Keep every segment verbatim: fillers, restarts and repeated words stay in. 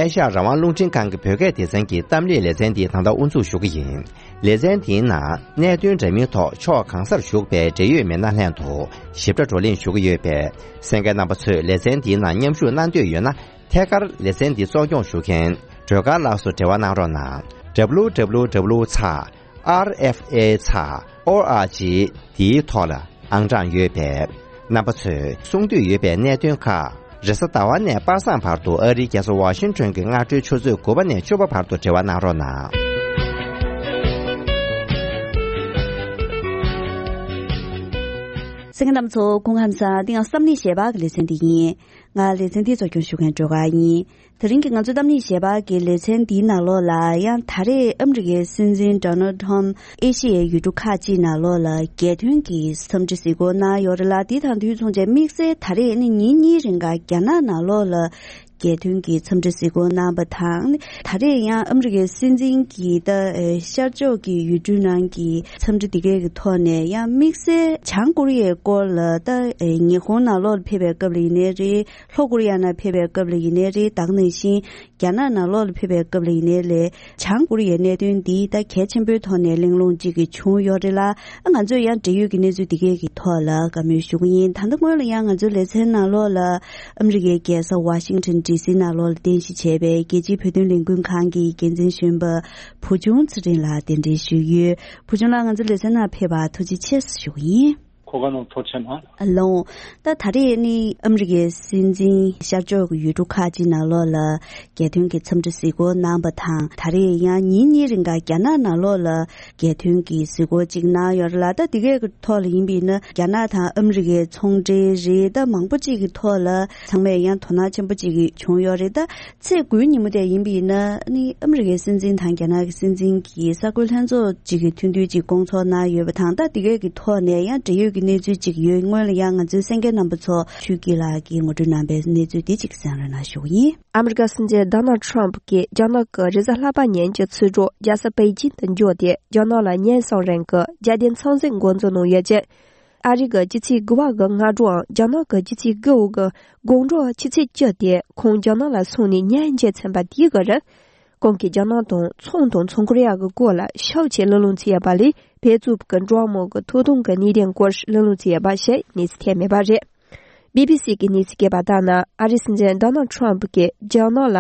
ཨེ་ཤ་ཡ་རང་དབང་རླུང་འཕྲིན་ཁང་གི་བོད་སྐད་སྡེ་ཚན་གྱི་གཏམ་གླེང་ལེ་ཚན་འདི་ད་ལྟ་དབུ་འཛུགས་ཞུ་གི་ཡིན། ལེ་ཚན་འདིའི་ནང་གནད་དོན་འདྲ་མིན་ཐོག་ཕྱོགས་གང་སར་བཞུགས་པའི་འབྲེལ་ཡོད་མི་སྣ་ལྷན་དུ་ཞིབ་ཕྲ་བགྲོ་གླེང་ཞུ་གི་ཡོད་པས། གསན་མཁན་རྣམ་པ་ཚོས་ལེ་ཚན་འདིའི་ནང་མཉམ་ཞུགས་གནང་འདོད་ཡོད་ན། ཐད་ཀར་ལེ་ཚན་འདི་གཙོ་སྐྱོང་ཞུ་མཁན་སྒྲོལ་དཀར་ལགས་སུ་འབྲེལ་བ་གནང་རོགས་གནང་། W W W ཚེག R F A ཚེག O R G འདིའི་ཐོག་ལ་ཨང་གྲངས་ཡོད་པས། རྣམ་པ་ཚོས་གསུང་འདོད་ཡོད་པའི་གནད་དོན་ཁག་རེས་གཟའ་ཟླ་བ་ནས་པ་སངས་བར་དུ་ཨ་རིའི་རྒྱལ་ས་ཝ་ཤིང་ཊོན་གྱི་སྔ་དྲོའི་ཆུ་ཚོད་དགུ་པ་ནས་བཅུ་པ་བར་དུ་འབྲེལ་བ་གནང་རོགས་གནང་། གསན་མཁན་རྣམ་ཚོ་སྐུ་ཁམས་བཟང་། འདི་ཡང་བསམ་གླིང་ཞལ་པར་གྱི་ལེ་ཚན་འདི་ཡིན། ང་ལེ་ཚན་འདི་གཙོ་སྐྱོང་ཞུ་མཁན་སྒྲོལ་དཀར་ཡིན། དེ་རིང་གི་ང་ཚོའི་གཏམ་གླེང་ཞལ་པར་གྱི་ལེ་ཚན་འདིའི་ནང་ལོགས་ལ་ཡང་ད་རེས་ཨ་མི་རི་ཀའི་སྲིད་འཛིན་Donald Trump ཨེ་ཤི་ཡའི་ཡུལ་གྲུ་ཁག་ཅིག་ནང་ལོགས་ལ་རྒྱལ་མཐུན་གྱི་འཚམས་འདྲི་གཟིགས་སྐོར་གནང་ཡོད་རེད་ལ། འདི་དང་དུས་མཚུངས་བྱས་དམིགས་བསལ་ད་རེས་ནི་ཉིན་གཉིས་རིང་ག་རྒྱ་ནག་ནང་ལོགས་ལ་རྒྱལ་མཐུན་གྱི་འཚམས་འདྲི་གཟིགས་སྐོར་གནང་བ་དང་། ད་རེས་ཡང་ཨ་མི་རི་ཀའི་སྲིད་འཛིན་གྱིས་ད་ཨེ་ཤར་ཕྱོགས་ཀྱི་ཡུལ་གྲུ་ནང་གི་འཚམས་འདྲི་འདི་གའི་གི་ཐོག་ནས་ཡང་དམིགས་བསལ་བྱང་ཀོ་རི་ཡའི་སྐོར་ལ་ད་ཨེ་ཉི་ཧོང་ནང་ལོགས་ལ་ཕེབས་པའི་སྐབས་ལ་ཡིན་ནའི་རེད། ལྷོ་ཀོ་རི་ཡ་ནང་ཕེབས་པའི་སྐབས་ལ་ཡིན་ནའི་རེད། ད་ག་ནང་བཞིན་རྒྱ་ནག་ནང་ལོགས་ལ་ཕེབས་པའི་སྐབས་ལ་ཡིན་ནའི་ལས་བྱང་ཀོ་རི་ཡའི་གནད་དོན་འདི་ད་གལ་ཆེན་པོའི་ཐོག་ནས་གླེང་སློང་གཅིག་གི་བྱུང་ཡོད་རེད་ལ། ཨ་ང་ཚོས་ཡང་འབྲེལ་ཡོད་ཀྱི་གནས་ཚུལ་འདི་གས་ཀྱི་ཐོག་ལ་བཀའ་མོལ་ཞུ་གི་ཡིན། ད་ལྟ་སྔོན་ལ་ཡང་ང་ཚོའི་ལེ་ཚན་ནང་ལོགས་ལ་ཨ་མི་རི་ཀའི་རྒྱལ་ས་ཝ་ཤིང་ཊོན་ཌི་སི་ནང་ལོགས་ལ་རྟེན་གཞི་བྱས་པའི་རྒྱལ་སྤྱིའི་བོད་དོན་ལས་འགུལ་ཁང་གི་འགན་འཛིན་གཞོན་པ་བུ་ཆུང་ཚེ་རིང་ལགས་གདན་འདྲེན་ཞུས་ཡོད། བུ་ཆུང་ལགས་ང་ཚོའི་ལེ་ཚན་ནང་ཕེབས་པར་ཐུགས་རྗེ་ཆེ་ཞུ་གི་ཡིན། གོ་སྐབས་གནང་ཐུགས་རྗེ་ཆེ་གནང་། ཨ་ལོ། ད་ད་རེས་ནི་ཨ་མི་རི་ཀའི་སྲིད་འཛིན་ཤར་ཕྱོགས་ཀྱི་ཡུལ་གྲུ་ཁག་ཅིག་ནང་ལོགས་ལ་རྒྱལ་མཐུན་གྱི་འཚམས་འདྲི་གཟིགས་སྐོར་གནང་བ་དང་། ད་རེས་ཡང་ཉིན་གཉིས་རིང་ག་རྒྱ་ནག་ནང་ལོགས་ལ་རྒྱལ་མཐུན་གྱི་གཟིགས་སྐོར་ཅིག་གནང་ཡོད་རེད་ལ། ད་འདི་གའི་ཐོག་ལ་ཡིན་པ་ཡིན་ན་རྒྱ་ནག་དང་ཨ་མི་རི་ཀའི་ཚོང་འབྲེལ་རེད། ད་མང་པོ་ཅིག་གི་ཐོག་ལ་ཚང་མས་ཡང་དོ་སྣང་ཆེན་པོ་ཅིག་བྱུང་ཡོད་རེད། ད་ཚེས་དགུའི་ཉིན་མོ་དེ་ཡིན་པ་ཡིན་ན་ནི་ཨ་མི་རི་ཀའི་སྲིད་འཛིན་དང་རྒྱ་ནག་གི་སྲིད་འཛིན་གྱིས་གསར་འགོད་ལྷན་ཚོགས་ཅིག་གི་ཐུགས་འདུན་ཅིག་བསྐོང་ཚོགས་གནང་ཡོད་པ་དང་། ད་འདི་གའི་གི་ཐོག་ནས་ཡང་འབྲེལ་ཡོད་ཀྱི་གནས་ཚུལ་ཅིག་ཡོད། སྔོན་ལ་ཡང་ང་ཚོའི་གསན་མཁན་རྣམ་པ་ཚོ་ཆོས་སྐྱིད་ལགས་ཀྱིས་ངོ་སྤྲོད་གནང་པའི་གནས་ཚུལ་དེ་ཅིག་གསན་རོགས་གནང་ཞུ་གི་ཡིན། ཨ་མི་རི་ཀ་སྲིད་འཛིན་ཌོ་ནལ་ཌི་ཊརམ་ཕ་གྱིས་རྒྱ་ནག་གི་རེས་གཟའ་ལྷག་པ་ཉིན་གྱི་ཚེས་དྲུག་རྒྱལ་ས་པེ་ཅིང་དུ་འབྱོར་ཏེ། རྒྱ་ནག་ལ་ཉེན་སྲུང་རིང་གི་རྒྱལ་བསྟན་མཚམས་འཛིན་འགོ་འཛུགས་གནང་ཡོད་ཅིང་། ཨ་རི་གི་ཕྱི་ཚེས་དགུ་པ་གི་སྔ་དྲོའམ་རྒྱ་ནག་གི་ཕྱི་ཚེས་དགུ་པ་གི་དགོང་དྲོ་ཆུ་ཚོད་བཅུ་དེ་ཁོང་རྒྱ་ནག་ལ་སོང་ནས་ཉིན་བརྒྱད་ཚན་པ་དེའི་གི་རིང་། ཁོང་གིས་རྒྱ་ནག་དང་ཚོང་དང་ཚོང་ཁོར་ཡ་གི་སྐོར་ལ་ཤུགས་ཆེ་གླེང་སློང་བྱས་ཡོད་པ་ལས། བལ་གཙུག་གི་འགྲོ་བ་མིའི་གི་ཐོབ་ཐང་གི་གནད་དོན་སྐོར་གླེང་སློང་བྱས་ཡོད་པ་ཞིག་གནས་ཚུལ་ཐོན་མེད་པ་རེད། བི་བི་སི་གི་གནས་ཚུལ་སྐྱེལ་བ་ལྟར་ན། ཨ་རིའི་སྲིད་འཛིན་ཌོ་ནལ་ཌི་ཊརམ་ཕ་གིས་རྒྱ་ནག་ལ་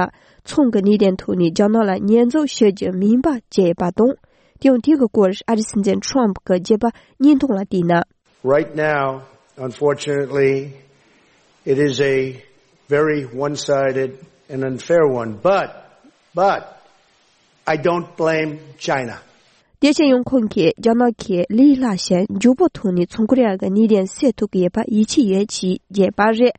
ཚོང་གི་གནད་དོན་ཐོག་ནས་རྒྱ་ནག་ལ་ཉེས་འཛུགས་ཞུ་རྒྱུ་མིན་པ་བྱས་ཡོད་པ་དང་། དེ་ཡང་དེ་གི་སྐོར་ཨ་རིའི་སྲིད་འཛིན་ཊརམ་ཕ་གི་རྒྱུད་པ་བརྙན་ཐུང་ལ་བལྟས་ན། Right now, unfortunately, it is a very one-sided and unfair one, but, but I don't blame China. དེ་བཞིན་ཡང་ཁོང་གིས་རྒྱ་ནག་གིས་ལས་སླ་ཞིང་མགྱོགས་པོ་ཐོག་ནས་ཚོང་ཁོར་ཡ་གི་གནད་དོན་སེལ་ཐུབ་ཀྱི་ཡོད་པར་ཡིད་ཆེས་ཡོད་ཅེས་བརྗོད་པ་རེད།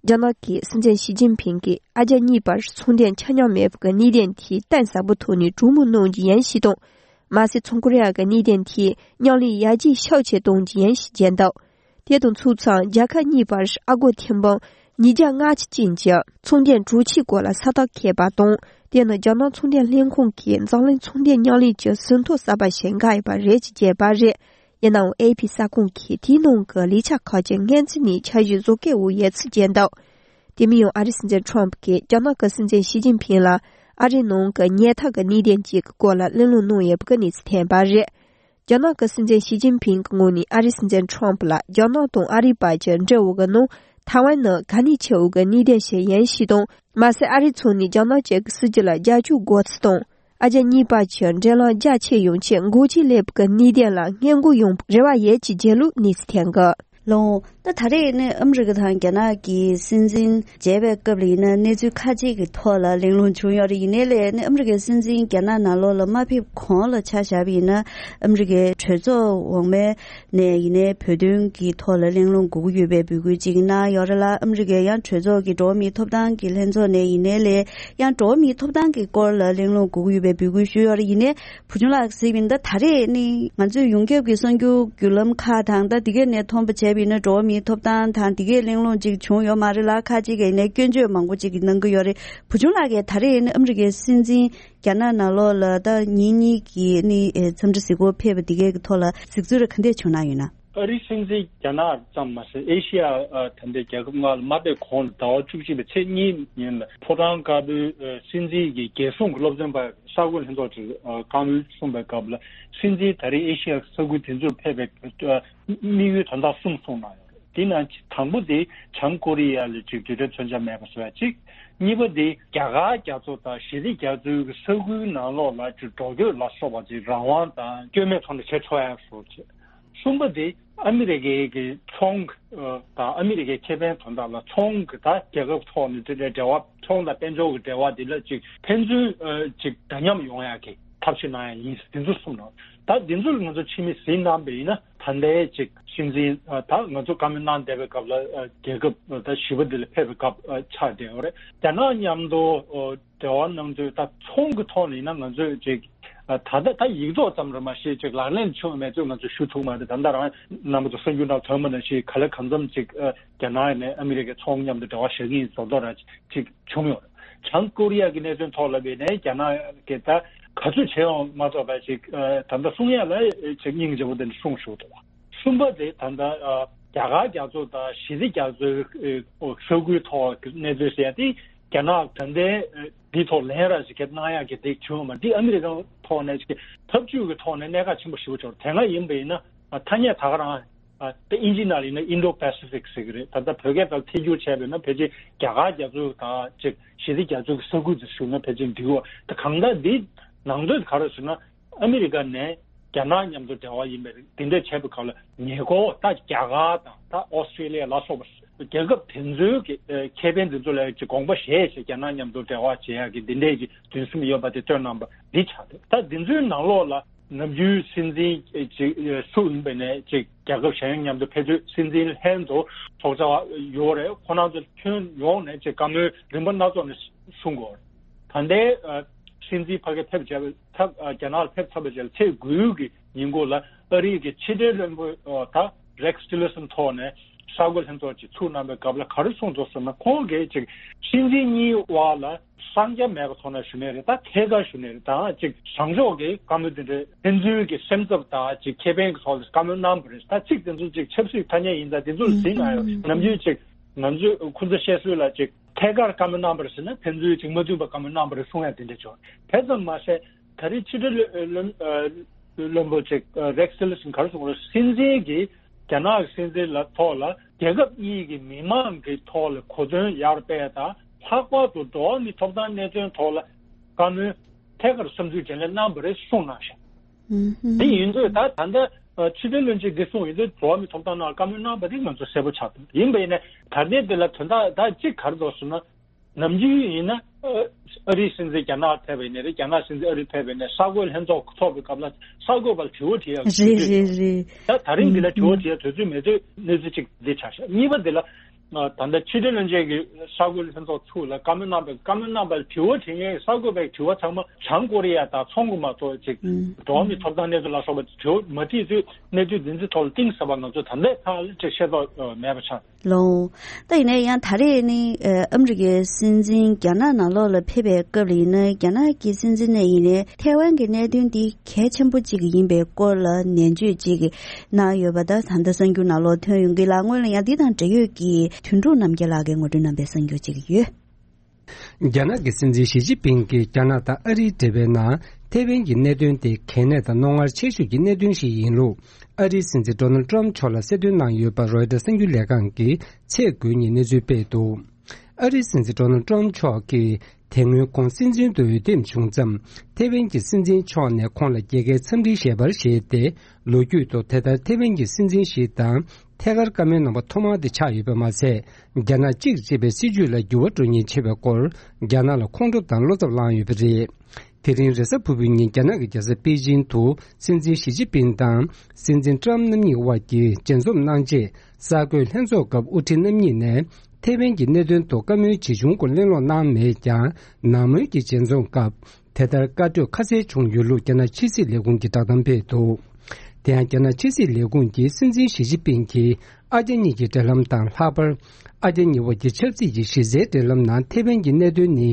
རྒྱ་ནག་གི་སྲིད་འཛིན་ཞི་ཅིན་ཕིང་གིས་ཨ་རྒྱ་གཉིས་བར་ཚོང་དོན་ཆ་མཉམ་མེད་པའི་གནད་དོན་དེ་གཏིང་ཟབ་པོའི་ཐོག་ནས་གྲོས་མོལ་གནང་རྒྱུ་ཡིན་ཞེས་དང་། མ་ཟད་ཚོང་ཁོར་ཡ་གི་གནད་དོན་དེ་མཉམ་ལས་ཡར་རྒྱས་ཤུགས་ཆེ་གཏོང་རྒྱུ་ཡིན་ཞེས་བརྗོད་འདུག་དེ་དང་ཚུགས་མཚམས་རྒྱལ་ཁབ་གཉིས་བར་ཨ་སྒོར་ཐེར་འབུམ་ཉིས་བརྒྱ་ལྔ་བཅུ་ཅན་གྱི་ཚོང་དོན་གྲོས་ཆོད་སྐོར་ལ་ས་རྟགས་འཁེལ་བ་དང་། དེ་ནི་རྒྱ་ནག་ཚོང་དོན་ལྷན་ཁང་གིས་འཛམ་གླིང་ཚོང་དོན་མཉམ་ལས་ཀྱི་ཟིན་ཐོ་གསར་པ་ཞིག་འགོད་ཡོད་པ་རེད་ཅེས་བརྗོད་པ་རེད། ཡིན་ནའང་ཨེ་ཨེ་ཕི་གསར་ཁང་གིས་དེའི་ནང་གི་ལས་འཆར་ཁག་ཅིག་སྔོན་རྩིས་ནས་འཆར་གཞི་བཟོ་གལ་འོག་ཡོད་ཚུལ་བརྗོད་འདུག་དེ་མིན་ཡང་ཨ་རིའི་སྲིད་འཛིན་ཊརམ་ཕ་གིས་རྒྱ་ནག་གི་སྲིད་འཛིན་ཞི་ཅིན་ཕིང་ལ་ཨ་རིའི་ནང་གི་ཉེན་རྟོག་གི་གནད་དོན་གཅིག་གི་སྐོར་ལ་གླེང་སློང་གནང་ཡོད་པའི་གནས་ཚུལ་ཐོན་པ་རེད། རྒྱ་ནག་གི་སྲིད་འཛིན་ཞི་ཅིན་ཕིང་གི་ངོས་ནས་ཨ་རིའི་སྲིད་འཛིན་ཊརམ་ཕ་ལ་རྒྱ་ནག་དང་ཨ་རིའི་བར་གྱི་འབྲེལ་བ་གི་ནང་ཐའེ་ཝན་ནི་གལ་གནད་ཆེ་བའི་གནད་དོན་ཞིག་ཡིན་ཞེས་དང་། མ་ཟད་ཨ་རིའི་ཕྱོགས་ནས་རྒྱ་ནག་བཅས་ཀྱི་སྲིད་ཇུས་ལ་རྒྱབ་སྐྱོར་དགོས་ཚུལ་དང་། ཨ་རྒྱ་གཉིས་བར་གྱི་འབྲེལ་ལམ་རྒྱ་ཆེ་ཡོང་ཆེད་འགོག་རྐྱེན་སླེབས་པའི་གནད་དོན་ལ་སྔོན་འགོག་ཡོང་བའི་རེ་བ་ཡོད་ཅེས་བརྗོད་ལུགས་གནས་ཚུལ་ཐོན་གི། ལགས། ད་ད་རེས་ནི་ཨ་མི་རི་ཀ་དང་རྒྱ་ནག་གི་སྲིད་འཛིན་མཇལ་བའི་སྐབས་ལ་ཡིན་ན་གནས་ཚུལ་ཁ་ཅིག་གི་ཐོག་ལ་གླེང་སློང་བྱུང་ཡོད་རེད། ཡིན་ནའི་ལས་ནི་ཨ་མི་རི་ཀའི་སྲིད་འཛིན་རྒྱ་ནག་ནང་ལོགས་ལ་མ་ཕེབས་གོང་ལ་ཆ་བཞག་པ་ཡིན་ན་ཨ་མི་རི་ཀའི་གྲོས་ཚོགས་འོག་མའི་ནས་ཡིན་ནའི་བོད་དོན་གྱི་ཐོག་ལ་གླེང་སློང་དགོས་ཀྱི་ཡོད་པའི་འབོད་སྐུལ་ཅིག་གནང་ཡོད་རེད་ལ། ཨ་མི་རི་ཀའི་ཡང་གྲོས་ཚོགས་ཀྱི་འགྲོ་བ་མིའི་ཐོབ་ཐང་གི་ལྷན་ཚོགས་ནས་ཡིན་ནའི་ལས་ཡང་འགྲོ་བ་མིའི་ཐོབ་ཐང་གི་སྐོར་ལ་གླེང་སློང་དགོས་ཀྱི་ཡོད་པའི་འབོད་སྐུལ་ཞུས་ཡོད་རེད། ཡིན་ནའི་བུ་ཆུང་ལགས་གཟིགས་པ་ཡིན་ན་ད་རེས་ནི་ང་ཚོས་ཡོངས་ཁྱབ་ཀྱི་གསར་འགྱུར་བརྒྱུད་ལམ་ཁག་དང་ད་དེ་གའི་ནས་མཐོང་པ་བྱས་པ་ཡིན་ན་འགྲོ་བ་མིའི་ཐོབ་ཐང་དང་དེ་གའི་གླེང་སློང་ཅིག་བྱུང་ཡོད་མ་རེད་ལ། ཁག་ཅིག་གིས་ནས་སྐྱོན་བརྗོད་མང་པོ་ཅིག་གིས་གནང་གི་ཡོད་རེད། བུ་ཆུང་ལགས་ཀྱིས་ད་རེས་ནི་ཨ་མི་རི་ཀའི་སྲིད་འཛིན་རྒྱ་ནག་ནང་ལོགས་ལ་ད་ཉིན་གཉིས་ཀྱི་ནི་ཨེ་འཚམས་འདྲི་གཟིགས་སྐོར་ཕེབས་པ་དེ་གའི་གི་ཐོག་ལ་གཟིགས་ཚུལ་རེ་ག་འདྲས་བྱུང་གནང་ཡོད་ན། ཨ་རིའི་སྲིད་འཛིན་རྒྱ་ནག་ཙམ་མ་ཟད། ཨེ་ཤི་ཡ་ཨ་ད་ལྟའི་རྒྱལ་ཁབ་ལྔ་ལ་མ་ཕེབས་གོང་ལ་ཟླ་བ་བཅུ་གཅིག་པའི་ཚེས་གཉིས་ཉིན་ལ་ཕོ་བྲང་དཀར་པོའི་ཨ་སྲིད་འཛིན་གྱི་རྒྱལ་སྲུང་གི་སློབ་སྟོན་པ་གསར་འགོད་ལྷན་ཚོགས་ཀྱི་ཨ་བཀའ་མོལ་གསུངས་པའི་སྐབས་ལ། སྲིད་འཛིན་ད་རེས་ཨེ་ཤི་ཡ་ས་ཁུལ་དེ་ཚོར་ཕེབས་པའི་ཨ་དམིགས་ཡུལ་དོན་དག་གསུམ་གསུངས་གནང་ཡོད་རེད། དེ་ནང་དང་པོ་དེ་བྱང་ཀོ་རི་ཡ་ལ་ཅིག་རྡུལ་ཕྲན་མཚོན་ཆ་མེད་པ་བཟོ་ཡ་གཅིག་གཉིས་པ་དེ་རྒྱ་གར་རྒྱ་མཚོ་དང་ཞི་བདེ་རྒྱ་མཚོའི་ས་ཁུལ་ནང་ལོགས་ལ་ཅིག་འགྲོ་སྐྱོད་ལ་སོགས་པ་ཅིག་རང་དབང་དང་སྐྱོན་མེད་ཐོག་ནས་བྱེད་ཆོག་ཡ་བཟོ་བྱེད། གསུམ་པ་དེ་ཨ་མི་རི་ཀའི་གི་ཚོང་གི་ཨ་དང་ཨ་མི་རི་ཀའི་ཁེ་ཕན་དོན་དག་ལ། ཚོང་གི་ད་རྒྱལ་ཁབ་ཐོག་ནས་དེ་འདྲའི་འབྲེལ་བ། ཚོང་དང་དཔལ་འབྱོར་གྱི་འབྲེལ་བ་དེ་ལ་ཅིག་ཕན་ཚུན་ཨ་ཅིག་འདྲ་མཉམ་ཡོང་ཡ་གི་ཐབས་ཤེས་གནང་ཡ་ཡིན། དེ་ཚོ་གསུངས་གནང་། ད་དེ་ཚོ་ལ་ང་ཚོ་ཕྱི་མིག་གཟིགས་གནང་པ་ཡིན་ན། ད་ལྟའི་ཅིག་སྲིད་འཛིན་ཨ་ད་ང་ཚོ་བཀའ་མོལ་གནང་བསྡད་པའི་སྐབས་ལ་ཨ་རྒྱལ་ཁབ་ཨ་ད་བཞི་པ་འདི་ལ་ཕེབས་པའི་སྐབས་ཨ་ཆགས་བསྡད་ཡོད་རེད། རྒྱ་ནག་མཉམ་དུ་ཨ་འབྲེལ་བ་གནང་དུས། ད་ཚོང་གི་ཐོག་ནས་ཡིན་ན་ང་ཚོས་ཅིག་ཨ་ད་ལྟ་ད་ཡིག་ཐོག་ཙམ་རེད། མ་གཞི་ཅིག་ལག་ལེན་བྱུང་མེད་ཚུལ་ང་ཚོས་ཞུ་ཐུབ་མ་རེད། ད་ལྟ་རང་རྣམ་པ་ཚོ་གསར་འགྱུར་ནང་ཐོན་པ་ནང་བཞིན། ག་ལེ་གང་འཚམ་ཅིག་ཨ་རྒྱ་ནག་ནས་ཨ་མི་རི་ཀའི་ཚོང་མཉམ་དུ་འབྲེལ་བ་བཞག་གི་ཡིན་བཟོ་ལྟ་ར་ཅིག་བྱུང་ཡོད་རེད། བྱང་ཀོ་རི་ཡ་གི་གནད་དོན་ཐོག་ལ་བྱས་ནས་རྒྱ་ནག་གིས་ད་ག་ཚོད་བྱས་ཡོང་མ་གཏོགས་པ་ཅིག་ཨ་ད་ལྟ་གསུང་ཡ་ལ་ཅིག་སྙིང་རྗེ་པོ་དེ་འདྲ་གསུངས་བཞག་འདུག་བ། གསུམ་པ་དེ་ད་ལྟ་ཨ་རྒྱ་གར་རྒྱ་མཚོ་དང་ཞི་བདེ་རྒྱ་མཚོའི་ཨ་ས་ཁུལ་ཐོག་གི་གནས་ཚུལ་ཟེར་ཡ་དེ། རྒྱ་ནག་ད་ལྟའི་ཨ་འདི་ཐོག་ལན་ར་ཞིག་གནང་ཡ་གི་དེ་བྱུང་མ། འདི་ཨ་མི་རི་ཀ་ཐོག་ནས་ཅིག་འཐབ་ཇུས་ཀྱི་ཐོག་ནས་གནད་འགག་ཆེན་པོ་ཞེ་པོ་ཅིག་རེད། དེ་སྔ་ཡིན་པ་ཡིན་ན་ཨ་ཐ་སྙད་ད་ག་རང་ཨ་ད་དབྱིན་ཇི་ནང་ལ་ཡིན་ན་Indo-Pacific་ཟེར་གི་རེད། ད་ལྟ་བོད་སྐད་ལ་ཐད་སྒྱུར་བྱས་པ་ཡིན་ན་ཕལ་ཆེར་རྒྱ་གར་རྒྱ་མཚོ་དང་ཅིག་ཞི་བདེ་རྒྱ་མཚོ་གི་ས་ཁུལ་དེ་ཞུ་ན་ཕལ་ཆེར་འགྲིག་གོ། ད་གང་ལྟར་འདི་ནང་དོན་ག་རེ་ཟེར་ན། ཨ་མི་རི་ཀ་ནས་རྒྱ་ནག་མཉམ་དུ་འབྲེལ་བ་ཡིན་པའི་དེ་འདྲ་བྱས་པའི་སྐབས་ལ། ཉེ་འཁོར་ད་རྒྱ་གར་དང་ད་ཨོ་སི་ཀྲི་ལི་ཡ་ལ་སོགས་པ་རྒྱལ་ཁབ་དེ་ཚོའི་གི་ཨ་ཁེ་ཕན་དེ་ཚོ་ལ་ཅིག་དགོངས་པ་བཞེས་བྱས་རྒྱ་ནག་མཉམ་དུ་འབྲེལ་བ་བྱེད་ཡག་གི་འདི་འདྲའི་གི་འདུན་སེམས་ཡོད་པ་དེ་སྟོན་གནང་པ་འདི་ཆགས་འདུག་ད་འདི་ཚོའི་ནང་ལོགས་ལ་ནམ་རྒྱུན་སྲིད་འཛིན་ཅིག་སུ་ཡིན་པ་ནས་ཅིག་རྒྱལ་ཁབ་གཞན་མཉམ་དུ་ཕེབས་དུས། སྲིད་འཛིན་ལྷན་དུ་ཚོགས་བཅར་ཡོད་རེད། ཁོང་རྣམ་ཚོ་ཁྱོན་ཡོངས་ནས་ཅིག་བཀའ་མོལ་རིམ་པ་སྣ་ཚོགས་ནས་གསུང་དགོས་རེད། ད་ལྟའི་ཨ་སྲིད་འཛིན་ཕ་གིར་ཕེབས་བྱས་པའི་ཐབས། ཨ་རྒྱ་ནག་ལ་ཕེབས་ཚར་བའི་རྗེས་ལ་ཚེས་དགུའི་གི་ཉིན་གུང་ལ་ཨ་རིའི་གི་ཕྱི་དྲིལ་བློན་པོ་ཨ་ད་Rex Tillerson་ཐོག་ནས་གསར་འགོད་ལྷན་ཚོགས་ཅིག་ཚུགས་གནང་པའི་སྐབས་ལ་ག་རེ་གསུངས་འདུག་ཟེར་ན། ཁོང་གིས་ཅིག་སྲིད་འཛིན་གཉིས་བར་ལ་གསང་རྒྱ་མེད་པའི་ཐོག་ནས་ཞུ་ནའི་རེད། ད་ཐད་ཀར་ཞུ་ནའི་རེད། ད་ཅིག་བཟང་ཕྱོགས་ཀྱི་བཀའ་མོལ་དེ་འདྲའི་ཕན་ཚུན་གྱི་སེམས་འཚབ་དང་ཅིག་ཁེ་ཕན་གྱི་ཐོག་ལ་བཀའ་མོལ་གནང་བ་རེད། ད་ཚིག་དེ་ཚོ་ཅིག་ཆབ་སྲིད་ཐ་སྙད་ཡིན་ཙང་དེ་ཚོ་ལ་གཟིགས་ན་ཡང་། ནམ་རྒྱུན་ཅིག་ང་ཚོས་ཁོ་ཚོ་བཤད་སྲོལ་ལ་ཅིག་ཐད་ཀར་བཀའ་མོལ་གནང་བ་རེད་ཟེར་ན། ཕན་ཚུན་ཅིག་མ་མཐུན་པ་བཀའ་མོལ་གནང་བ་རེད་གསུང་ཡ་དེ་འདྲ་བྱུང་། དེ་ཙམ་མ་ཟད། ད་རེས་ཕྱི་དྲིལ་བློན་བློན་པོ་ཅིག་Rex Tillerson་ག་རེ་གསུངས་རེད། སྲིད་འཛིན་གྱིས་རྒྱ་ནག་གི་སྲིད་འཛིན་ལ་ཐོག་ལ་རྒྱལ་ཁབ་གཉིས་ཀྱི་མི་མང་གི་ཐོག་ལ་གོ་མཚོན་ཡར་སྤེལ་དང་། ལྷག་པར་དུ་འགྲོ་བ་མིའི་ཐོབ་ཐང་གནད་དོན་ཐོག་ལ་བཀའ་མོལ་ཐད་ཀར་བསམ་ཚུལ་བརྗེ་ལེན་གནང་བ་རེད་གསུངས་གནང་ཞིང་། དེ་ཡིན་དུས་ད་ད་ལྟ་ཕྱི་དྲིལ་བློན་ཆེན་འདི་གསུངས་ཡོད་དུས། འགྲོ་བ་མིའི་ཐོབ་ཐང་ནང་བཀའ་མོལ་གནང་བ་དེ་ང་ཚོ་གསལ་པོ་ཆགས་འདུག་ཡིན་པ་ཡིན་ན་ད་ལྟའི་འདི་ལ་དོན་དག་ད་གཅིག་ག་རེ་འདུག་ཟེར་ན། ནམ་རྒྱུན་ཡིན་ན་ཨ་རིའི་སྲིད་འཛིན་རྒྱ་ནག་ཕེབས་པ་ཡིན་ནའི་རེད། རྒྱ་ནག་སྲིད་འཛིན་ཨ་རི་ཕེབས་པ་ཡིན་ནའི་གསར་འགོད་ལྷན་ཚོགས་ཚོགས་པའི་སྐབས་ལ་གསར་འགོད་པར་དྲི་བ་དྲི་ཡག་དུས་ཚོད་ཡོད། རེད་རེད། ད་ད་རིང་འདི་ལ་དྲི་བ་དྲི་ཡག་དུས་ཚོད་མེད་དུས་གནས་ཚུལ་གཅིག་འདི་ཆགས་ཤག་གཉིས་པ་འདི་ལ་ད་ལྟ་ཕྱི་དྲིལ་བློན་ཆེན་གྱིས་གསར་འགོད་ལྷན་ཚོགས་ཚུགས་ལ་བཀའ་མོལ་གནང་པའི། བཀའ་མོལ་གནང་པར་དྲི་བ་དྲི་མཁན་གྱི་གསར་འགོད་པའི་དྲི་བ་ཚང་མ་བྱང་ཀོ་རི་ཡ་དང་ཚོང་གི་མ་གཏོགས་ཅིག་འགྲོ་བ་མིའི་ཐོབ་ཐང་གནས་ཚུལ་ལ་སོགས་པ་དྲི་བ་མ་དྲིས་དུས། གནས་ཚུལ་འདི་ཚོའི་ཐོག་ལ་གཏིང་ཟབ་པ་ང་ཚོ་ད་ལྟའི་ཐང་ལ་ཅིག་ཤེས་རྟོགས་མེད་པ་ཆགས། ལོ། ད་ཡིན་ན་ཡང་ད་རེས་ནི་ཨ་ཨ་མི་རི་ཀའི་སྲིད་འཛིན་རྒྱ་ནག་ནང་ལོགས་ལ་ཕེབས་པའི་སྐབས་ལ་ཡིན་ན། རྒྱ་ནག་གི་སྲིད་འཛིན་ནས་ཡིན་ནའི་ཐའེ་ཝན་གྱི་གནད་དོན་འདི་གལ་ཆེན་པོ་གཅིག་ཡིན་པའི་སྐོར་ལ་ནན་བརྗོད་ཅིག་གནང་ཡོད་པ་ད་ད་ལྟ་གསར་འགྱུར་ནང་ལོགས་ཐོན་ཡོང་གི་ལ། སྔོན་ལ་ཡང་འདི་དང་འབྲེལ་ཡོད་ཀྱི་དོན་གྲུབ་རྣམ་རྒྱལ་ལགས་ཀྱིས་ངོ་སྤྲོད་གནང་པའི་གསར་འགྱུར་ཅིག་ཡོད། རྒྱ་ནག་གི་སྲིད་འཛིན་ཞི་ཅིན་ཕིང་གིས་རྒྱ་ནག་དང་ཨ་རིའི་འབྲེལ་བའི་ནང་ཐའེ་ཝན་གྱི་གནད་དོན་དེ་གལ་གནད་དང་རྣོ་ངར་ཆེ་ཤོས་ཀྱི་གནད་དོན་ཞིག་ཡིན་ལུགས། ཨ་རིའི་སྲིད་འཛིན་ཌོ་ནལ་ཌི་ཊརམ་ཕི་མཆོག་ལ་གསལ་སྟོན་གནང་ཡོད་པ་རོའི་ཊར་གསར་འགྱུར་ལས་ཁང་གིས་ཚེས་དགུ་ཉིན་གནས་ཚུལ་སྤེལ་འདུག་ཨ་རིའི་སྲིད་འཛིན་ཌོ་ནལ་ཌི་ཊརམ་ཕི་མཆོག་གིས་དེ་སྔོན་ཁོང་སྲིད་འཛིན་དུ་འོས་འདེམས་བྱུང་མཚམས། ཐའེ་ཝན་གྱི་སྲིད་འཛིན་མཆོག་ནས་ཁོང་ལ་རྒྱལ་ཁའི་འཚམས་འདྲིའི་ཞལ་པར་བཞེས་ཏེ། ལོ་རྒྱུས་ཐོག་དེ་ལྟར་ཐའེ་ཝན་གྱི་སྲིད་འཛིན་ཞིག་དང་ཐད་ཀར་བཀའ་མོལ་གནང་པ་ཐོག་མ་དེ་ཆགས་ཡོད་པ་མ་ཟད། རྒྱ་ནག་གཅིག་ཅེས་པའི་སྲིད་ཇུས་ལ་འགྱུར་བ་འགྲོ་ཉེན་ཆེ་བའི་སྐོར། རྒྱ་ནག་ལ་ཁོང་ཁྲོ་དང་བློ་འཚབ་ལངས་ཡོད་པ་རེད། དེ་རིང་རེས་གཟའ་ཕུར་བུའི་ཉིན་རྒྱ་ནག་གི་རྒྱལ་ས་པེ་ཅིང་དུ་སྲིད་འཛིན་ཞི་ཅིན་ཕིང་དང་སྲིད་འཛིན་ཀྲམ་རྣམ་གཉིས་དབར་གྱི་མཇལ་འཛོམས་གནང་རྗེས། གསར་འགོད་ལྷན་ཚོགས་སྐབས་དབུ་ཁྲིད་རྣམ་གཉིས་ནས་ཐའེ་ཝན་གྱི་གནད་དོན་ཐོག་བཀའ་མོལ་ཇི་བྱུང་སྐོར་གླེང་སློང་གནང་མེད་ཀྱང་། ནང་མོལ་གྱི་མཇལ་འཛོམས་སྐབས་དེ་ལྟར་བཀའ་གྲོས་ཁ་གསལ་བྱུང་ཡོད་ལུགས་རྒྱ་ནག་ཕྱི་སྲིད་ལས་ཁུངས་ཀྱིས་བསྒྲགས་གཏམ་སྤེལ་འདུག་དེ་ཡང་རྒྱ་ནག་ཕྱི་སྲིད་ལས་ཁུངས་ཀྱིས་སྲིད་འཛིན་ཞི་ཅིན་ཕིང་གིས་ཨ་རྒྱ་གཉིས་ཀྱི་འབྲེལ་ལམ་དང་། ལྷག་པར་ཨ་རྒྱ་གཉིས་དབར་གྱི་ཆབ་སྲིད་ཀྱི་གཞི་རྩའི་འབྲེལ་ལམ་ནང་ཐའེ་ཝན་གྱི་གནད་དོན་ནི་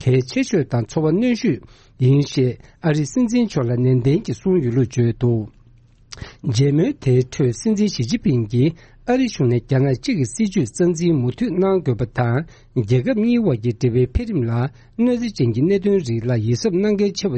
གལ་ཆེ་ཤོས་དང་ཚོར་བ་གནོན་ཤོས་ཡིན་ཞེས་ཨ་རིའི་སྲིད་འཛིན་མཆོག་ལ་ནན་ཏན་གྱིས་གསུངས་ཡོད་ལུགས་བརྗོད་འདུག་མཇལ་མོལ་དེའི་ཁྲོད་སྲིད་འཛིན་ཞི་ཅིན་ཕིང་གིས་ཨ་རི་གཞུང་ནས་རྒྱ་ནག་གཅིག་གི་སྲིད་ཇུས་རྩ་འཛིན་མུ་མཐུད་གནང་དགོས་པ་དང་། རྒྱལ་ཁབ་གཉིས་དབར་གྱི་འབྲེལ་བའི་འཕེལ་རིམ་ལ་གནོད་འཚེ་ཅན་གྱི་གནད་དོན་རིགས་ལ་ཡིད་གཟབ་གནང་གལ་ཆེ་བ་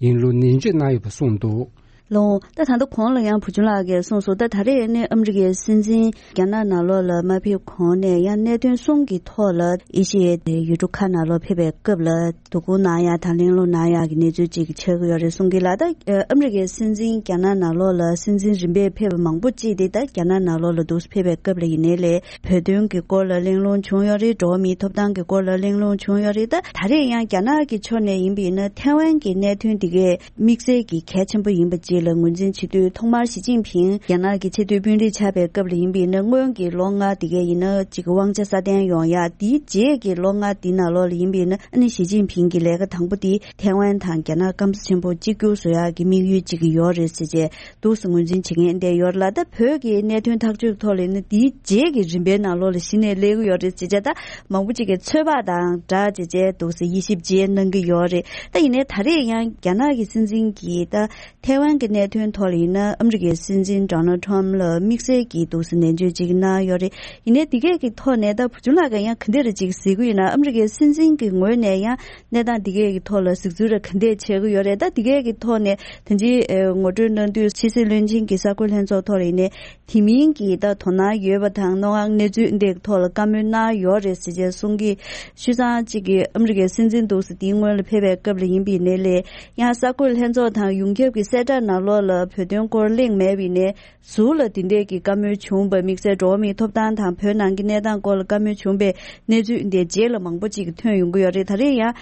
ཡིན་ལུགས་ནན་བརྗོད་གནང་ཡོད་པ་གསུངས་འདུག། ལོ། ད་ད་ལྟ་གོང་ལ་ཡང་བུ་ཆུང་ལགས་ཀྱིས་གསུངས་སོང་། ད་ད་རེས་ནི་ཨ་མི་རི་ཀའི་སྲིད་འཛིན་རྒྱ་ནག་ནང་ལོགས་ལ་མ་ཕེབས་གོང་ནས་ཡང་གནད་དོན་གསུམ་གྱི་ཐོག་ལ་ཨེ་ཤི་ཡའི་ཡུལ་གྲུ་ཁག་ནང་ལོགས་ཕེབས་པའི་སྐབས་ལ་དོ་ཁུར་གནང་ཡག་དང་གླེང་སློང་གནང་ཡག་གི་གནས་ཚུལ་ཅིག་ཆགས་ཀྱི་ཡོད་རེད་གསུང་གི་ལ། ད་ཨ་མི་རི་ཀའི་སྲིད་འཛིན་རྒྱ་ནག་ནང་ལོགས་ལ་སྲིད་འཛིན་རིམ་པས་ཕེབས་པ་མང་པོ་ཅིག་དེ་ད་རྒྱ་ནག་ནང་ལོགས་ལ་འདུག་ཕེབས་པའི་སྐབས་ལ་ཡིན་ནའི་ལས་བོད་དོན་གྱི་སྐོར་ལ་གླེང་སློང་བྱུང་ཡོད་རེད། འགྲོ་བ་མིའི་ཐོབ་ཐང་གི་སྐོར་ལ་གླེང་སློང་བྱུང་ཡོད་རེད། ད་ད་རེས་ཡང་རྒྱ་ནག་གི་ཕྱོགས་ནས་ཡིན་པ་ཡིན་ན་ཐའེ་ཝན་གྱི་གནད་དོན་དེ་གས་དམིགས་བསལ་གྱི་གལ་ཆེན་པོ་ཡིན་པ་བཅས་ལ་ངོས་འཛིན་བྱེད་དུས། ཐོག་མར་ཞི་ཅིན་ཕིང་རྒྱ་ནག་གི་ཆེས་མཐོའི་དཔོན་རིགས་ཆགས་པའི་སྐབས་ལ་ཡིན་པ་ཡིན་ན་སྔོན་གྱི་ལོ་ལྔ་དེ་གས་ཡིན་ན་ཅིག་དབང་ཆ་སྲ་བརྟན་ཡོང་ཡག་དེའི་རྗེས་ཀྱི་ལོ་ལྔ་དེ་ནང་ལོགས་ལ་ཡིན་པ་ཡིན་ན་ཨ་ནི་ཞི་ཅིན་ཕིང་གི་ལས་ཀ་དང་པོ་དེ་ཐའེ་ཝན་དང་རྒྱ་ནག་སྐམ་ས་ཆེན་པོ་གཅིག་གྱུར་བཟོ་ཡག་གི་དམིགས་ཡུལ་ཅིག་ཡོད་རེད་ཟེར་བྱས་འདུག་སེ་ངོས་འཛིན་བྱེད་མཁན་དེ་ཡོད་རེད་ལ། ད་བོད་ཀྱི་གནད་དོན་ཐག་གཅོད་ཐོག་ལ་ཡིན་ན་དེའི་རྗེས་ཀྱི་རིམ་པའི་ནང་ལོགས་ལ་གཞི་ནས་སླེབས་ཀྱི་ཡོད་རེད་ཟེར་བྱས། ད་མང་པོ་ཅིག་གིས་ཚོད་དཔག་དང་སྦྲགས་བྱས་བྱས་འདུག་སེ་དབྱེ་ཞིབ་བྱས་གནང་གི་ཡོད་རེད། ད་ཡིན་ནའི་ད་རེས་ཡང་རྒྱ་ནག་གི་སྲིད་འཛིན་གྱིས་ད་ཐའེ་ཝན་གྱི་གནད་དོན་ཐོག་ལ་ཡིན་ན་ཨ་མི་རི་ཀའི་སྲིད་འཛིན་ཌོ་ནལ་ཊམ་ལ་དམིགས་བསལ་གྱིས་འདུག་སེ་ནན་བརྗོད་ཅིག་གནང་ཡོད་རེད། ཡིན་ནའི་འདི་གས་ཀྱི་ཐོག་ནས་ད་བུ་ཆུང་ལགས་ཀྱིས་ཡང་ག་འདྲ་རེ་ཅིག་གཟིགས་ཀྱི་ཡོད་ན། ཨ་མི་རི་ཀའི་སྲིད་འཛིན་གྱི་ངོས་ནས་ཡང་གནས་སྟངས་འདི་གས་ཀྱི་ཐོག་ལ་གཟིགས་ཚུལ་རེ་ག་འདྲ་བྱེད་ཀྱི་ཡོད་རེད། ད་འདི་གས་ཀྱི་ཐོག་ནས་ད་ཅི་ངོ་སྤྲོད་གནང་དུས་ཕྱི་སྲིད་བློན་ཆེན་གྱི་གསར་འགོད་ལྷན་ཚོགས་ཐོག་ལ་ཡིན་ནའི་དེ་མིན་གྱི་ད་དོ་སྣང་ཡོད་པ་དང་རྣོ་ངར་གནས་ཚུལ་འདི་གི་ཐོག་ལ་བཀའ་མོལ་གནང་ཡོད་རེད་ཟེར་བྱས་གསུང་གི། ཤུལ་ཙང་གཅིག་གིས་ཨ་མི་རི་ཀའི་སྲིད་འཛིན་འདུག་སེ་དེའི་སྔོན་ལ་ཕེབས་པའི་སྐབས་ལ་ཡིན་པ་ཡིན་ནའི་ལས་ཡང་གསར་འགོད་ལྷན་ཚོགས་དང་ཡོངས་ཁྱབ་ཀྱི་གསལ་བསྒྲགས་ནང་ལོགས་ལ་བོད་དོན་སྐོར་གླེང་མེད་པ་ཡིན་ནའི་ཟུར་ལ་དེ་འདྲས་ཀྱི་བཀའ་མོལ་བྱུང་བ། དམིགས་བསལ་འགྲོ་བ་མིའི་ཐོབ་ཐང་དང་བོད་ནང་གི་གནས་སྟངས་སྐོར་ལ་བཀའ་མོལ་བྱུང་བའི་གནས་ཚུལ་འདི་རྗེས་ལ་མང་པོ་ཅིག་ཐོན་ཡོང་གི་ཡོད་རེད། ད་རེས་ཡང་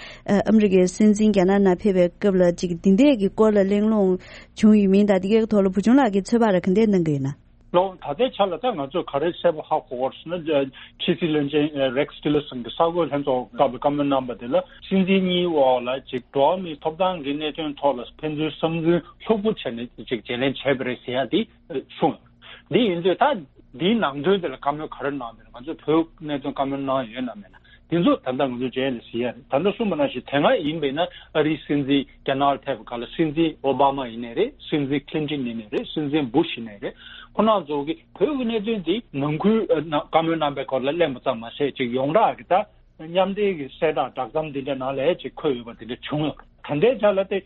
ཨ་མི་རི་ཀའི་སྲིད་འཛིན་རྒྱ་ནག་ནང་ཕེབས་པའི་སྐབས་ལ་ཅིག་དེ་འདྲས་ཀྱི་སྐོར་ལ་གླེང་སློང་བྱུང་ཡོད་མིན་དང་དེ་གའི་ཐོག་ལ་བུ་ཆུང་ལགས་ཀྱིས་ཚོད་དཔག་རེ་ག་འདྲས་གནང་གི་ཡོད་ན། ལོ། ད་ལྟའི་ཆ་ལ་ད་ང་ཚོས་ག་རེ་གསལ་པོ་ཧ་གོ་བར་སོང་ན། ཕྱི་སྲིད་བློན་ཆེན་རེག་ཊི་ལར་སན་གྱིས་གསར་འགོད་ལྷན་ཚོགས་སྐབས་ལ་བཀའ་མོལ་གནང་བ་དེ་ལ་སྲིད་འཛིན་གཉིས་འོག་ལ་ཅིག་འགྲོ་བ་མིའི་ཐོབ་ཐང་གི་གནད་དོན་ཐོག་ལ་ཕན་ཚུན་བསམ་ཚུལ་ལྷུག་པོ་བྱས་ནས་ཅིག་བརྗེ་ལེན་བྱས་པ་རེད་ཟེར་ཡ་དེ་གསུངས་ཡོད། འདི་ཡིན་དུས་ད་འདིའི་ནང་དོན་དེ་ལ་བཀའ་མོལ་ག་རེ་གནང་བ་རེད། ང་ཚོས་བོད་གནད་དོན་བཀའ་མོལ་གནང་ཡོད་ན་མེད་ན། དེ་ཚོ་ད་ལྟ་ང་ཚོ་རྗེས་ལ་གཟིགས་ཡ་རེད། ད་ལྟ་གསུངས་པ་ནང་བཞིན་དེ་སྔ་ཡིན་པས་ན་ཨ་རིའི་སྲིད་འཛིན་རྒྱ་ནག་ལ་ཕེབས་པ་ག་ལ་སྲིད་འཛིན་ཨོ་བྷ་མ་ཡིན་ནའི་རེད། སྲིད་འཛིན་ཁི་ལིན་ཏིན་ཡིན་ནའི་རེད། སྲིད་འཛིན་བུ་ཤ་ཡིན་ནའི་རེད། ཁོ་རང་ཚོ་གི་བོད་ཀྱི་གནད་དོན་འདི་ནང་ཁུལ་ཨ་ན་བཀའ་མོལ་གནང་པའི་སྐོར་ལ་གླེང་པ་ཙམ་མ་ཟད་ཅིག་ཡོངས་གྲགས་ཀྱི་ད་མཉམ་འབྲེལ་གྱི་གསལ་བསྒྲགས་བསྒྲགས་གཏམ་འདི་འདྲ་ནང་ལ་ཅིག་འཁོད་ཡོད་པ་འདི་འདྲ་བྱུང་ཡོད། ད་ལྟའི་ཆ་ལ་དེ་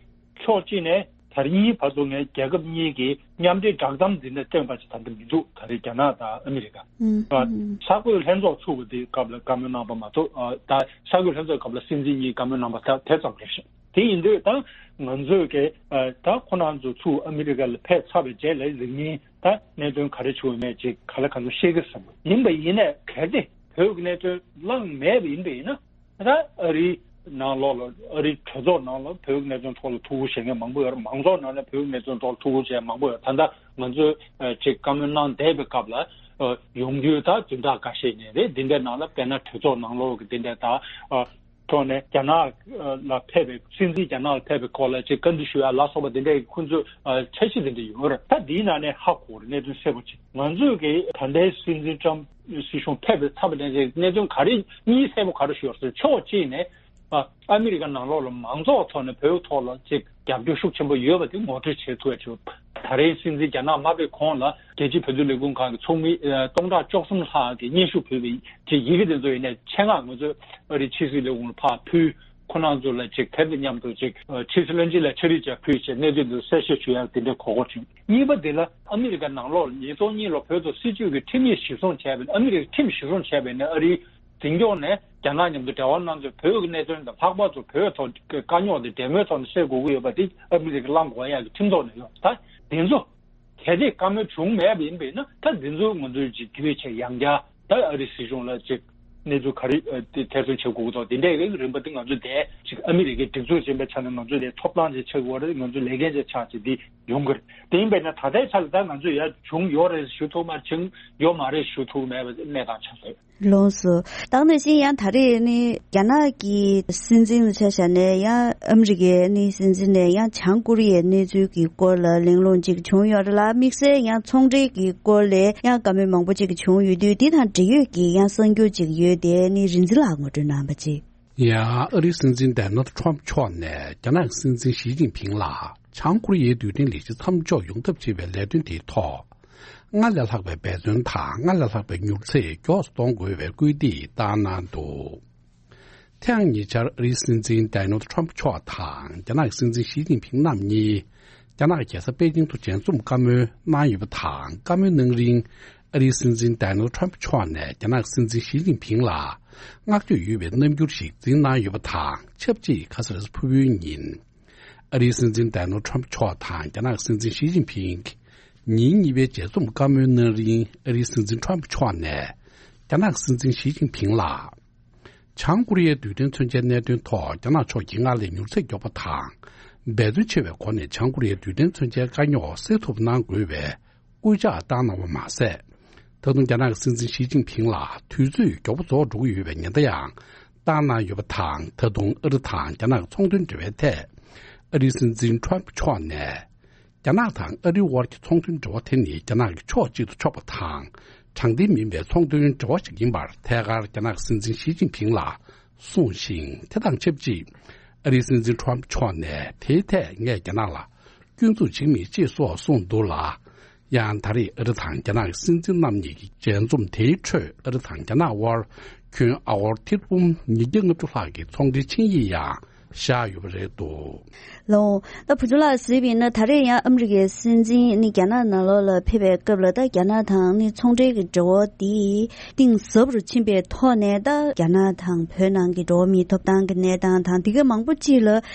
ཕྱོགས་གཅིག་ནས་ད་རེས་གཉིས་བར་དུ་ངས་རྒྱལ་ཁབ་གཉིས་ཀྱི་མཉམ་འབྲེལ་བསྒྲགས་གཏམ་འཛིན་གྲྭ་བཏོན་པ་ཞིག་ད་ལྟ་མི་འདུག་ད་རེས་རྒྱ་ནག་དང་ཨ་མི་རི་ཀ། ཨུམ། ཨ། ཨུམ། གསར་འགོད་ལྷན་ཚོགས་ཚུགས་པ་དེའི་སྐབས་ལ་བཀའ་མོལ་གནང་པ་མ་གཏོགས། ཨ། ད་གསར་འགོད་ལྷན་ཚོགས་སྐབས་ལ་སྲིད་འཛིན་གཉིས་བཀའ་མོལ་གནང་པ་ད་དེ་ཙམ་རེད་ཤག་དེ་ཡིན་དུས་ད་ང་ཚོས་ཀྱི་ཨ་ད་ཁོ་རང་ཚོ་ཚུར་ཨ་མི་རི་ཀ་ལ་ཕེབས་ཚར་བའི་རྗེས་ལ་གཟིགས་ཉིན་ད་གནད་དོན་ག་རེ་བྱུང་ཡོད་མེད་ཅིག་ག་ལེ་ག་ཚོད་ཤེས་ཀྱི་ཟེར་བ་ཡིན་པ་ཡིན་ནའི་གལ་ཏེ་བོད་ཀྱི་གནད་དོན་བླངས་མེད་པ་ཡིན་པ་ཡིན་ན། ད་ཨ་རིའི་ནང་ལོགས་ལ་ཨ་རིའི་གྲོས་ཚོགས་ནང་ལ་བོད་ཀྱི་གནད་དོན་ཐོག་ལ་ཐུགས་ཁུར་བཞེས་མཁན་མང་པོ་ཡོད་རེད། མང་ཚོགས་ནང་ལ་བོད་ཀྱི་གནད་དོན་ཐོག་ལ་ཐུགས་ཁུར་བཞེས་མཁན་མང་པོ་ཡོད་རེད། ད་ལྟ་ང་ཚོས་ཨ་ཅིག་བཀའ་མོལ་གནང་བསྡད་པའི་སྐབས་ལ་ཨ་ཡོང་རྒྱུའི་ད་བདུན་ཕྲག་འགའ་ཤས་ནས་རེད། འདི་འདྲའི་ནང་ལ་དཔེར་ན་གྲོས་ཚོགས་ནང་ལོགས་ཀྱི་འདི་འདྲའི་ད་ཨ་ཐོག་ནས་རྒྱ་ནག་ལ་ཕེབས་པའི་སྲིད་འཛིན་རྒྱ་ནག་ལ་ཕེབས་པའི་སྐོར་ལ་ཅིག་བཀའ་འདྲི་ཞུ་ཡ་ལ་སོགས་པ་འདི་འདྲའི་ཁོང་ཚོས་ཨ་འཆར་གཞི་འདི་འདྲ་ཡོད་རེད། ད་འདིའི་ནང་ནས་ཧ་གོ་རེད། གནད་དོན་གསལ་པོ་ཅིག་ང་ཚོས་ཀྱི་ད་ལྟའི་སྲིད་འཛིན་ཀྲམ་སྲིད་གཞུང་ཕེབས་པའི་ཚབ་ནས་གནད་དོན་ག་རེ་གཉིས་གསལ་པོ་ག་རེ་ཞུ་ཡོད་ཟེར། ཕྱོགས་གཅིག་ནས་ཨ་ཨ་མི་རི་ཀ་ནང་ལོགས་ལ་མང་ཚོགས་ཐོག་ནས་བོད་ཐོག་ལ་ཅིག་རྒྱབ་སྐྱོར་ཤུགས་ཆེན་པོ་ཡོད་པ་དེ་ངོ་སྤྲོད་བྱེད་ཐུབ་ཡ་ཅིག་ད་རེས་སྲིད་འཛིན་རྒྱ་ནག་མ་ཕེབས་གོང་ལ་རྒྱལ་སྤྱིའི་བོད་དོན་ལས་ཁུངས་ཁང་གི་ཚོགས་མི་ཨ་སྟོང་ཕྲག་བཅུ་གསུམ་ལྷག་གིས་སྙན་ཞུ་ཕུལ་བའི་ཅིག་ཡི་གེ་དེ་ཚོ་ཡིན་ནའི་ཆེད་མངགས་ང་ཚོས་ཨ་རིའི་ཕྱི་སྲིད་ལས་ཁུངས་ལ་ཕར་ཕུལ། ཁོ་རང་ཚོ་ལ་ཅིག་དེ་དང་མཉམ་དུ་ཅིག་ཨ་ཕྱི་སྲིད་བློན་ཆེན་ལ་ཕྱག་བྲིས་ཅིག་ཕུལ་བྱས་གནད་དོན་དེ་གསལ་བཤད་ཞུ་ཡག་དེ་འདྲའི་གོ་སྐབས་བྱུང་། གཉིས་པ་དེ་ལ་ཨ་མི་རི་ཀ་ནང་ལོགས་ཉིས་སྟོང་གཉིས་ལོ་བོད་ཐོག་སྲིད་བྱུས་ཀྱི་ཁྲིམས་ཡིག་གཞིར་བཟུང་བྱས་པའི་ཨ་མི་རི་ཀའི་ཁྲིམས་གཞིར་བཟུང་བྱས་པའི་ནས་ཨ་རིའི་འཛིན་སྐྱོང་ནས་རྒྱ་ནག་མཉམ་དུ་འབྲེལ་བ་གནང་ཚུལ། བོད་ཀྱི་གནད་དོན་དང་ལྷག་པར་དུ་བོད་ཐོག་གི་དཀའ་རྙོག་དེ་འབྲེལ་མོལ་ཐོག་ནས་སེལ་དགོས་ཀྱི་ཡོད་པ་དེ་ཨ་མི་རི་ཀ་བླང་དགོས་ཡག་གི་ཁྲིམས་ཐོག་ནས་ཡོད། ད་དེ་ཚོ་གལ་ཏེ་བཀའ་མོལ་བྱུང་མེད་པ་ཡིན་པས་ན། ད་འདི་ཚོ་ང་ཚོས་ཅིག་བརྒྱུད་བྱས་ཡང་བསྐྱར་ད་ཨ་རི་སྲིད་གཞུང་ལ་ཅིག་གནས་ཚུལ་ག་རེ་ཨ་དེ་ཐེར་འདོན་བྱེད་དགོས་ཀྱི་འདུག་དེ་འདྲའི་རིགས་རིམ་པ་དེ་ང་ཚོས་དེ་ཅིག་ཨ་མི་རི་ཀའི་སྒྲིག་འཛུགས་ཅན་པའི་ཆ་ནས་ང་ཚོས་དེ་ཐོབ་ཐང་ཅིག་ཆགས་ཀྱི་ཡོད་རེད། ང་ཚོས་ལས་འགན་ཅིག་ཆགས་ཅིག་འདི་ཡོང་གི་རེད། དེ་ཡིན་པས་ན་ད་ལྟའི་ཆ་ལ་ད་ང་ཚོས་ཡར་བྱུང་ཡོད་རེད་ཞུ་ཐུབ་མ་བྱུང་ཡོད་མ་རེད་ཞུ་ཐུབ་མེད་པ་གནས་སྟངས་ཆགས་རེད། ལགས་སོ། ད་ག་ནང་བཞིན་ཡང་ད་རེས་ནི་རྒྱ་ནག་གི་སྲིད་འཛིན་ལ་ཆ་བཞག་ནས་ཡང་ཨ་མི་རི་ཀའི་ནི་སྲིད་འཛིན་ནས་ཡང་བྱང་ཀོ་རི་ཡའི་གནས་ཚུལ་གྱི་སྐོར་ལ་གླེང་སློང་ཅིག་བྱུང་ཡོད་རེད་ལ། དམིགས་བསལ་ཡང་ཚོང་འབྲེལ་གྱི་སྐོར་ལ་ཡང་བཀའ་མོལ་མང་པོ་ཅིག་བྱུང་ཡོད་དུས། འདི་དང་འབྲེལ་ཡོད་ཀྱི་ཡང་གསར་འགྱུར་ཅིག་ཡོད་དེ་ནི་རིན་འཛིན་ལགས་ངོ་སྤྲོད་གནང་བ་ཅིག། ཡང་ཨ་རིའི་སྲིད་འཛིན་ཌོ་ནལ་ཁྲམ་མཆོག་ནས་རྒྱ་ནག་གི་སྲིད་འཛིན་ཞི་ཅིན་ཕིང་ལ། བྱང་ཀོ་རི་ཡའི་རྡུལ་ཕྲན་ལས་གཞི་མཚམས་འཇོག་ཡོང་ཐབས་བྱེད་པའི་ལས་དོན་དེའི་ཐོག་སྔར་ལས་ལྷག་པའི་འབད་བརྩོན་དང་སྔར་ལས་ལྷག་པའི་མྱུར་ཚད་མགྱོགས་སུ་གཏོང་དགོས་པའི་སྐུལ་འདེད་བཏང་གནང་འདུག་ཐེངས་ཉེ་ཆར་ཨ་རིའི་སྲིད་འཛིན་ཌོ་ནལ་ཁྲམ་ཕུ་མཆོག་དང་རྒྱ་ནག་གི་སྲིད་འཛིན་ཞི་ཅིན་ཕིང་རྣམ་གཉིས་རྒྱ་ནག་གི་རྒྱལ་ས་པེ་ཅིང་དུ་མཇལ་འཛོམས་བཀའ་མོལ་གནང་ཡོད་པ་དང་། བཀའ་མོལ་གནང་རིང་ཨ་རིའི་སྲིད་འཛིན་ཌོ་ནལ་ཁྲམ་ཕུ་མཆོག་ནས་རྒྱ་ནག་གི་སྲིད་འཛིན་ཞི་ཅིན་ཕིང་ལ་བསྔགས་བརྗོད་ཡོད་པའི་རྣམ་འགྱུར་ཞིག་འཛིན་གནང་ཡོད་པ་དང་། ཆབས་ཅིག་ཁ་སང་རེས་གཟའ་ཕུར་བུའི་ཉིན་ཨ་རིའི་སྲིད་འཛིན་ཌོ་ནལ་ཁྲམ་ཕུ་མཆོག་དང་རྒྱ་ནག་གི་སྲིད་འཛིན་ཞི་ཅིན་ཕིང་ཉིན་གཉིས་པའི་མཇལ་འཛོམས་བཀའ་མོལ་གནང་རིང་། ཨ་རིའི་སྲིད་འཛིན་ཁྲམ་ཕུ་མཆོག་ནས་རྒྱ་ནག་གི་སྲིད་འཛིན་ཞི་ཅིན་ཕིང་ལ་བྱང་ཀོ་རི་ཡའི་རྡུལ་ཕྲན་མཚོན་ཆའི་གནད་དོན་ཐོག་རྒྱ་ནག་ཕྱོགས་ཀྱིས་སྔར་ལས་མྱུར་ཚད་མགྱོགས་པ་དང་འབད་བརྩོན་ཆེ་བའི་སྒོ་ནས་བྱང་ཀོ་རི་ཡའི་རྡུལ་ཕྲན་མཚོན་ཆའི་དཀའ་རྙོག་སེལ་ཐུབ་གནང་དགོས་པའི་སྐུལ་ལྕག་བཏང་གནང་བ་མ་ཟད། ད་དུང་རྒྱ་ནག་གི་སྲིད་འཛིན་ཞི་ཅིན་ཕིང་ལ་དུས་ཚོད་མགྱོགས་པོ་རྫོགས་འགྲོ་གི་ཡོད་པའི་ཉེན་བརྡ་ཡང་བཏང་གནང་ཡོད་པ་དང་། ད་དུང་ཨ་རི་དང་རྒྱ་ནག་གི་ཚོང་དོན་འབྲེལ་བའི་ཐད་ཨ་རིའི་སྲིད་འཛིན་ཁྲམ་ཕུ་མཆོག་ནས། རྒྱ་ནག་དང་ཨ་རིའི་དབར་གྱི་ཚོང་དོན་འབྲེལ་བ་དེ་ནི་རྒྱ་ནག་གི་ཕྱོགས་གཅིག་ཏུ་ཕྱོགས་པ་དང་དྲང་བདེན་མིན་པའི་ཚོང་དོན་འབྲེལ་བ་ཞིག་ཡིན་པར་ཐད་ཀར་རྒྱ་ནག་གི་སྲིད་འཛིན་ཞི་ཅིན་ཕིང་ལ་གསུངས་ཤིང་། དེ་དང་ཆབས་ཅིག་ཨ་རིའི་སྲིད་འཛིན་ཁྲམ་ཕུ་མཆོག་ནས་དེའི་ཐད་ངས་རྒྱ་ནག་ལ་སྐྱོན་འཛུགས་བྱེད་མེད་ཅེས་སོགས་གསུངས་འདུག་ལ། ཡང་ད་རེས་ཨ་རི་དང་རྒྱ་ནག་གི་སྲིད་འཛིན་རྣམ་གཉིས་ཀྱི་མཇལ་འཛོམས་དེའི་ཁྲོད་ཨ་རི་དང་རྒྱ་ནག་དབར་ཁྱོན་ཨ་ཧོར་ཐེར་འབུམ་ཉིས་བརྒྱ་ལྔ་བཅུ་ལྷག་གི་ཚོང་འབྲེལ་ཆིངས་ཡིག་ཡང་བཞག་ཡོད་པ་རེད་འདུག་ལོ། ད་བུ་ཆུང་ལགས་གཟིགས་པ་ཡིན་ན། ད་རེས་ཡང་ཨ་མི་རི་ཀའི་སྲིད་འཛིན་ནི་རྒྱ་ནག་ནང་ལོགས་ལ་ཕེབས་པའི་སྐབས་ལ། ད་རྒྱ་ནག་དང་ནི་ཚོང་འབྲེལ་གྱི་འབྲེལ་བ་འདི་གཏིང་ཟབ་རུ་ཕྱིན་པའི་ཐོག་ནས། ད་རྒྱ་ནག་དང་བོད་ནང་གི་འགྲོ་བ་མིའི་ཐོབ་ཐང་གི་གནས་སྟངས་དང་། འདི་ག་མང་པོ་ཅིག་ལ་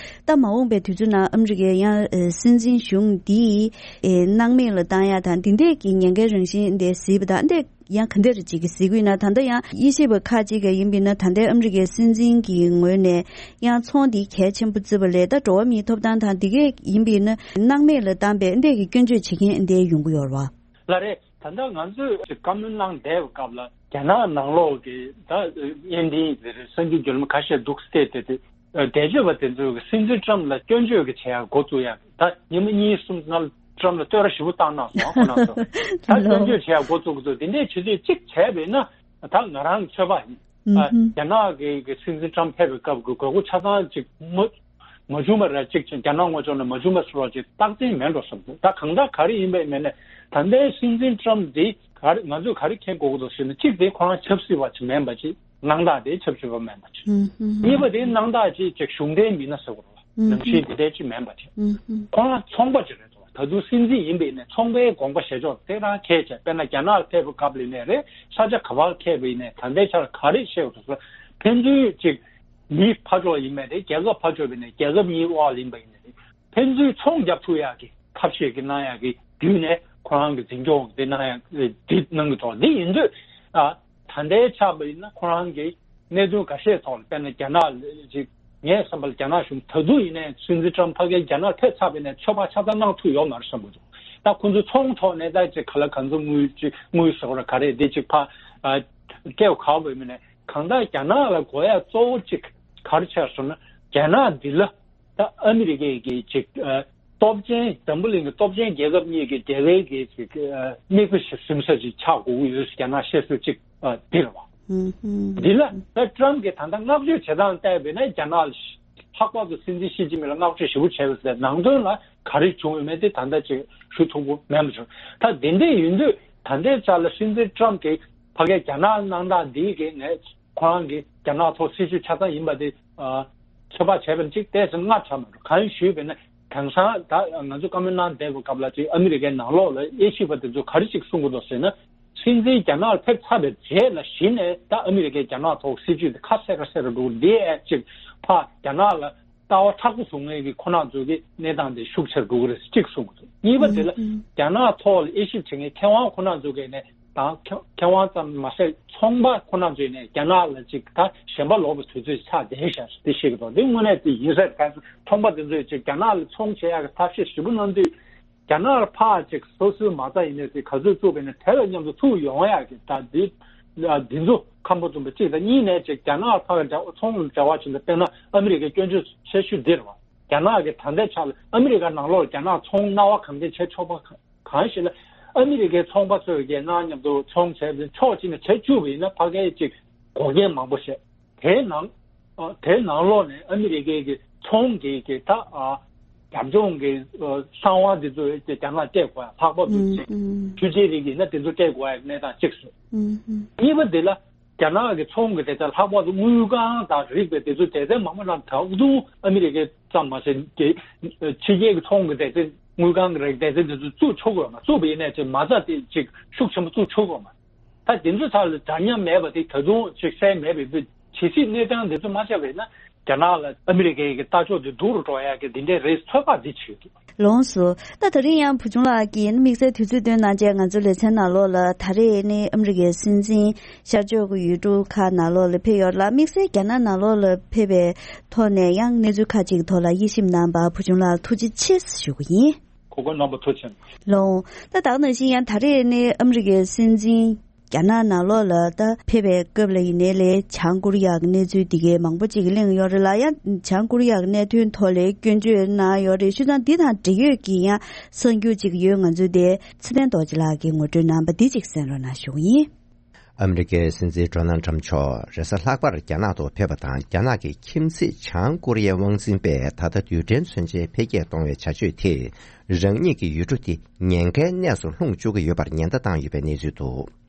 ད་མ་འོངས་པའི་དུས་ཚོད་ནང་ཨ་མི་རི་ཀའི་ཡང་ཨེ་སྲིད་འཛིན་གཞུང་འདིས་ཨེ་སྣང་མེད་ལ་བཏང་ཡ་དང་། འདི་འདྲས་ཀྱི་ཉེན་ཁའི་རང་བཞིན་འདི་གཟིགས་པ་དང་། འདི་ཡང་ག་འདྲ་རེ་ཅིག་གི་གཟིགས་ཀྱི་ཡོད་ན། ད་ལྟ་ཡང་དབྱེ་ཞིབ་པ་ཁག་ཅིག་གིས་ཡིན་པ་ཡིན་ན། ད་ལྟའི་ཨ་མི་རི་ཀའི་སྲིད་འཛིན་གྱི་ངོས་ནས་ཡང་ཚོང་འདི་གལ་ཆེན་པོ་བརྩི་བ་ལས། ད་འགྲོ་བ་མིའི་ཐོབ་ཐང་དང་འདི་གས་ཡིན་པ་ཡིན་ན་སྣང་མེད་ལ་བཏང་པའི་འདི་གི་སྐྱོན་བརྗོད་བྱེད་མཁན་འདི་ཡོང་གི་ཡོད་རེད་བ། ལགས་རེད། ད་ལྟ་ང་ཚོས་བཀའ་མོལ་གནང་བསྡད་པའི་སྐབས་ལ། རྒྱ་ནག་ནང་ལོགས་ཀྱི་ད་དབྱིན་ལྡན་ཟེར་སངས་རྒྱས་རྒྱུད་ལམ་ཁ་ཤས་འདུག་སྟེ། དེ་དེ་འགྲེལ་བརྗོད་པ་དེ་ཚོས་སྲིད་འཛིན་ཊྲམ་ལ་སྐྱོན་བརྗོད་ཀྱི་བྱེད་ཡག་འགོ་བཙུགས་ཡ། ད་ཉི་མ་གཉིས་གསུམ་སྔོན་ལ་ཊྲམ་ལ་བསྟོད་ར་ཞེ་པོ་བཏང་གནང་སོང་། ཁོ་རང་ཚོ་ད་སྐྱོན་བརྗོད་བྱེད་ཡག་འགོ་བཙུགས་འདུག་དེ་འདྲའི་བྱེད་དུས་གཅིག་བྱས་པས་ན། ད་ང་རང་ཚོད་དཔག་ཡིན། ཨ། རྒྱ་ནག་གི་གི་སྲིད་འཛིན་ཊྲམ་ཕེབས་པའི་སྐབས་ཀྱི་དགོས་མཁོ་ཆ་ཚང་ཅིག་མ་མ་བྱུང་བ་ར་ཅིག་ཅིག་རྒྱ་ནག་ངོས་ཕྱོགས་ནས་མ་བྱུང་བ་བཟོ་འདྲ་ཅིག་རྟགས་མཚན་མེད་འགྲོ་བསམ་འདུག་ད་གང་ལྟར་ག་རེ་ཡིན་པའི་མིན་ནས། ད་ལྟའི་སྲིད་འཛིན་ཊྲམ་འདི་ག་རེ་ང་ཚོས་ག་རེ་མཁྱེན་དགོས་ཀྱི་འདུག་ཟེར་ན། གཅིག་དེ་ཁོ་རང་ཆབ་སྲིད་པ་ཅིག་མིན་པ་ཅིག་སྣང་དག་དེ་ཆབ་སྲིད་པ་མིན་པ་ཅིག་གཉིས་པ་དེ་སྣང་དག་ཅིག་ཅིག་གཞུང་འབྲེལ་མི་སྣ་ཟེར་དགོས་རེད་བ། ནང་བཞིན་དེ་འདྲའི་ཅིག་མིན་པ་ཅིག་ཁོ་རང་ཚོང་པ་ཅིག་རེད་འདུག་ད་དུང་སྲིད་འཛིན་ཡིན་པ་ཡིན་ནའི་ཚོང་པའི་དགོངས་པ་བཞེས་ཕྱོགས་དེ་རང་གལ་ཆེ། དཔེར་ན་རྒྱ་ནག་ལ་ཕེབས་པའི་སྐབས་ལ་ཡིན་ནའི་རེད། ས་ཆ་ག་པར་ཕེབས་པ་ཡིན་ནའི་ད་ལྟའི་ཆར་ག་རེ་བཤད་དགོས་འདུག་ཟེར་ན། ཕན་ཚུན་ཅིག་མི་ཕར་ཕྱོགས་ཡིན་པ་རེད། རྒྱལ་ཁབ་ཕར་ཕྱོགས་ཡིན་ནའི་རྒྱལ་ཁབ་གཉིས་དབར་ཡིན་པ་ཡིན་ནའི་རེད། ཕན་ཚུན་ཚོང་རྒྱབ་ཐུབ་ཡག་གི་ཐབས་ཤེས་ཀྱི་གནང་ཡག་གི་བརྒྱུད་ནས་ཁོ་རང་གི་འཛིན་སྐྱོང་དེ་གནང་ཡག་དེ་གནང་གི་འདུག་འདི་ཡིན་དུས། ཨ། ད་ལྟའི་ཆར་པ་ཡིན་ན་ཁོ་རང་གི་གནད་དོན་འགའ་ཤས་ཐོག་ལ། དཔེར་ན་རྒྱ་ནག་ལ་ཅིག་ངའི་བསམ་པར་རྒྱ་ནག་གཞུང་ད་དུང་ཡིན་ནའི་སྲིད་འཛིན་ཊྲམ་ཕ་གིར་རྒྱ་ནག་ཕེབས་ཚར་བ་ཡིན་ནའི་ཚོད་དཔག་ཆ་ཚང་གནང་ཐུབ་ཡོད་མ་རེད་བསམ་གྱི་འདུག་ད་ཁོ་ཚོ་ཚོང་ཐོག་ནས་ད་ཅིག་ག་ལ་ག་ཚོད་དངུལ་ཅིག་དངུལ་ཟེར་བ་ར་ག་རེ་འདི་ཅིག་ཕར། ཨ། སྐྱེལ་ག་བ་ཡིན་ནའི། གང་ལྟར་རྒྱ་ནག་ལ་དགོས་ཡ་གཙོ་བོ་ཅིག་ག་རེ་ཆགས་སོང་ན། རྒྱ་ནག་འདི་ལ་ད་ཨ་མི་རི་ཀའི་གི་ཅིག་ཨ། སྟོབས་ཆེན། འཛམ་བུ་གླིང་གི་སྟོབས་ཆེན་རྒྱལ་ཁབ་གཉིས་ཀྱི་འབྲེལ་བའི་གི་ཅིག་ཨ། མིག་དཔེ་ཞིག་ཟིན་ས་ཅིག་ཆགས་དགོས་ཀྱི་ཡོད། རྒྱ་ནག་བཤད་སྲོལ་ཅིག་ཨ། འདི་རེད་བ། འདི་ལ་ད་ཊྲམ་གྱིས་ད་ལྟ་བསྔགས་བརྗོད་བྱེད་སྟངས་བལྟས་པས་ན། རྒྱ་ནག་ལ་ལྷག་པར་དུ་སྲིད་འཛིན་ཞི་ཅིན་ཕིང་ལ་བསྔགས་བརྗོད་ཞེ་པོ་བྱས་པ་ཟེར། ནང་དོན་ལ་ག་རེ་བྱུང་ཡོད་མེད་དེ་ད་ལྟ་ཅིག་ཞུ་ཐུབ་ཀྱི་མེད་པ་བྱུང་། ད་དེ་འདྲ་ཡིན་དུས་ད་ལྟའི་ཆ་ལ་སྲིད་འཛིན་ཊྲམ་གྱིས་ཕ་གིར་རྒྱ་ནག་གནང་སྟངས་འདི་གིས་ནས་ཁོ་རང་གིས་རྒྱ་ནག་ཐོག་སྲིད་ཇུས་ཆ་ཚང་ཡིན་པ་དེ་ཨ། ཚོད་དཔག་བྱས་པ་ཅིག་ཏོག་ཙམ་སྔ་དྲགས་མ་འགྲོ། གང་ཞུས་པས་ན། དེང་སང་ད་ང་ཚོ་བཀའ་མོལ་གནང་བསྡད་པའི་སྐབས་ལ་ཅིག་ཨ་མི་རི་ཀའི་ནང་ལོགས་ལ་དབྱེ་ཞིབ་པ་དེ་ཚོ་ག་རེ་ཅིག་གསུང་གི་འདུག་ཟེར་ན། སྲིད་འཛིན་རྒྱ་ནག་ལ་ཕེབས་ཚར་བའི་རྗེས་ལ་གཞི་ནས་ད་ཨ་མི་རི་ཀའི་རྒྱ་ནག་ཐོག་སྲིད་ཇུས་དེ་ཁ་གསལ་ཁ་གསལ་རུ་འགྲོ་གི་འདི་ཨེ་ཅིག་ཕར་རྒྱ་ནག་ལ་ལྟ་བ་མཁྲེགས་པོ་བཟོ་མཁན་གྱི་ཁོ་རང་ཚོ་གི་གནས་སྟངས་དེ་ཤུགས་ཆེར་འགྲོ་གི་རེད་ཅིག་གསུངས་འདུག་གཉིས་པ་དེ་ལ་ཨུ་ཨུ། རྒྱ་ནག་ཐོག་ལ་དབྱེ་ཞིབ་བྱེད་མཁན་མཁས་དབང་ཁོ་རང་ཚོ་གིས་ནས་དང་མཁས་མཁས་དབང་ཙམ་མ་ཟད་ཚོང་པ་ཁོ་རང་ཚོས་ནས་རྒྱ་ནག་ལ་ཅིག་ད་ཞེན་པ་ལོག་པའི་དུས་ཚོད་ཆགས་བསྡད་ཤག་དེ་ཤེས་ཀྱི་འདུག་དེ་དངོས་གནས་དེ་ཡིན་ས་རེད། ཚོང་པ་དེ་ཚོས་ཅིག་རྒྱ་ནག་ལ་ཚོང་བྱེད་ཡག་གི་ཐབས་ཤེས་ཞིབ་པོ་གནང་དུས། རྒྱ་ནག་ལ་ཕར་ཅིག་སོ་སོའི་མ་རྩ་ཡིན་ནའི་དེ་ག་ཚོད་བཙུགས་པ་ཡིན་ནའི་དེ་ལ་མཉམ་དུ་ཚུར་ཡོང་ཡག་གི་ད་འདི་འདི་ཚོ་ཁམས་པ་བཙུན་པ་གཅིག་དང་། གཉིས་ནས་ཅིག་རྒྱ་ནག་ལ་ཕར་འབྲེལ་ཚོང་ལ་འབྲེལ་བ་བྱེད་ན། དཔེར་ན་ཨ་མི་རི་ཀའི་སྐྱོན་བརྗོད་ཆེ་ཤོས་འདི་རེད་བ། རྒྱ་ནག་གི་ད་ལྟའི་ཆ་ལ་ཨ་མི་རི་ཀ་ནང་ལོགས་ལ་རྒྱ་ནག་ཚོང་སྣང་བ་གང་འདྲ་བྱེད་ཆོག་པ་གང་ཞིག་ལ། ཨ་མི་རི་ཀའི་ཚོང་པ་ཚོས་ཀྱི་ནང་མཉམ་དུ་ཚོང་བྱས་པའི་ཕྱོགས་གཅིག་ནས་བྱེད་བཅུག་པ་ཡིན་ན་ཕ་གིར་ཅིག་འགོག་རྐྱེན་མང་པོ་བྱས། དེའི་ནང་ཨ་དེའི་ནང་ལོགས་ནས་ཨ་མི་རི་ཀའི་གི་ཚོང་གི་གི་ད་ཨ་ རྒྱབ་ལྗོངས་ཀྱི་ཨ་གསང་བ་དེ་ཚོ་རྒྱ་ནག་སྤྲད་དགོས་ཡ། ལྷག་པར་དུ་ཨུམ་ཅིག་ཨུམ། ཆུ་ཆེན་རིགས་ཡིན་ན་དེ་ཚོ་སྤྲད་དགོས་ཡ་གནས་སྟངས་གཅིག་བཟོས། ཨུམ་ཨུམ། གཉིས་པ་དེ་ལ་རྒྱ་ནག་གི་ཚོང་གི་སྡེ་ཚན་ལྷག་པར་དུ་དངུལ་ཁང་དང་རིགས་པའི་དེ་ཚོ་སྡེ་ཚན་མང་པོ་རྣམས་ད་དུང་ཨ་མི་རི་ཀའི་ཙམ་མ་ཟད་ཀྱི་ཕྱི་རྒྱལ་གྱི་ཚོང་གི་སྡེ་ཚན་དངུལ་ཁང་གི་རིགས་སྡེ་ཚན་དེ་ཚོ་བཙུགས་ཆོག་གི་ཡོད་མ། བཙུགས་པ་ཡིན་ནའི་ཅིག་མ་རྩ་དེ་ཅིག་ཤུགས་ཆེན་པོ་བཙུགས་ཆོག་གི་ཡོད་མ། ད་དེ་ཚོ་ཚང་ལ་འདྲ་མཉམ་མེད་པ་དེ་ད་དུང་ཅིག་གསལ་མེད་པའི་ཇི་སྲིད་གནས་སྟངས་དེ་ཚོ་མ་ཆགས་པ་ཡིན་ན་རྒྱ་ནག་ལ་ཨ་མི་རི་ཀའི་གི་ལྟ་ཕྱོགས་དེ་སྡུག་རུ་འགྲོ་ཡ་གི་དེ་འདྲའི་རེ་ཚོད་དཔག་འདི་བྱེད་ཀྱི་འདུག། ལོངས་སུ། ད་དེ་རིང་ཡང་བུ་ཆུང་ལགས་ཀྱིས་དམིགས་བསལ་དུས་ཚོད་བཏོན་གནང་བྱས་ང་ཚོའི་ལེ་ཚན་ནང་ལོགས་ལ་ད་རེས་ནི་ཨ་མི་རི་ཀའི་སྲིད་འཛིན་ཤར་ཕྱོགས་ཀྱི་ཡུལ་གྲུ་ཁག་ནང་ལོགས་ལ་ཕེབས་ཡོད་ལ། དམིགས་བསལ་རྒྱ་ནག་ནང་ལོགས་ལ་ཕེབས་པའི་ཐོག་ནས་ཡང་གནས་ཚུལ་ཁག་ཅིག་ཐོག་ལ་དབྱེ་ཞིབ་གནང་བར་བུ་ཆུང་ལགས་ཐུགས་རྗེ་ཆེ་ཞུ་གི་ཡིན། གོ་སྐོན་རྣམ་པ་ཐུགས་རྗེ་ཆེ། ལོ། ད་ད་ག་ནང་བཞིན་ཡང་ད་རེས་ནི་ཨ་མི་རི་ཀའི་སྲིད་འཛིན་རྒྱ་ནག་ནང་ལོགས་ལ་ད་ཕེབས་པའི་སྐབས་ལ་ཡིན་ནའི་ལས་བྱང་ཀོ་རི་ཡ་གི་གནས་ཚུལ་འདི་གའི་མང་པོ་ཅིག་གླེང་ཡོད་རེད་ལ། ཡང་བྱང་ཀོ་རི་ཡ་གི་གནད་དོན་ཐོག་ལས་སྐྱོན་བརྗོད་གནང་ཡོད་རེད། བྱས་ཙང་འདི་དང་འབྲེལ་ཡོད་ཀྱི་ཡང་གསར་འགྱུར་ཅིག་ཡོད། ང་ཚོའི་དེ་ཚེ་བརྟན་རྡོ་རྗེ་ལགས་ཀྱིས་ངོ་སྤྲོད་གནང་བ་འདི་ཅིག་གསན་རོགས་གནང་ཞུ་གི་ཡིན། ཨ་མི་རི་ཀའི་སྲིད་འཛིན་ཌོ་ནལ་ཁྲམ་མཆོག་རེས་གཟའ་ལྷག་པར་རྒྱ་ནག་ཏུ་ཕེབས་པ་དང་། རྒྱ་ནག་གི་ཁྱིམ་མཚེས་བྱང་ཀོ་རི་ཡའི་དབང་འཛིན་པས་ད་ལྟ་རྡུལ་ཕྲན་མཚོན་ཆའི་འཕེལ་རྒྱས་གཏོང་བའི་བྱ་སྤྱོད་དེས་རང་ཉིད་ཀྱི་ཡུལ་གྲུ་དེ་ཉེན་ཁའི་གནས་སུ་ལྷུང་བཅུག་གི་ཡོད་པར་ཉེན་བརྡ་བཏང་ཡོད་པའི་གནས་ཚུལ་འདུག།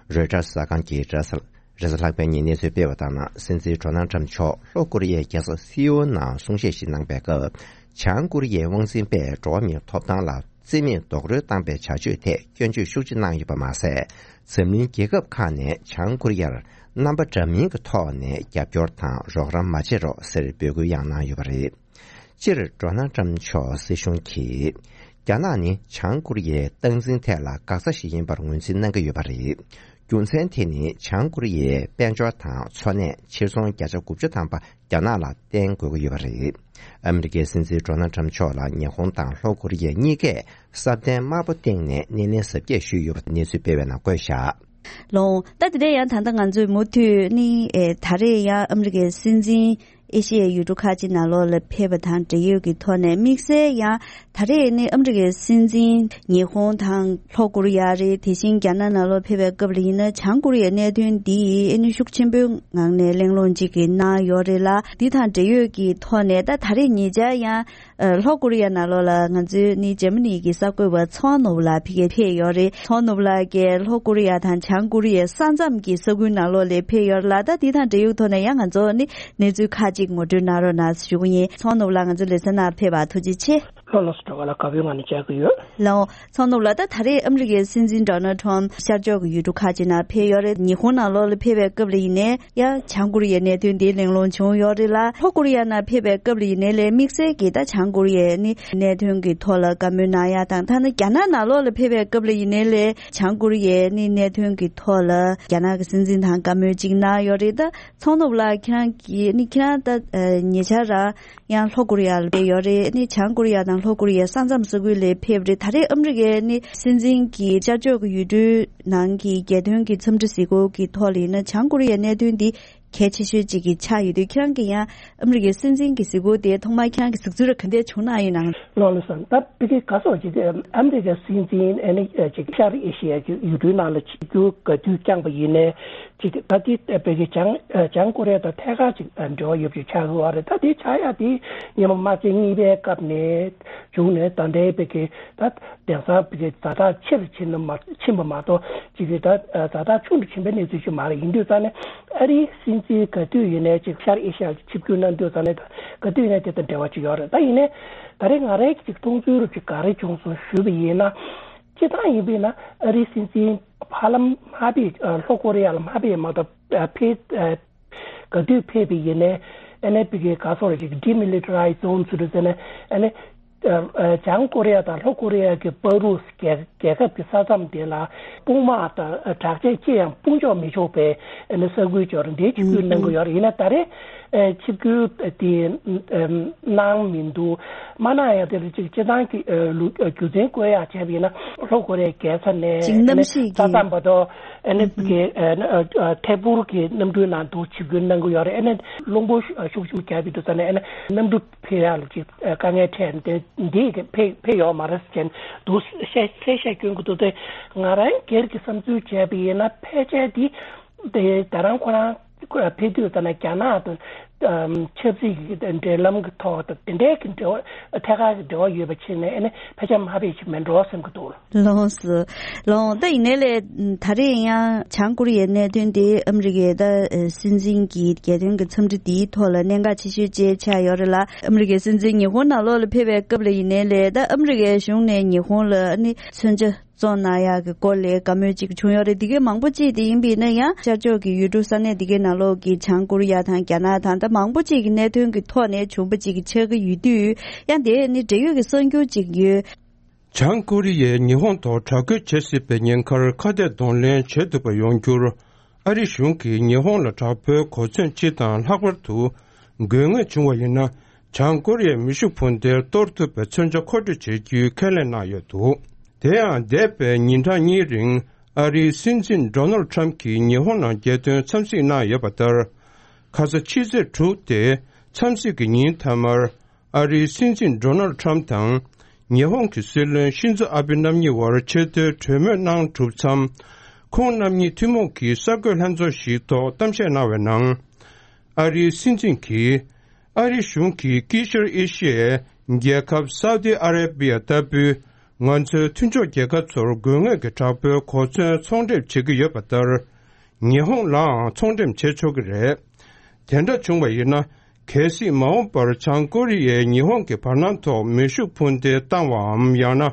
རོའི་ཊར་གསར་ཁང་གིས་རེས་གཟའ་རེས་གཟའ་ལྷག་པའི་ཉིན་གནས་ཚུལ་སྤེལ་བ་ལྟར་ན། སྲིད་འཛིན་ཌོ་ནལ་ཁྲམ་མཆོག་ལྷོ་ཀོ་རི་ཡའི་རྒྱལ་ས་སེའུལ་ནང་གསུང་བཤད་ཞིག་གནང་པའི་སྐབས། བྱང་ཀོ་རི་ཡའི་དབང་འཛིན་པས་འགྲོ་བ་མིའི་ཐོབ་ཐང་ལ་བརྩི་མེད་རྡོག་རོལ་བཏང་པའི་བྱ་སྤྱོད་ཐད་སྐྱོན་བརྗོད་ཤུགས་ཆེ་གནང་ཡོད་པ་མ་ཟད། འཛམ་གླིང་རྒྱལ་ཁབ་ཁག་ནས་བྱང་ཀོ་རི་ཡར་རྣམ་པ་འདྲ་མིན་གྱི་ཐོག་ནས་རྒྱབ་སྐྱོར་དང་རོགས་རམ་མ་བྱེད་རོགས་ཟེར་འབོད་སྐུལ་ཡང་གནང་ཡོད་པ་རེད། སྤྱིར་ཌོ་ནལ་ཁྲམ་མཆོག་སྲིད་གཞུང་གིས་རྒྱ་ནག་ནི་བྱང་ཀོ་རི་ཡའི་སྟངས་འཛིན་ཐད་ལ་འགག་རྩ་ཞིག་ཡིན་པར་ངོས་འཛིན་གནང་གི་ཡོད་པ་རེད། རྒྱུ་མཚན་དེ་ནི་བྱང་ཀོ་རི་ཡའི་དཔལ་འབྱོར་དང་འཚོ་གནས་ཕྱིར་ཚོང་བརྒྱ་ཆ་དགུ་བཅུ་ཐམ་པ་རྒྱ་ནག་ལ་བརྟེན་དགོས་ཀྱི་ཡོད་པ་རེད། ཨ་མི་རི་ཀའི་སྲིད་འཛིན་ཌོ་ནལ་ཁྲམ་མཆོག་ལ་ཉི་ཧོང་དང་ལྷོ་ཀོ་རི་ཡ་གཉིས་ཀས་བསམ་གཏན་དམར་པོ་སྟེང་ནས་སྣེ་ལེན་གཟབ་རྒྱས་ཞུས་ཡོད་པ་གནས་ཚུལ་སྤེལ་བའི་ནང་བཀོད་བཞག། ལོང་། ད་དེ་འདྲ་ཡང་ད་ལྟ་ང་ཚོས་མུ་མཐུད་ནི་ཨེ་ད་རེས་ཡང་ཨ་མི་རི་ཀའི་སྲིད་འཛིན་ཨེ་ཤི་ཡའི་ཡུལ་གྲུ་ཁག་ཅིག་ནང་ལོགས་ལ་ཕེབས་པ་དང་འབྲེལ་ཡོད་ཀྱི་ཐོག་ནས། དམིགས་བསལ་ཡང་ད་རེས་ནི་ཨ་མི་རི་ཀའི་སྲིད་འཛིན་ཉི་ཧོང་དང་ལྷོ་ཀོ་རི་ཡ་རེད། དེ་བཞིན་རྒྱ་ནག་ནང་ལོགས་ཕེབས་པའི་སྐབས་ལ་ཡིན་ན་བྱང་ཀོ་རི་ཡའི་གནད་དོན་འདི་ཨེ་ནི་ཤུགས་ཆེན་པོའི་ངང་ནས་གླེང་སློང་ཅིག་གི་གནང་ཡོད་རེད་ལ། འདི་དང་འབྲེལ་ཡོད་ཀྱི་ཐོག་ནས་ད་ད་རེས་ཉེ་ཆར་ཡང་ཨ། ལྷོ་ཀོ་རི་ཡ་ནང་ལོགས་ལ་ང་ཚོའི་ནི་འཇར་མ་ནི་གི་གསར་འགོད་པ་ཚོང་ནོབ་ལགས་ཕ་གིར་ཕེབས་ཡོད་རེད། ཚོང་ནོབ་ལགས་ཀྱིས་ལྷོ་ཀོ་རི་ཡ་དང་བྱང་ཀོ་རི་ཡའི་ས་མཚམས་ཀྱི་ས་ཁུལ་ནང་ལོགས་ལ་ཕེབས་ཡོད་རེད་ལ། ད་འདི་དང་འབྲེལ་ཡོད་ཐོག་ནས་ཡང་ང་ཚོ་ནི་གནས་ཚུལ་ཁག་ཅིག་ངོ་སྤྲོད་གནང་རོགས་གནང་ཞུ་གི་ཡིན། ཚོང་ནོབ་ལགས་ང་ཚོའི་ལེ་ཚན་ནང་ཕེབས་པར་ཐུགས་རྗེ་ཆེ། ལྷོ་ལོ་སི་ཀྲོ་ག་ལ་དགའ་བོའི་ངང་ནས་མཇལ་གི་ཡོད། ལའོ། ཚོང་ནོབ་ལགས། ད་ད་རེས་ཨ་མི་རི་ཀའི་སྲིད་འཛིན་ཌོ་ནལ་ཁྲམ་ཤར་ཕྱོགས་ཀྱི་ཡུལ་གྲུ་ཁག་ཅིག་ནང་ཕེབས་ཡོད་རེད། ཉི་ཧོང་ནང་ལོགས་ལ་ཕེབས་པའི་སྐབས་ལ་ཡིན་ནའི་ཡང་བྱང་ཀོ་རི་ཡའི་གནད་དོན་འདི་གླེང་སློང་བྱུང་ཡོད་རེད་ལ། ལྷོ་ཀོ་རི་ཡ་ནང་ཕེབས་པའི་སྐབས་ལ་ཡིན་ནའི་ལས་དམིགས་བསལ་གྱིས་ད་བྱང་ཀོ་རི་ཡའི་ནི་གནད་དོན་གྱི་ཐོག་ལ་བཀའ་མོལ་གནང་ཡ་དང་། ཐ་ན་རྒྱ་ནག་ནང་ལོགས་ལ་ཕེབས་པའི་སྐབས་ལ་ཡིན་ནའི་ལས་བྱང་ཀོ་རི་ཡའི་ནི་གནད་དོན་གྱི་ཐོག་ལ་རྒྱ་ནག་གི་སྲིད་འཛིན་དང་བཀའ་མོལ་ཅིག་གནང་ཡོད་རེད། ད་ཚོང་ནོབ་ལགས་ཁྱེད་རང་གིས་ནི་ཁྱེད་རང་ད་ཉེ་ཆར་རང་ཡང་ལྷོ་ཀོ་རི་ཡ་ལ་ཕེབས་ཡོད་རེད། ནི་བྱང་ཀོ་རི་ཡ་དང་ལྷོ་ཀོ་རི་ཡའི་ས་མཚམས་ས་ཁུལ་ལ་ཕེབས་རེད། ད་རེས་ཨ་མི་རི་ཀའི་ནི་སྲིད་འཛིན་གྱིས་ཤར་ཕྱོགས་ཀྱི་ཡུལ་གྲུའི་ནང་གི་རྒྱལ་དོན་གྱི་འཚམས་འདྲི་གཟིགས་སྐོར་གྱི་ཐོག་ལ་ཡིན་ན་བྱང་ཀོ་རི་ཡའི་གནད་དོན་འདི་གལ་ཆེ་ཤོས་གཅིག་གི་ཆགས་ཡོད་དུས། ཁྱེད་རང་གིས་ཡང་ཨ་མི་རི་ཀའི་སྲིད་འཛིན་གྱི་གཟིགས་སྐོར་དེ་ཐོག་མར་ཁྱེད་རང་གིས་གཟིགས་ཚུལ་ར་ག་འདྲས་བྱུང་གནང་ཡོད་ནང་། ལོ་ལོ་སམ། ད་ཕ་གི་ག་སོགས་ཀྱི་ཨ་མི་རི་ཀའི་སྲིད་འཛིན་ཨ་ནི་ཅིག་ཤར་ཨེ་ཤི་ཡ་གི་ཡུལ་གྲུའི་ནང་ལ་ཆིབས་བསྒྱུར་ག་དུས་བསྐྱངས་པ་ཡིན་ནའི། ཅིག་ད་ལྟའི་བོད་ཀྱི་བྱང་བྱང་ཀོ་རི་ཡ་དང་ཐད་ཀར་ཅིག་འབྲེལ་བ་ཡོད་པ་ཅིག་ཆགས་ཀྱི་ཡོད་རེད། ད་དེ་ཆགས་ཡ་དེ་ཉི་མ་དམར་ཆེན་གཉིས་པའི་སྐབས་ནས་བྱུང་ནས་ད་ལྟའི་བོད་ཀྱི་ད་དེང་སང་བོད་ཀྱི་ཛ་དྲག་ཆེ་རུ་ཕྱིན་ན་མ་ཕྱིན་པ་མ་གཏོགས་ཅིག་གི་ད་ཛ་དྲག་ཆུང་དུ་ཕྱིན་པའི་གནས་ཚུལ་ཞིག་མ་རེད། ཡིན་དུས་ཙང་ནས་ཨ་རིའི་སྲིད་འཛིན་ག་དུས་ཡིན་ནའི་ཅིག་ཤར་ཨེ་ཤ་ཡར་ཆིབས་བསྒྱུར་གནང་དུས་ཙང་ནས་ད་ག་དུས་ཡིན་ནའི་དེ་དང་འབྲེལ་བ་ཅིག་ཡོད་རེད། ད་ཡིན་ནའི་ད་རེས་ང་རའི་ཅིག་མཐོང་ཚུལ་རུ་ཅིག་ག་རེ་བྱུང་སོང་ཞུས་པ་ཡིན་ན། སྤྱིར་བཏང་ཡིན་པས་ན་ཨ་རིའི་སྲིད་འཛིན་ཕར་ལམ་མ་ཕེབས། ལྷོ་ཀོ་རི་ཡ་ལ་མ་ཕེབས་མ་གཏོགས་ཕེབས། ག་དུས་ཕེབས་པ་ཡིན་ནའི་ཨ་ནི་བོད་ཀྱི་ག་སོགས་རེད་ཅིག་ཌི་མི་ལི་ཊ་རའི་ཛོན་ཟེར་དུས་ཙ་ནས་ཨ་ནི་བྱང་ཀོ་རི་ཡ་དང་ལྷོ་ཀོ་རི་ཡ་གི་བར་དུ་རྒྱལ་རྒྱལ་ཁབ་ཀྱི་ས་མཚམས་དེ་ལ་དཔུང་དམག་དང་དྲག་ཆས་ཅི་ཡང་སྤུངས་འཇོག་མི་ཆོག་པའི་ཨ་ནི་ས་ཁུལ་ཅིག་ཡོད་རེད། འདི་ཆིབས་བསྒྱུར་གནང་གི་ཡོད་རེད། ཡིན་ན་ད་རེས་ཨེ་ཆིབས་བསྒྱུར་དེ་ཨེམ་གནང་མི་འདུག། མ་གནང་ཡ་དེ་ལ་ཅིག་སྤྱིར་བཏང་གི་ཨེ་ལུ་ཨེ་རྒྱུ་མཚན་བཀོད་ཡག་བྱས་པ་ཡིན་ན་ལྷོ་ཀོ་རི་ཡའི་རྒྱལ་ས་ནས་ཅིག་གནམ་གཤིས་ས་ཀྱི་མཚམས་བར་དུ་ཨེ་ནི་ཨུམ་ཀྱི་ཨེ་ཨེ་ཐད་འཕུར་གྱི་གནམ་གྲུའི་ནང་དུ་ཆིབས་བསྒྱུར་གནང་གི་ཡོད་རེད། ཨེ་ནི་རླུང་བུ་ཤུགས་ཆེན་པོ་རྒྱག་པའི་དུས་ཙ་ནས་ཨེ་ནི་གནམ་གྲུ་ཕེབས་ཡག་ལ་ཅིག་དཀའ་ངལ་འཕྲད་དེ་འདི་ཕེབས་ཕེབས་ཡོད་མ་རེད་ཟེར་འདུག་བཤད་བཤད་བཤད་སྐྱོན་གྱི་འདུག་སྟེ། ང་རང་སྒེར་གྱི་བསམ་ཚུལ་བྱས་པ་ཡིན་ན་ཕལ་ཆེར་འདི། དེ་ད་རང་ཁོ་རང་ཕེབས་དུས་ཙ་ན་རྒྱ་ནག་དང་ ཨམ། ཆབ་སྲིད་ཀྱི་འབྲེལ་ལམ་གྱི་ཐོག་དང་དེ་འདྲའི་གི་འབྲེལ་བ་ཐད་ཀར་གྱི་འབྲེལ་བ་ཡོད་པ་བྱས་ནས་ཨ་ནི་ཕལ་ཆེར་དམའ་འབེབས་ཅིག་མིན་འགྲོ་བསམ་གྱི་འདུག་ལགས་སོ། ལགས་སོ། ད་ཡིན་ནའི་ལས་ད་རེས་ཡང་བྱང་ཀོ་རི་ཡའི་གནད་དོན་དེ་ཨ་མི་རི་ཀའི་ད་སྲིད་འཛིན་གྱི་རྒྱལ་དོན་གྱི་འཚམས་འདྲི་འདིའི་ཐོག་ལ་གནད་འགག་ཆེ་ཤོས་བཅས་ཆགས་ཡོད་རེད་ལ། ཨ་མི་རི་ཀའི་སྲིད་འཛིན་ཉི་ཧོང་ནང་ལོགས་ལ་ཕེབས་པའི་སྐབས་ལ་ཡིན་ནའི་ལས་ད་ཨ་མི་རི་ཀའི་གཞུང་ནས་ཉི་ཧོང་ལ་ཨ་ནི་མཚོན་ཆ་བཙོང་གནང་ཡག་གི་སྐོར་ལ་བཀའ་མོལ་ཅིག་བྱུང་ཡོད་རེད། འདི་གའི་མང་པོ་ཅིག་དེ་ཡིན་པས་ན་ཡང་ཤར་ཕྱོགས་ཀྱི་ཡུལ་གྲུ་ས་གནས་འདི་གའི་ནང་ལོགས་ཀྱི་བྱང་ཀོ་རི་ཡ་དང་རྒྱ་ནག་དང་ད་མང་པོ་ཅིག་གི་གནད་དོན་གྱི་ཐོག་ནས་བྱུང་བ་ཅིག་ཆགས་ཀྱི་ཡོད་དུས་ཡང་དེ་ནི་འབྲེལ་ཡོད་ཀྱི་གསར་འགྱུར་ཅིག་ཡོད། བྱང་ཀོ་རི་ཡས་ཉི་ཧོང་ཐོག་དྲག་རྒོལ་བྱེད་སྲིད་པའི་ཉེན་ཁར་ཁ་གཏད་གདོང་ལེན་བྱེད་ཐུབ་པ་ཡོང་རྒྱུར། ཨ་རིའི་གཞུང་གིས་ཉི་ཧོང་ལ་དྲག་པོའི་གོ་མཚོན་སྤྱི་དང་ལྷག་པར་དུ་དགོས་ངེས་བྱུང་བ་ཡིན་ན། བྱང་ཀོ་རི་ཡའི་མེ་ཤུགས་འཕུར་མདེལ་གཏོར་ཐུབ་པའི་མཚོན་ཆ་མཁོ་སྤྲོད་བྱེད་རྒྱུའི་ཁས་ལེན་གནང་ཡོད་འདུག་དེ་ཡང་འདས་པའི་ཉིན་གྲངས་གཉིས་རིང་ཨ་རིའི་སྲིད་འཛིན་ཌོ་ནལ་ཁྲམ་གྱིས་ཉི་ཧོང་ནང་རྒྱལ་དོན་འཚམས་གཟིགས་གནང་ཡོད་པ་ལྟར། ཁ་ས་ཕྱི་ཚེས་དྲུག་སྟེ་འཚམས་གཟིགས་ཀྱི་ཉིན་མཐའ་མར། ཨ་རིའི་སྲིད་འཛིན་ཌོ་ནལ་ཁྲམ་དང་། ཉི་ཧོང་གི་སྲིད་བློན་ཤིན་ཛོ་ཨ་བྷེ་རྣམ་གཉིས་བར་ཆེས་མཐོའི་གྲོས་མོལ་གནང་གྲུབ་མཚམས། ཁོང་རྣམ་གཉིས་ཐུན་མོང་གི་གསར་འགོད་ལྷན་ཚོགས་ཤིག་ཐོག་གཏམ་བཤད་གནང་བའི་ནང་། ཨ་རིའི་སྲིད་འཛིན་གྱིས། ཨ་རིའི་གཞུང་གིས་དཀྱིལ་ཤར་ཨེ་ཤི་ཡའི་རྒྱལ་ཁབ་སའུ་ཏི་ཨ་རེ་བྷི་ཡ་ལྟ་བུའི་ང་ཚོའི་མཐུན་ཕྱོགས་རྒྱལ་ཁབ་ཚོར་དགོས་ངེས་ཀྱི་དྲག་པོའི་གོ་མཚོན་ཚོང་འགྲེམས་བྱེད་ཀྱི་ཡོད་པ་ལྟར། ཉི་ཧོང་ལའང་ཚོང་འགྲེམས་བྱེད་ཆོག་གི་རེད། དེ་འདྲ་བྱུང་བ་ཡིན་ན། གལ་སྲིད་མ་འོངས་པར་བྱང་ཀོ་རི་ཡས་ཉི་ཧོང་གི་བར་སྣང་ཐོག་མེ་ཤུགས་འཕུར་མདེལ་བཏང་བའམ་ཡང་ན།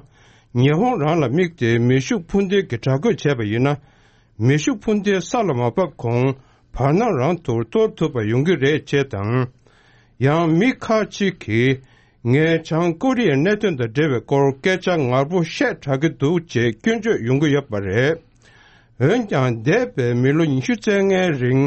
ཉི་ཧོང་རང་ལ་དམིགས་ཏེ་མེ་ཤུགས་འཕུར་མདེལ་གྱི་དྲག་རྒོལ་བྱས་པ་ཡིན་ན། མེ་ཤུགས་འཕུར་མདེལ་ས་ལ་མ་བབས་གོང་བར་སྣང་རང་དུ་གཏོར་ཐུབ་པ་ཡོང་གི་རེད་ཅེས་དང་། ཡང་མི་ཁག་ཅིག་གིས། ངས་བྱང་ཀོ་རི་ཡའི་གནད་དོན་དང་འབྲེལ་བའི་སྐོར་སྐད་ཆ་ངར་པོ་བཤད་དྲགས་ཀྱི་འདུག་ཅེས་སྐྱོན་བརྗོད་ཡོང་གི་ཡོད་པ་རེད། འོན་ཀྱང་། འདས་པའི་མི་ལོ་ཉི་ཤུ་རྩ་ལྔའི་རིང་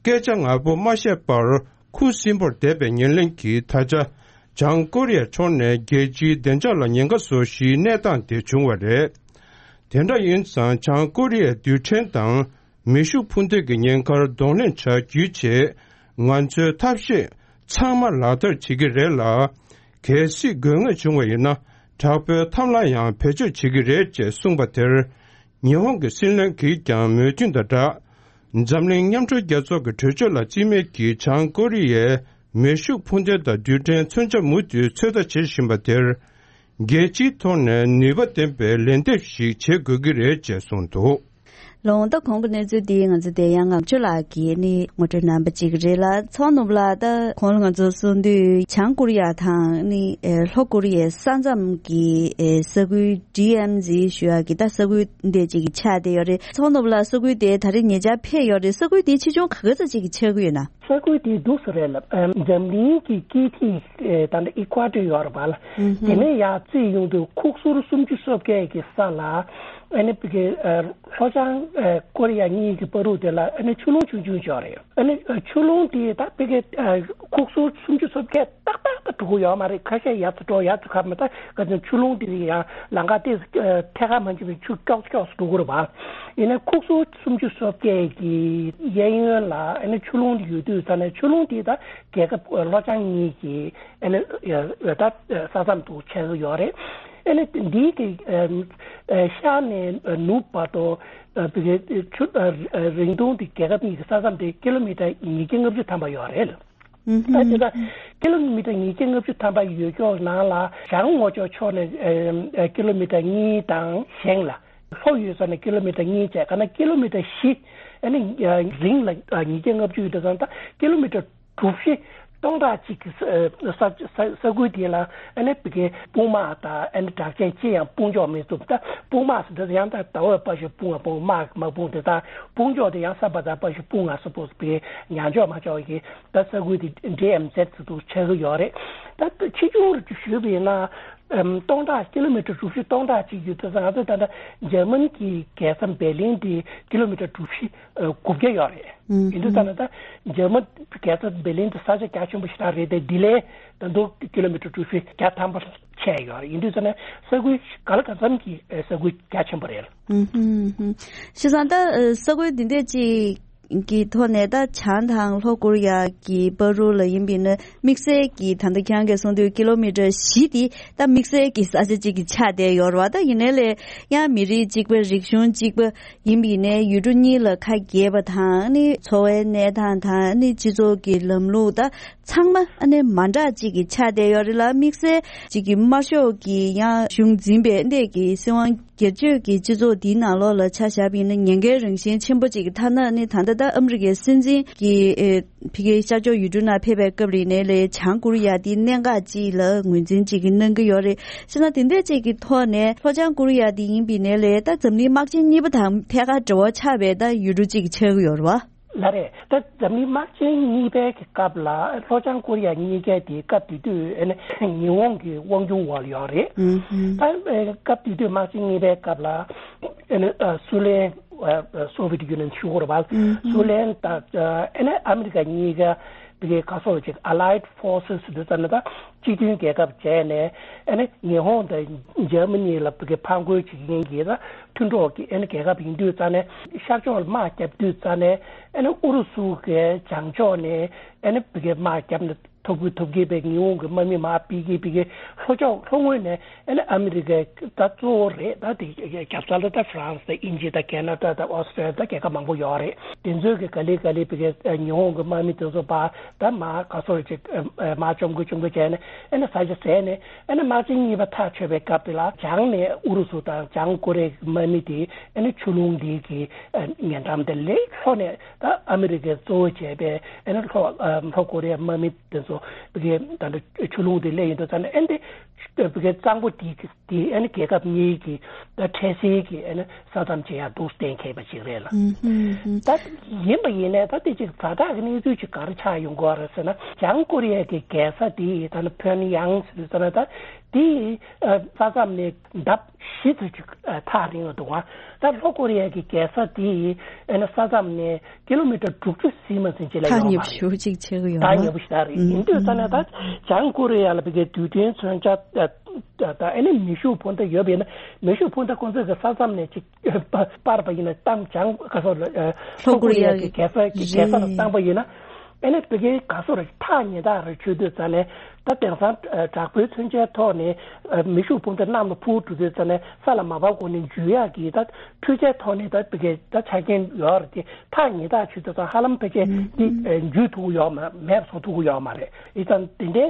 སྐད་ཆ་ངར་པོ་མ་བཤད་པར་ཁུ་སིམ་པོར་བསྡད་པའི་ཉེར་ལེན་གྱིས། ད་ཆ་བྱང་ཀོ་རི་ཡའི་ཕྱོགས་ནས་རྒྱལ་སྤྱིའི་བདེ་འཇགས་ལ་ཉེན་ཁ་བཟོ་གཞིའི་གནས་སྟངས་དེ་བྱུང་བ་རེད། དེ་འདྲ་ཡིན་ཙང་། བྱང་ཀོ་རི་ཡའི་རྡུལ་ཕྲན་དང་མེ་ཤུགས་འཕུར་མདེལ་གྱི་ཉེན་ཁར་གདོང་ལེན་བྱ་རྒྱུའི་ཆེད། ང་ཚོས་ཐབས་ཤེས་ཚང་མ་ལག་བསྟར་བྱེད་ཀྱི་རེད་ལ། གལ་སྲིད་དགོས་ངེས་བྱུང་བ་ཡིན་ན། དྲག་པོའི་ཐབས་ལ་ཡང་བེད་སྤྱོད་བྱེད་ཀྱི་རེད་ཅེས་གསུངས་པ་དེར། ཉི་ཧོང་གི་སྲིད་བློན་གྱིས་ཀྱང་མོས་མཐུན་དང་སྦྲགས། འཛམ་གླིང་མཉམ་འབྲེལ་རྒྱལ་ཚོགས་ཀྱི་གྲོས་ཆོད་ལ་རྩིས་མེད་ཀྱིས་བྱང་ཀོ་རི་ཡའི་མེ་ཤུགས་འཕུར་མདེལ་དང་རྡུལ་ཕྲན་མཚོན་ཆ་མུ་མཐུད་ཚོད་ལྟ་བྱེད་བཞིན་པ་དེར། རྒྱལ་སྤྱིའི་ཐོག་ནས་ནུས་པ་ལྡན་པའི་ལན་འདེབས་ཤིག་བྱེད་དགོས་ཀྱི་རེད་ཅེས་གསུངས་འདུག་ལོང་ད་གོང་གི་གནས་ཚུལ་འདི་ང་ཚོ་དེ་ཡང་ངག་ཆུ་ལགས་ཀྱིས་ནི་ངོ་སྤྲོད་གནང་པ་ཅིག་རེད་ལ། ཚོགས་ནུབ་ལ་ད་གོང་ལ་ང་ཚོ་གསུང་དུས་བྱང་ཀོ་རི་ཡ་དང་ནི་ལྷོ་ཀོ་རི་ཡའི་ས་མཚམས་ཀྱི་ས་ཁུལ་ཌི་ཨེམ་ཟི་ཞུ་ཡག་གི་ད་ས་ཁུལ་འདི་ཅིག་ཆགས་བསྡད་ཡོད་རེད། ཚོགས་ནུབ་ལ་ས་ཁུལ་དེ་ད་རེས་ཉེ་ཆར་ཕེབས་ཡོད་རེད། ས་ཁུལ་དེ་ཆེ་ཆུང་ག་ག་ཚོད་ཅིག་ཆགས་ཀྱི་ཡོད་ན། ས་ཁུལ་དེ་འདུག་སེ་རེད་ལབ། འཛམ་གླིང་གི་སྐྱེད་མཐིལ་ད་ལྟ་ཨི་ཀ་ཝ་ཏོར་ཡོད་རེད་པ་ལ། དེ་ནས་ཡར་རྩིས་ཡོང་དུས་ཁུག་སོར་སུམ་ཅུ་སོ་བརྒྱད་ཀྱི་ས་ལ་ཨ་ནི་ཕ་གི་ལྷོ་བྱང་ཀོ་རི་ཡ་གཉིས་ཀྱི་བར་དུ་དེ་ལ་ཨ་ནི་ཆུ་ཀླུང་ཆུང་ཆུང་ཅིག་ཡོད་རེད། ཨ་ནི་ཆུ་ཀླུང་དེ་ད་ཕ་གི་ཁུག་སོར་སུམ་ཅུ་སོ་བརྒྱད་ཏག་ཏག་ཏག་འགྲོ་གི་ཡོད་མ་རེད། ཁ་ཤས་ཡར་ཚུར་འགྲོ་ཡར་ཚུར་ཁ་མ་ད་ག་ཚོད་ཆུ་ཀླུང་དེ་ཡང་ལམ་ཁ་ཏོག་ཙམ་ཐད་ཀར་མ་ཕྱིན་པའི་ཆུ་ཀྱོག་ཀྱོག་འགྲོ་གི་རེད་པ། ཡིན་ན་ཁུག་སོར་སུམ་ཅུ་སོ་བརྒྱད་ཀྱི་གཡས་གཡོན་ལ་ཨ་ནི་ཆུ་ཀླུང་དེ་ཡོད་དུས་ཙ་ནས་ཆུ་ཀླུང་དེ་ད་རྒྱལ་ཁབ་ལྷོ་བྱང་གཉིས་ཀྱི་ཨ་ནི་ད་ས་མཚམས་དུ་ཆགས་ཀྱི་ཡོད་རེད། ཨ་ནི་འདི་གི་ཤར་ནས་ནུབ་བར་དུ་ཆུ་རིང་ཐུང་དེ་རྒྱལ་ཁབ་གཉིས་ཀྱི་ས་མཚམས་དེ་ཀི་ལོ་མི་ཊར་ཉིས་བརྒྱ་ལྔ་བཅུ་ཐམ་པ་ཡོད་རེད། ད་དེ་ད་ཀི་ལོ་མི་ཊར་ཉིས་བརྒྱ་ལྔ་བཅུ་ཐམ་པ་ཡོད་ཀྱོག་ནང་ལ་བྱང་ངོས་ཕྱོགས་ཕྱོགས་ནས་ཀི་ལོ་མི་ཊར་གཉིས་དང་བཞེངས་ལ། ལྷོ་ཡོད་ས་ནས་ཀི་ལོ་མི་ཊར་གཉིས་བྱས་ག་ན་ཀི་ལོ་མི་ཊར་བཞི། ཨ་ནི་རིང་ལ་ཉིས་བརྒྱ་ལྔ་བཅུ་ཡོད་དུས་ཙང་ད་ཀི་ལོ་མི་ཊར་གྲུ་བཞི་སྟོང་ཕྲག་གཅིག་གི་ས་ས་ས་ས་ཁུལ་དེ་ལ་ཨ་ནི་བི་གའི་དཔུང་དམག་དང་ཨ་ནི་དྲག་ཆས་ཅི་ཡང་སྤུངས་ཆོག་མི་ཐུབ། ད་དཔུང་དམག་ཟེར་དུས་ཡང་ད་ཟླ་བ་པ་ཞིག་སྤུངས་ང་སྤུངས་དམག་མ་སྤུངས་དེ་ད་སྤུངས་ཆོག་དེ་ཡང་ས་པ་ད་པ་ཞིག་སྤུངས་ང་སུ་པོ་བི་གའི་ཉན་ཆོག་མ་ཆོག་གི་ད་ས་ཁུལ་དེ་ཌི་ཨེམ་ཟེར་ཚུལ་དུ་ཆགས་ཀྱི་ཡོད་རེད། ད་ཆེ་ཆུང་རུ་ཞུས་པ་ཡིན་ན། སྟོང་ཕྲག་ཀི་ལོ་མི་ཊར་གྲུ་བཞི་སྟོང་ཕྲག་གཅིག་ཡོད་དུས་ཙང་ང་ཚོ་ད་ལྟ་འཇར་མན་གྱི་རྒྱལ་ས་འབེར་ལིན་དེ་ཀི་ལོ་མི་ཊར་གྲུ་བཞི་དགུ་བརྒྱ་ཡོད་རེད། ཡིན་དུས་ཙང་ད་ལྟ་འཇར་མན་རྒྱལ་ས་འབེར་ལིན་དེ་ས་ཆ་རྒྱ་ཆེན་པོ་ཞེ་དྲག་རེད་དེ་འདི་ལས་ད་དུང་ཀི་ལོ་མི་ཊར་གྲུ་བཞི་བརྒྱ་ཐམ་པ་ཆགས་ཡོད་རེད། ཡིན་དུས་ཙང་ནས་ས་ཁུལ་ག་ལ་གང་འཚམ་གྱི་ས་ཁུལ་རྒྱ་ཆེན་པོ་རེད། བྱས་ཙང་ད་ས་ཁུལ་འདི་འདྲས་ཅིག་གི་ཐོག་ནས་ད་བྱང་དང་ལྷོ་ཀོ་རི་ཡ་གི་བར་དུ་ལ་ཡིན་པ་ཡིན་ན་དམིགས་བསལ་གྱི་ད་ལྟ་ཁྱེད་རང་གིས་གསུངས་དུས་ཀི་ལོ་མི་ཊར་བཞི་དེ་ད་དམིགས་བསལ་གྱི་ས་ཆ་གཅིག་གི་ཆགས་བསྡད་ཡོད་རེད་བ། ད་ཡིན་ནའི་ལས་ཡང་མི་རིགས་གཅིག་པ་རིག་གཞུང་གཅིག་པ་ཡིན་པ་ཡིན་ནའི་ཡུལ་གྲུ་གཉིས་ལ་ཁ་གྱེས་པ་དང་ནི་འཚོ་བའི་གནས་སྟངས་དང་ནི་སྤྱི་ཚོགས་ཀྱི་ལམ་ལུགས་ད་ཚང་མ་ཨ་ནི་མ་འདྲ་གཅིག་གི་ཆགས་བསྡད་ཡོད་རེད་ལ། དམིགས་བསལ་གཅིག་གི་དམར་ཤོག་གི་ཡང་གཞུང་འཛིན་པའི་འདས་ཀྱི་སྲིད་དབང་སྒེར་གཅོད་ཀྱི་སྤྱི་ཚོགས་འདིའི་ནང་ལོགས་ལ་ཆ་བཞག་པ་ཡིན་ན་ཉེན་ཁའི་རང་བཞིན་ཆེན་པོ་གཅིག་གི་ཐ་ན་ནི་ད་ལྟ་ད་ཨ་མི་རི་ཀའི་སྲིད་འཛིན་གྱི་ཨེ་ཕ་གིའི་ཤར་ཕྱོགས་ཡུལ་གྲུ་ནང་ཕེབས་པའི་སྐབས་རིང་ནས་ལས་བྱང་ཀོ་རི་ཡ་འདི་གནད་འགག་ཅིག་ལ་ངོས་འཛིན་ཅིག་གི་གནང་གི་ཡོད་རེད། བྱས་ན་དེ་འདྲ་ཅིག་གི་ཐོག་ནས་ལྷོ་བྱང་ཀོ་རི་ཡ་འདི་ཡིན་པ་ཡིན་ནའི་ལས་ད་འཛམ་གླིང་དམག་ཆེན་གཉིས་པ་དང་ཐད་ཀར་འབྲེལ་བ་ཆགས་པའི་ད་ཡུལ་གྲུ་ཅིག་ཆགས་ཀྱི་ཡོད་རེད་བ། ལགས་རེད། ད་འཛམ་གླིང་དམག་ཆེན་གཉིས་པའི་གི་སྐབས་ལ་ལྷོ་བྱང་ཀོ་རི་ཡ་གཉིས་ཀ་དེ་སྐབས་དེ་དུས་ཨ་ནི་ཉི་ཧོང་གི་དབང་སྒྱུར་འོག་ལ་ཡོད་རེད། ཨུ་ཧུམ། ད་ཨ་སྐབས་དེ་དུས་དམག་ཆེན་གཉིས་པའི་སྐབས་ལ་ཨ་ནི་ཨ་སུའུ་ལེན་ཨ་Soviet Union ཞུ་དགོས་རེད་པ། ཨུ་ཧུམ། སུའུ་ལེན་དང་ཨ་ནི་ཨ་མི་རི་ཀ་གཉིས་ཀ་བི་གའི་ག་སོགས་ཅིག་Allied Forces ཟེར་དུས་ཙམ་ནས་ད་སྤྱི་མཐུན་རྒྱལ་ཁབ་བྱས་ནས་ཨ་ནི་ཉི་ཧོང་དང་འཇར་མ་ནི་ལ་བི་གའི་ཕར་རྒོལ་བྱེད་མཁན་གྱི་ད་མཐུན་གྲོགས་ཀྱི་ཨ་ནི་རྒྱལ་ཁབ་ཡིན་དུས་ཙང་ནས་ཤར་ཕྱོགས་ལ་དམག་བརྒྱབ་དུས་ཙང་ནས་ཨ་ནི་ཨུ་རུ་སུ་གི་བྱང་ཕྱོགས་ནས་ཨ་ནི་བི་གའི་དམག་བརྒྱབ་ནས་ཐོབ་གི་ཐོབ་གི་བའི་ཉི་ཧོང་གི་དམག་མི་མར་ཕྱིན་གི་ཕྱིན་གི་ལྷོ་ཕྱོགས་ལྷོ་ངོས་ནས་ཨ་ནི་ཨ་མི་རི་ཀའི་ད་གཙོ་བོ་རེད། ད་དེ་རྒྱབ་ས་ལ་ད་ཧྥ་རན་སི་དང་དབྱིན་ཇི་དང་ཁེ་ན་ཌ་དང་ཨོ་སི་ཀྲི་ཡ་དང་རྒྱལ་ཁབ་མང་པོ་ཡོད་རེད། དེ་ཚོའི་གི་ག་ལེ་ག་ལེ་བི་གའི་ཉི་ཧོང་གི་དམག་མི་དེ་ཚོ་ཕར་ད་མར་ག་སོགས་ཅིག་མར་བཅོམ་གི་བཅོམ་གི་བྱས་ནས་ཨ་ནི་ས་ཆ་བཟས་ནས་ཨ་ནི་དམག་ཆེན་གཉིས་པ་ཐག་ཆོད་པའི་སྐབས་དེ་ལ་བྱང་ནས་ཨུ་རུ་སུ་དང་བྱང་ཀོ་རི་ཡའི་དམག་མི་དེ་ཨ་ནི་ཆུ་ཀླུང་དེ་གི་ཉེ་འགྲམ་དེ་ལས་ལྷོ་ནས་ད་ཨ་མི་རི་ཀས་གཙོ་བོ་བྱས་པའི་ཨ་ནི་ལྷོ་ལྷོ་ཀོ་རི་ཡའི་དམག་མི་དེ་ཚོ་བི་གའི་ད་ལྟ་ཆུ་ཀླུང་དེ་སླེབས་ཡོང་དུས་ཙང་ནས་ཨ་ནི་བི་གའི་གཙང་པོ་དེ་དེ་ཨ་ནི་རྒྱལ་ཁབ་གཉིས་ཀྱི་ད་འཕྲལ་སེལ་གྱི་ཨ་ནི་ས་མཚམས་ཅིག་ཡང་འདུག་གཏན་འཁེལ་བ་ཅིག་རེད་ལ། ཨུ་ཧུམ་ཧུམ། ད་ཡིན་པ་ཡིན་ནའི་ད་དེ་ཅིག་ཛ་དྲག་གི་གནས་ཚུལ་ཅིག་ག་རེ་ཆགས་ཡོང་གི་ཡོད་རེད་ཟེར་ན། བྱང་ཀོ་རི་ཡ་གི་རྒྱལ་ས་དེ་ད་ནི་ཕིའོ་ཡང་ཟེར་དུས་ཙང་ནས་ད་དེ་ས་མཚམས་ནས་ལྡབ་བཞི་ཙམ་ཅིག་ཐག་རིང་བ་འདུག་ག་ད་ལྷོ་ཀོ་རི་ཡ་གི་རྒྱལ་ས་དེ་ཨ་ནི་ས་མཚམས་ནས་ཀི་ལོ་མི་ཊར་དྲུག་ཅུ་ཟིན་མ་ཟིན་ཅིག་ལ་ཐག་ཡོད་མ་ཉེ་པོ་རེད། ཞེ་པོ་ཅིག་ཆགས་ཀྱི་ཡོད་ད་ན། ཉེ་པོ་ཞེ་དྲག་རེད། ཨུ་ཡིན་དུས་ཙང་ནས་ད་བྱང་ཀོ་རི་ཡ་ལ་བི་གའི་རྡུལ་ཕྲན་མཚོན་ཆ་ད་ཨ་ནི་མེ་ཤུགས་འཕུར་མདའ་ཡོད་པ་ཡིན་ན། མེ་ཤུགས་འཕུར་མདའ་ཁོང་ཚོས་གི་ས་མཚམས་ནས་ཅིག་སྤར་བ་ཡིན་ན་གཏམ་བྱང་ག་སོགས་ལ་ལྷོ་ཀོ་རི་ཡ་གི་རྒྱལ་ས་གི་རྒྱལ་ས་ལ་བཏང་པ་ཡིན་ན། ཨ་ནི་བི་གའི་ག་སོགས་རེད། ཐག་ཉེ་ཐག་རེ་ཆོད་དུས་ཙང་ནས་ད་དེང་སང་དྲག་པོའི་མཚོན་ཆའི་ཐོག་ནས་མེ་ཤུགས་འཕུར་མདའ་གནམ་ལ་འཕུར་འགྲོ་དུས་ཙང་ནས་ས་ལ་མ་བབས་གོང་ནས་འཇུ་ཡག་གི་ད་འཕྲུལ་ཆས་ཐོག་ནས་ད་བི་གའི་ད་ཆ་རྐྱེན་ཡོད་རེད་དེ། ཐག་ཉེ་ཐག་ཆོད་དུས་ཙང་ཧ་ལམ་ཕལ་ཆེར་འདི་འཇུ་ཐུབ་ཀྱི་ཡོད་མ་མེད་པ་བཟོ་ཐུབ་ཀྱི་ཡོད་མ་རེད། ཡིན་ཙང་དེ་འདྲའི་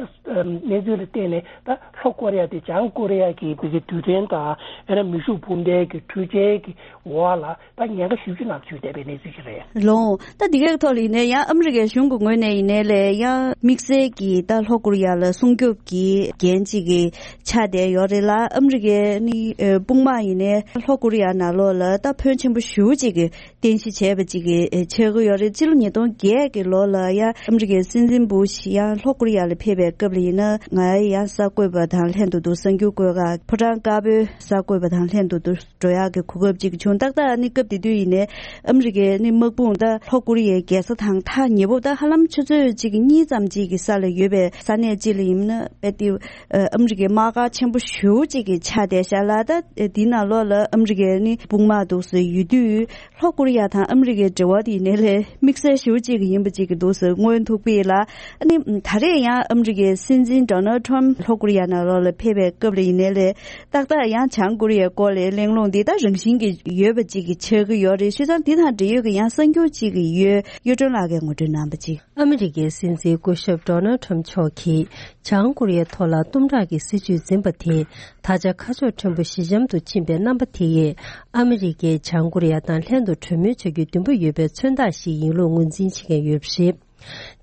གནས་ཚུལ་ལ་བརྟེན་ནས་ད་ལྷོ་ཀོ་རི་ཡ་དེ་བྱང་ཀོ་རི་ཡ་གི་བི་གའི་རྡུལ་ཕྲན་དང་ཨ་ནི་མེ་ཤུགས་འཕུར་མདའི་གི་འཕྲུལ་ཆས་ཀྱི་འོག་ལ་ད་ཉེན་ཁ་ཞེ་པོ་ཅིག་ནང་ཚུད་བསྡད་པའི་གནས་ཚུལ་ཞིག་རེད། ལགས་འོང་། ད་འདི་གའི་ཐོག་ལ་ཡིན་ནའི་ཡང་ཨ་མི་རི་ཀའི་གཞུང་གི་ངོས་ནས་ཡིན་ནའི་ལས་ཡང་དམིགས་བསལ་གྱི་ད་ལྷོ་ཀོ་རི་ཡ་ལ་སྲུང་སྐྱོབ་ཀྱི་འགན་ཅིག་གི་ཆགས་བསྡད་ཡོད་རེད་ལ། ཨ་མི་རི་ཀའི་ནི་ཨ་དཔུང་དམག་ཡིན་ནའི་ལྷོ་ཀོ་རི་ཡ་ནང་ལོགས་ལ་ད་ཕོན་ཆེན་པོ་ཞེ་པོ་ཅིག་གི་རྟེན་གཞི་བྱས་པ་ཅིག་གི་ཆགས་ཀྱི་ཡོད་རེད། སྤྱི་ལོ་ཉིས་སྟོང་བརྒྱད་ཀྱི་ལོ་ལ་ཡང་ཨ་མི་རི་ཀའི་སྲིད་འཛིན་བུ་ཤི་ཡང་ལྷོ་ཀོ་རི་ཡ་ལ་ཕེབས་པའི་སྐབས་ལ་ཡིན་ན་ང་ཡང་གསར་འགོད་པ་དང་ལྷན་དུ་འདུག་གསར་འགྱུར་བཀོད་ཁག་ཕོ་བྲང་དཀར་པོའི་གསར་འགོད་པ་དང་ལྷན་དུ་འདུག་འགྲོ་ཡག་གི་གོ་སྐབས་ཅིག་བྱུང་། ཏག་ཏག་ནི་སྐབས་དེ་དུས་ཡིན་ནའི་ཨ་མི་རི་ཀའི་ནི་དམག་དཔུང་ད་ལྷོ་ཀོ་རི་ཡའི་རྒྱལ་ས་དང་ཐག་ཉེ་པོ་ད་ཧ་ལམ་ཆུ་ཚོད་གཅིག་གཉིས་ཙམ་ཅིག་གི་ས་ལ་ཡོད་པའི་ས་གནས་ཅིག་ལ་ཡིན་ན་དཔེ་དེ་ཨ་མི་རི་ཀའི་དམག་སྒར་ཆེན་པོ་ཞེ་པོ་ཅིག་གི་ཆགས་བསྡད་ཤག་ལ། ད་དེའི་ནང་ལོགས་ལ་ཨ་མི་རི་ཀའི་ནི་དཔུང་དམག་འདུག་སེ་ཡོད་དུས། ལྷོ་ཀོ་རི་ཡ་དང་ཨ་མི་རི་ཀའི་འབྲེལ་བ་དེ་ཡིན་ནའི་ལས་དམིགས་བསལ་ཞེ་པོ་ཅིག་གི་ཡིན་པ་ཅིག་གི་འདུག་ཟེར་མངོན་ཐུབ་པས་ལ། ཨ་ནི་ད་རེས་ཡང་ཨ་མི་རི་ཀའི་སྲིད་འཛིན་ཌོ་ནལ་ཊམ་ལྷོ་ཀོ་རི་ཡ་ནང་ལོགས་ལ་ཕེབས་པའི་སྐབས་ལ་ཡིན་ནའི་ལས་ཏག་ཏག་ཡང་བྱང་ཀོ་རི་ཡའི་སྐོར་ལ་གླེང་སློང་འདི་ད་རང་བཞིན་གྱི་ཡོད་པ་ཅིག་གི་ཆགས་ཀྱི་ཡོད་རེད། བྱས་ཙང་འདི་དང་འབྲེལ་ཡོད་ཀྱི་ཡང་གསར་འགྱུར་ཅིག་གི་ཡོད། གཡུ་སྒྲོན་ལགས་ཀྱིས་ངོ་སྤྲོད་གནང་པ་ཅིག་ཨ་མི་རི་ཀའི་སྲིད་འཛིན་སྐུ་ཞབས་ཌོ་ནལ་ཊམ་མཆོག་གིས་བྱང་ཀོ་རི་ཡའི་ཐོག་ལ་གཏུམ་དྲག་གི་སྲིད་བྱུས་འཛིན་པ་དེས་ད་ཆ་ཁ་ཕྱོགས་ཕྲན་བུ་ཞི་འཇམ་དུ་ཕྱིན་པའི་རྣམ་པ་དེ་ཡིས་ཨ་མི་རི་ཀས་བྱང་ཀོ་རི་ཡ་དང་ལྷན་དུ་གྲོས་མོལ་བྱ་རྒྱུའི་འདུན་པ་ཡོད་པའི་མཚོན་རྟགས་ཤིག་ཡིན་ལུགས་ངོས་འཛིན་བྱེད་མཁན་ཡོད་པ་རེད།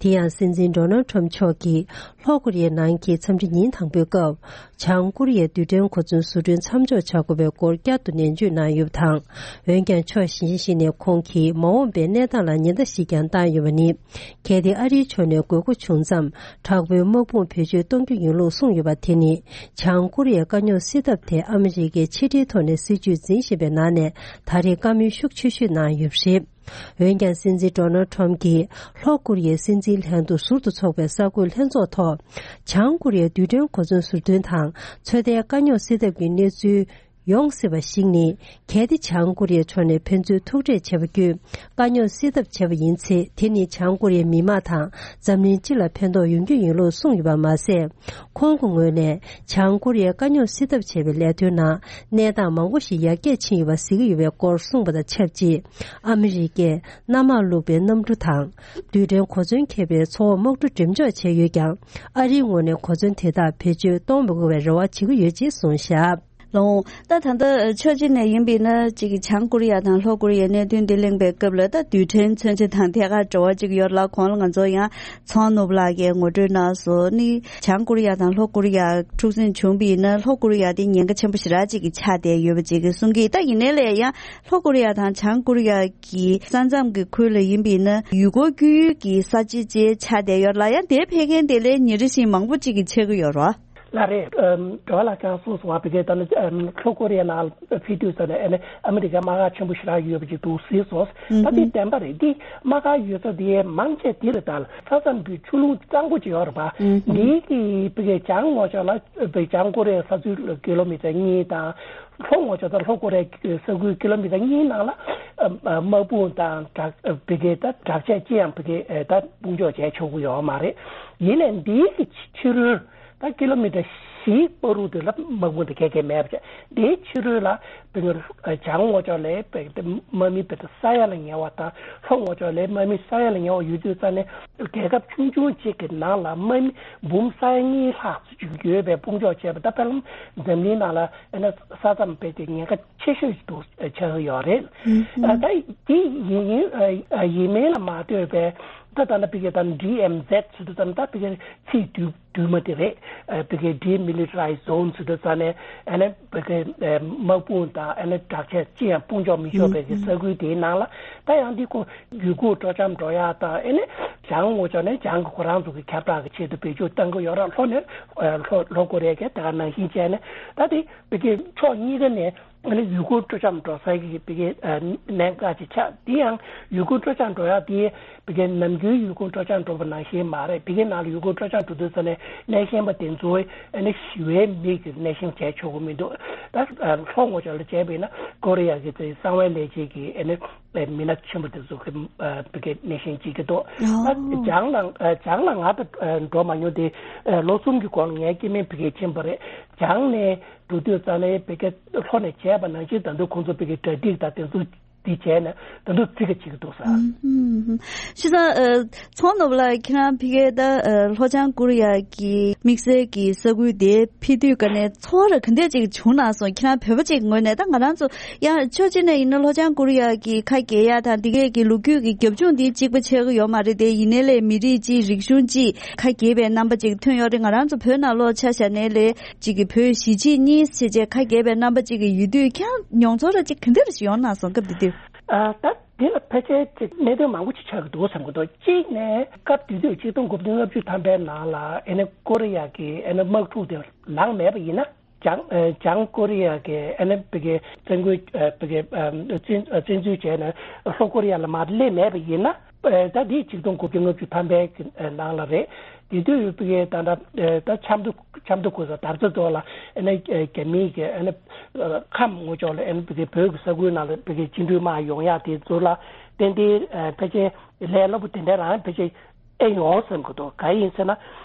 དེ་ཡང་སྲིད་འཛིན་ཌོ་ནལ་ཊམ་མཆོག་གིས་ལྷོ་ཀོ་རི་ཡའི་ནང་གི་འཚམས་འདྲི་ཉིན་དང་པོའི་སྐབས། བྱང་ཀོ་རི་ཡའི་རྡུལ་ཕྲན་གོ་མཚོན་བཟོ་སྐྲུན་མཚམས་འཇོག་བྱ་དགོས་པའི་སྐོར་བསྐྱར་དུ་ནན་བརྗོད་གནང་ཡོད་པ་དང་། འོན་ཀྱང་ཕྱོགས་གཞན་ཞིག་ནས་ཁོང་གིས་མ་འོངས་པའི་གནས་སྟངས་ལ་ཉེན་བརྡ་ཞིག་ཀྱང་བཏང་ཡོད་པ་ནི། གལ་ཏེ་ཨ་རིའི་ཕྱོགས་ནས་དགོས་མཁོ་བྱུང་ཙམ་དྲག་པོའི་དམག་དཔུང་བེད་སྤྱོད་གཏོང་རྒྱུ་ཡིན་ལུགས་གསུངས་ཡོད་པ་དེ་ནི། བྱང་ཀོ་རི་ཡའི་དཀའ་རྙོག་སེལ་ཐབས་དེ་ཨ་མི་རི་ཀའི་ཕྱི་འབྲེལ་ཐོག་ནས་སྲིད་བྱུས་འཛིན་བཞིན་པའི་ནང་ནས་ད་རེས་བཀའ་མོལ་ཤུགས་ཆེ་ཤོས་གནང་ཡོད་པ་རེད། འོན་ཀྱང་སྲིད་འཛིན་ཌོ་ནལ་ཊམ་གྱིས་ལྷོ་ཀོ་རི་ཡའི་སྲིད་འཛིན་ལྷན་དུ་ཟུར་དུ་ཚོགས་པའི་གསར་འགོད་ལྷན་ཚོགས་ཐོག་བྱང་ཀོ་རི་ཡའི་རྡུལ་ཕྲན་གོ་མཚོན་ཟུར་འདོན་དང་ཚོད་ལྟའི་དཀའ་རྙོག་སེལ་ཐབས་ཀྱི་གནས་ཚུལ་ ཡོང་སྲིད་པ་ཞིག་ནི། གལ་ཏེ་བྱང་ཀོ་རི་ཡའི་ཕྱོགས་ནས་ཕན་ཚུན་ཐུག་འཕྲད་བྱས་པ་བརྒྱུད་དཀའ་རྙོག་སེལ་ཐབས་བྱས་པ་ཡིན་ཚེ། དེ་ནི་བྱང་ཀོ་རི་ཡའི་མི་དམངས་དང་འཛམ་གླིང་སྤྱི་ལ་ཕན་ཐོགས་ཡོང་རྒྱུ་ཡིན་ལུགས་གསུངས་ཡོད་པ་མ་ཟད། ཁོང་གི་ངོས་ནས་བྱང་ཀོ་རི་ཡས་དཀའ་རྙོག་སེལ་ཐབས་བྱས་པའི་ལས་དོན་ནང་གནས་སྟངས་མང་པོ་ཞིག་ཡར་རྒྱས་ཕྱིན་ཡོད་པ་གཟིགས་ཀྱི་ཡོད་པའི་སྐོར་གསུངས་པ་དང་ཆབས་ཅིག་ཨ་མི་རི་ཀས་གནམ་དམག་བླུགས་པའི་གནམ་གྲུ་དང་། རྡུལ་ཕྲན་གོ་མཚོན་འཁྱེར་བའི་མཚོ་འོག་དམག་གྲུ་འགྲེམས་འཇོག་བྱས་ཡོད་ཀྱང་། ཨ་རིའི་ངོས་ནས་གོ་མཚོན་དེ་དག་བེད་སྤྱོད་གཏོང་མི་དགོས་པའི་རེ་བ་བྱེད་ཀྱི་ཡོད་ཅེས་གསུངས་བཞག་ལགས་འོང་། ད་ད་ལྟ་ཕྱོགས་གཅིག་ནས་ཡིན་པས་ན། གཅིག་གི་བྱང་ཀོ་རི་ཡ་དང་ལྷོ་ཀོ་རི་ཡའི་གནད་དོན་འདི་གླེང་པའི་སྐབས་ལ། ད་རྡུལ་ཕྲན་མཚོན་ཆ་དང་ཐད་ཀར་འབྲེལ་བ་གཅིག་ཡོད་ལ། གོང་ལ་ང་ཚོ་ཡང་ཚོང་ནོར་བུ་ལགས་ཀྱིས་ངོ་སྤྲོད་གནང་སོང་ནི། བྱང་ཀོ་རི་ཡ་དང་ལྷོ་ཀོ་རི་ཡ་འཁྲུག་ཟིང་བྱུང་པས་ན། ལྷོ་ཀོ་རི་ཡ་དེ་ཉེན་ཁ་ཆེན་པོ་ཞེ་དྲག་ཅིག་གི་ཆགས་བསྡད་ཡོད་པ་ཅིག་གི་གསུང་གི། ད་ཡིན་ནའི་ལས་ཡང་ལྷོ་ཀོ་རི་ཡ་དང་བྱང་ཀོ་རི་ཡ་གི་ས་མཚམས་ཀྱི་ཁུལ་ལ་ཡིན་པས་ན། ཡུལ་སྐོར་སྐྱོད་ཡུལ་གྱི་ས་ཆ་ཅིག་ཆགས་བསྡད་ཡོད་ལ། ཡང་དེར་ཕེབས་མཁན་དེ་ལས་ཉིན་རེ་བཞིན་མང་པོ་ཅིག་གི་ཆགས་ཀྱི་ཡོད་རེད། ལགས་རེད། ཨམ། འགྲོ་བ་ལགས་ཀྱང་གསུངས་སོང་བ། བི་གེ་ད་ནི་ཨམ། ལྷོ་ཀོ་རི་ཡ་ནང་ཕེབས་དུས་ཙ་ནས་ཨ་ནི་ཨ་མི་རི་ཀའི་དམག་སྒར་ཆེན་པོ་ཞེ་དྲག་ཡོད་པ་ཅིག་འདུག་གཟིགས་སོང་། ད་དེ་བདེན་པ་རེད། དེ་དམག་སྒར་ཡོད་ས་དེ་མང་ཆེ་དེ་རེད། ད་ས་མཚམས་ཀྱི་ཆུ་ཀླུང་གཙང་པོ་ཅིག་ཡོད་རེད་པ། དེ་གི་བི་གེ་བྱང་ངོས་ཕྱོགས་ལ་བི་བྱང་ཀོ་རི་ཡའི་ས་ཚུལ་ཀི་ལོ་མི་ཊར་གཉིས་དང་། ལྷོ་ངོས་ཕྱོགས་དང་ལྷོ་ཀོ་རི་ཡའི་ས་ཁུལ་ཀི་ལོ་མི་ཊར་གཉིས་ནང་ལ་ཨམ། དམག་དཔུང་དང་དྲག་བི་གེ་ད་དྲག་ཆས་ཅི་ཡང་བི་གེ་ད་དཔུང་འཇོག་བྱས་ཆོག་གི་ཡོད་མ་རེད། ཡིན་ནའི་འདི་གི་ཕྱི་རོལ་ད་ཀི་ལོ་མི་ཊར་བཞི་བར་དུ་ལ་དམག་དཔུང་དེ་ག་གེ་མེད་པ་བྱས། འདིའི་ཕྱི་རོལ་ལ་བི་གེ་བྱང་ངོས་ཕྱོགས་ལ་བི་གེ་དམག་མི་བི་གེ་ས་ཡ་ལ་ཉེ་བ་དང་། ལྷོ་ངོས་ཕྱོགས་ལ་དམག་མི་ས་ཡ་ལ་ཉེ་བ་ཡོད་དུས་ཙ་ནས། རྒྱལ་ཁབ་ཆུང་ཆུང་གཅིག་གི་ནང་ལ་དམག་མི་འབུམ་ས་ཡ་གཉིས་ལྷག་ཅིག་ཡོད་པའི་དཔུང་འཇོག་བྱས་པ། ད་དཔེར་ན་འཛམ་གླིང་ནང་ལ་ཨ་ནི་ས་མཚམས་བི་གེ་ཉེན་ཁ་ཆེ་ཤོས་ཤིག་ཏུ་ཆགས་ཀྱི་ཡོད་རེད། ཨ། ད་དེ་ཡིན་ཡིན། ཨ། ཡིན་མིན་ལ་མ་ལྟོས་པའི་ད་ད་ལྟ་བི་གེ་ད་ཌི་ཨེམ་ཟེད་ཟེར་དུས་ཙམ། ད་བི་གེ་ཚིག་དུ་དུ་མ་དེ་རེད། ཨ། བི་གེ་ཌི་མི་ལི་ཊ་རའི་ཛོན་ཟེར་དུས་ཙ་ནས་ཨ་ནི་བི་གེ་དམག་དཔུང་དང་ཨ་ནི་དྲག་ཆས་ཅི་ཡང་དཔུང་འཇོག་མི་ཆོག་པའི་གི་ས་ཁུལ་དེའི་ནང་ལ། ད་ཡང་འདི་ཁོ་ཡུལ་སྐོར་སྤྲོ་འཆམ་འགྲོ་ཡག་དང་། ཨ་ནི་བྱང་ངོས་ཕྱོགས་ནས་བྱང་གི་ཁོ་རང་ཚོ་གི་ཁྱབ་བསྒྲགས་ཀྱི་ཆེད་དུ་བེད་སྤྱོད་གཏང་གི་ཡོད་རེད། ལྷོ་ནས་ལྷོ་ལྷོ་ཀོ་རི་ཡ་གིས་དེ་ག་ནང་བཞིན་བྱས་ནས། ད་དེ་བི་གེ་ཕྱོགས་གཉིས་ཀ་ནས་ཨ་ནི་ཡུལ་སྐོར་སྤྲོ་འཆམ་འགྲོ་ས་གི་བི་གེ་གནད་འགག་ཅིག་ཆགས། དེ་ཡང་ཡུལ་སྐོར་སྤྲོ་འཆམ་འགྲོ་ཡག་དེ་བི་གེ་ནམ་རྒྱུན་ཡུལ་སྐོར་སྤྲོ་འཆམ་འགྲོ་བ་ནང་བཞིན་མ་རེད། བི་གེ་ནང་ལ་ཡུལ་སྐོར་སྤྲོ་འཆམ་འགྲོ་དུས་ཙ་ནས་གནས་ཤན་པ་དེ་ཚོའི་ཨ་ནི་ཞི་བའི་མིག་གིས་གནས་ཤན་བྱས་ཆོག་གི་མི་འདུག། ད་ལྷོ་ངོས་ཕྱོགས་ལ་བྱས་པས་ན་ཀོ་རི་ཡ་གི་གསང་བའི་ལས་བྱེད་ཀྱི་ཨ་ནི་མི་སྣ་ཆེན་པོ་དེ་ཚོ་གི་བི་གེ་གནས་ཤན་བྱེད་ཀྱི་འདུག། ད་བྱང་ལ་བྱང་ལ་ང་ད་འགྲོ་མ་མྱོང་སྟེ། ལོ་གསུམ་གྱི་གོང་ལ་ངའི་སྐྱེ་དམན་བི་གེ་ཕྱིན་པ་རེད། བྱང་ནས་འགྲོ་དུས་ཙ་ནས་བི་གེ་ལྷོ་ནས་བྱས་པ་ནང་བཞིན་ད་དུང་ཁོང་ཚོ་བི་གེ་གྲ་སྒྲིག་དང་དེ་ཚོ་དེ་བྱས་ནས་ད་དུང་བརྩི་ག་བྱེད་ཀྱི་འདུག་ས། ཤི་ས། ཚོང་ནོར་བུ་ལགས། ཁྱེད་རང་ཕ་གིར་ད་ལྷོ་བྱང་ཀོ་རི་ཡ་གི་དམིགས་བསལ་གྱི་ས་ཁུལ་དེ་ཕེབས་དུས་ཀ་ནས་ཚོར་བ་ག་འདྲ་ཅིག་བྱུང་ན་སོང་། ཁྱེད་རང་བོད་པ་ཅིག་ངོས་ནས། ད་ང་རང་ཚོ་ཡང་ཕྱོགས་གཅིག་ནས་ཡིན་ན་ལྷོ་བྱང་ཀོ་རི་ཡ་གི་ཁ་གྱེས་ཡ་དང་དེ་གས་ཀྱི་ལོ་རྒྱུས་ཀྱི་རྒྱབ་ལྗོངས་འདི་གཅིག་པ་ཆགས་ཀྱི་ཡོད་མ་རེད་དེ། ཡིན་ནའི་ལས་མི་རིགས་གཅིག་རིག་གཞུང་གཅིག་ཁ་གྱེས་པའི་རྣམ་པ་ཅིག་ཐོན་ཡོད་རེད། ང་རང་ཚོ་བོད་ནང་ལོགས་ཆ་བཞག་ནའི་ལས་གཅིག་གི་བོད་གཞིས་བྱེས་གཉིས་ཟེར་བྱས་ཁ་གྱེས་པའི་རྣམ་པ་ཅིག་གི་ཡོད་དུས། ཁྱེད་རང་མྱོང་ཚོར་ར་ཅིག་ག་འདྲ་ཞིག་ཡོང་ན་སོང་སྐབས་དེ་དུས། ཨ། ད་དེ་ལ་ཕལ་ཆེར་ཅིག་གནད་དོན་མང་པོ་ཅིག་ཆགས་ཀྱི་འདུག་བསམ་གྱི་འདུག། གཅིག་ནས་སྐབས་དེ་དུས་ཆིག་སྟོང་དགུ་བརྒྱ་ལྔ་བཅུ་ཐམ་པའི་ནང་ལ་ཨ་ནི་ཀོ་རི་ཡ་གི་ཨ་ནི་དམག་འཁྲུག་དེ་ལངས་མེད་པ་ཡིན་ན། བྱང་ཨ་བྱང་ཀོ་རི་ཡ་གི་ཨ་ནི་བི་གེ་བཙན་རྒོལ་ཨ་བི་གེ་ཨ་བཙན་བཙན་འཛུལ་བྱས་ནས་ལྷོ་ཀོ་རི་ཡ་ལ་མར་སླེབས་མེད་པ་ཡིན་ན། ཨ་ད་འདི་ཆིག་སྟོང་དགུ་བརྒྱ་ལྔ་བཅུ་ཐམ་པའི་གི་ཨ་ནང་ལ་རེད། དེ་དུས་བི་གེ་ད་ད་ཨ་ད་ཆབ་མདོ་ཆབ་མདོ་ཁུལ་ས་དར་རྩེ་རྫོང་ལ་ཨ་ནི་ཨ་རྒྱ་མིའི་གི་ཨ་ནི་ཨ་ཁམས་ངོས་ཕྱོགས་ལ་ཨ་ནི་བི་གེ་བོད་ཀྱི་ས་ཁུལ་ནང་ལ་བི་གེ་བཅིངས་འགྲོལ་དམག་ཡོང་ཡག་དེ་ཚོ་ལ་ཏན་ཏན་ཨ་ཕལ་ཆེར་ལས་སླ་པོ་དེ་འདྲ་རང་ཕལ་ཆེར་ཨེ་ཡོང་བསམ་གྱི་འདུག། གང་ཡིན་ཟེར་ན།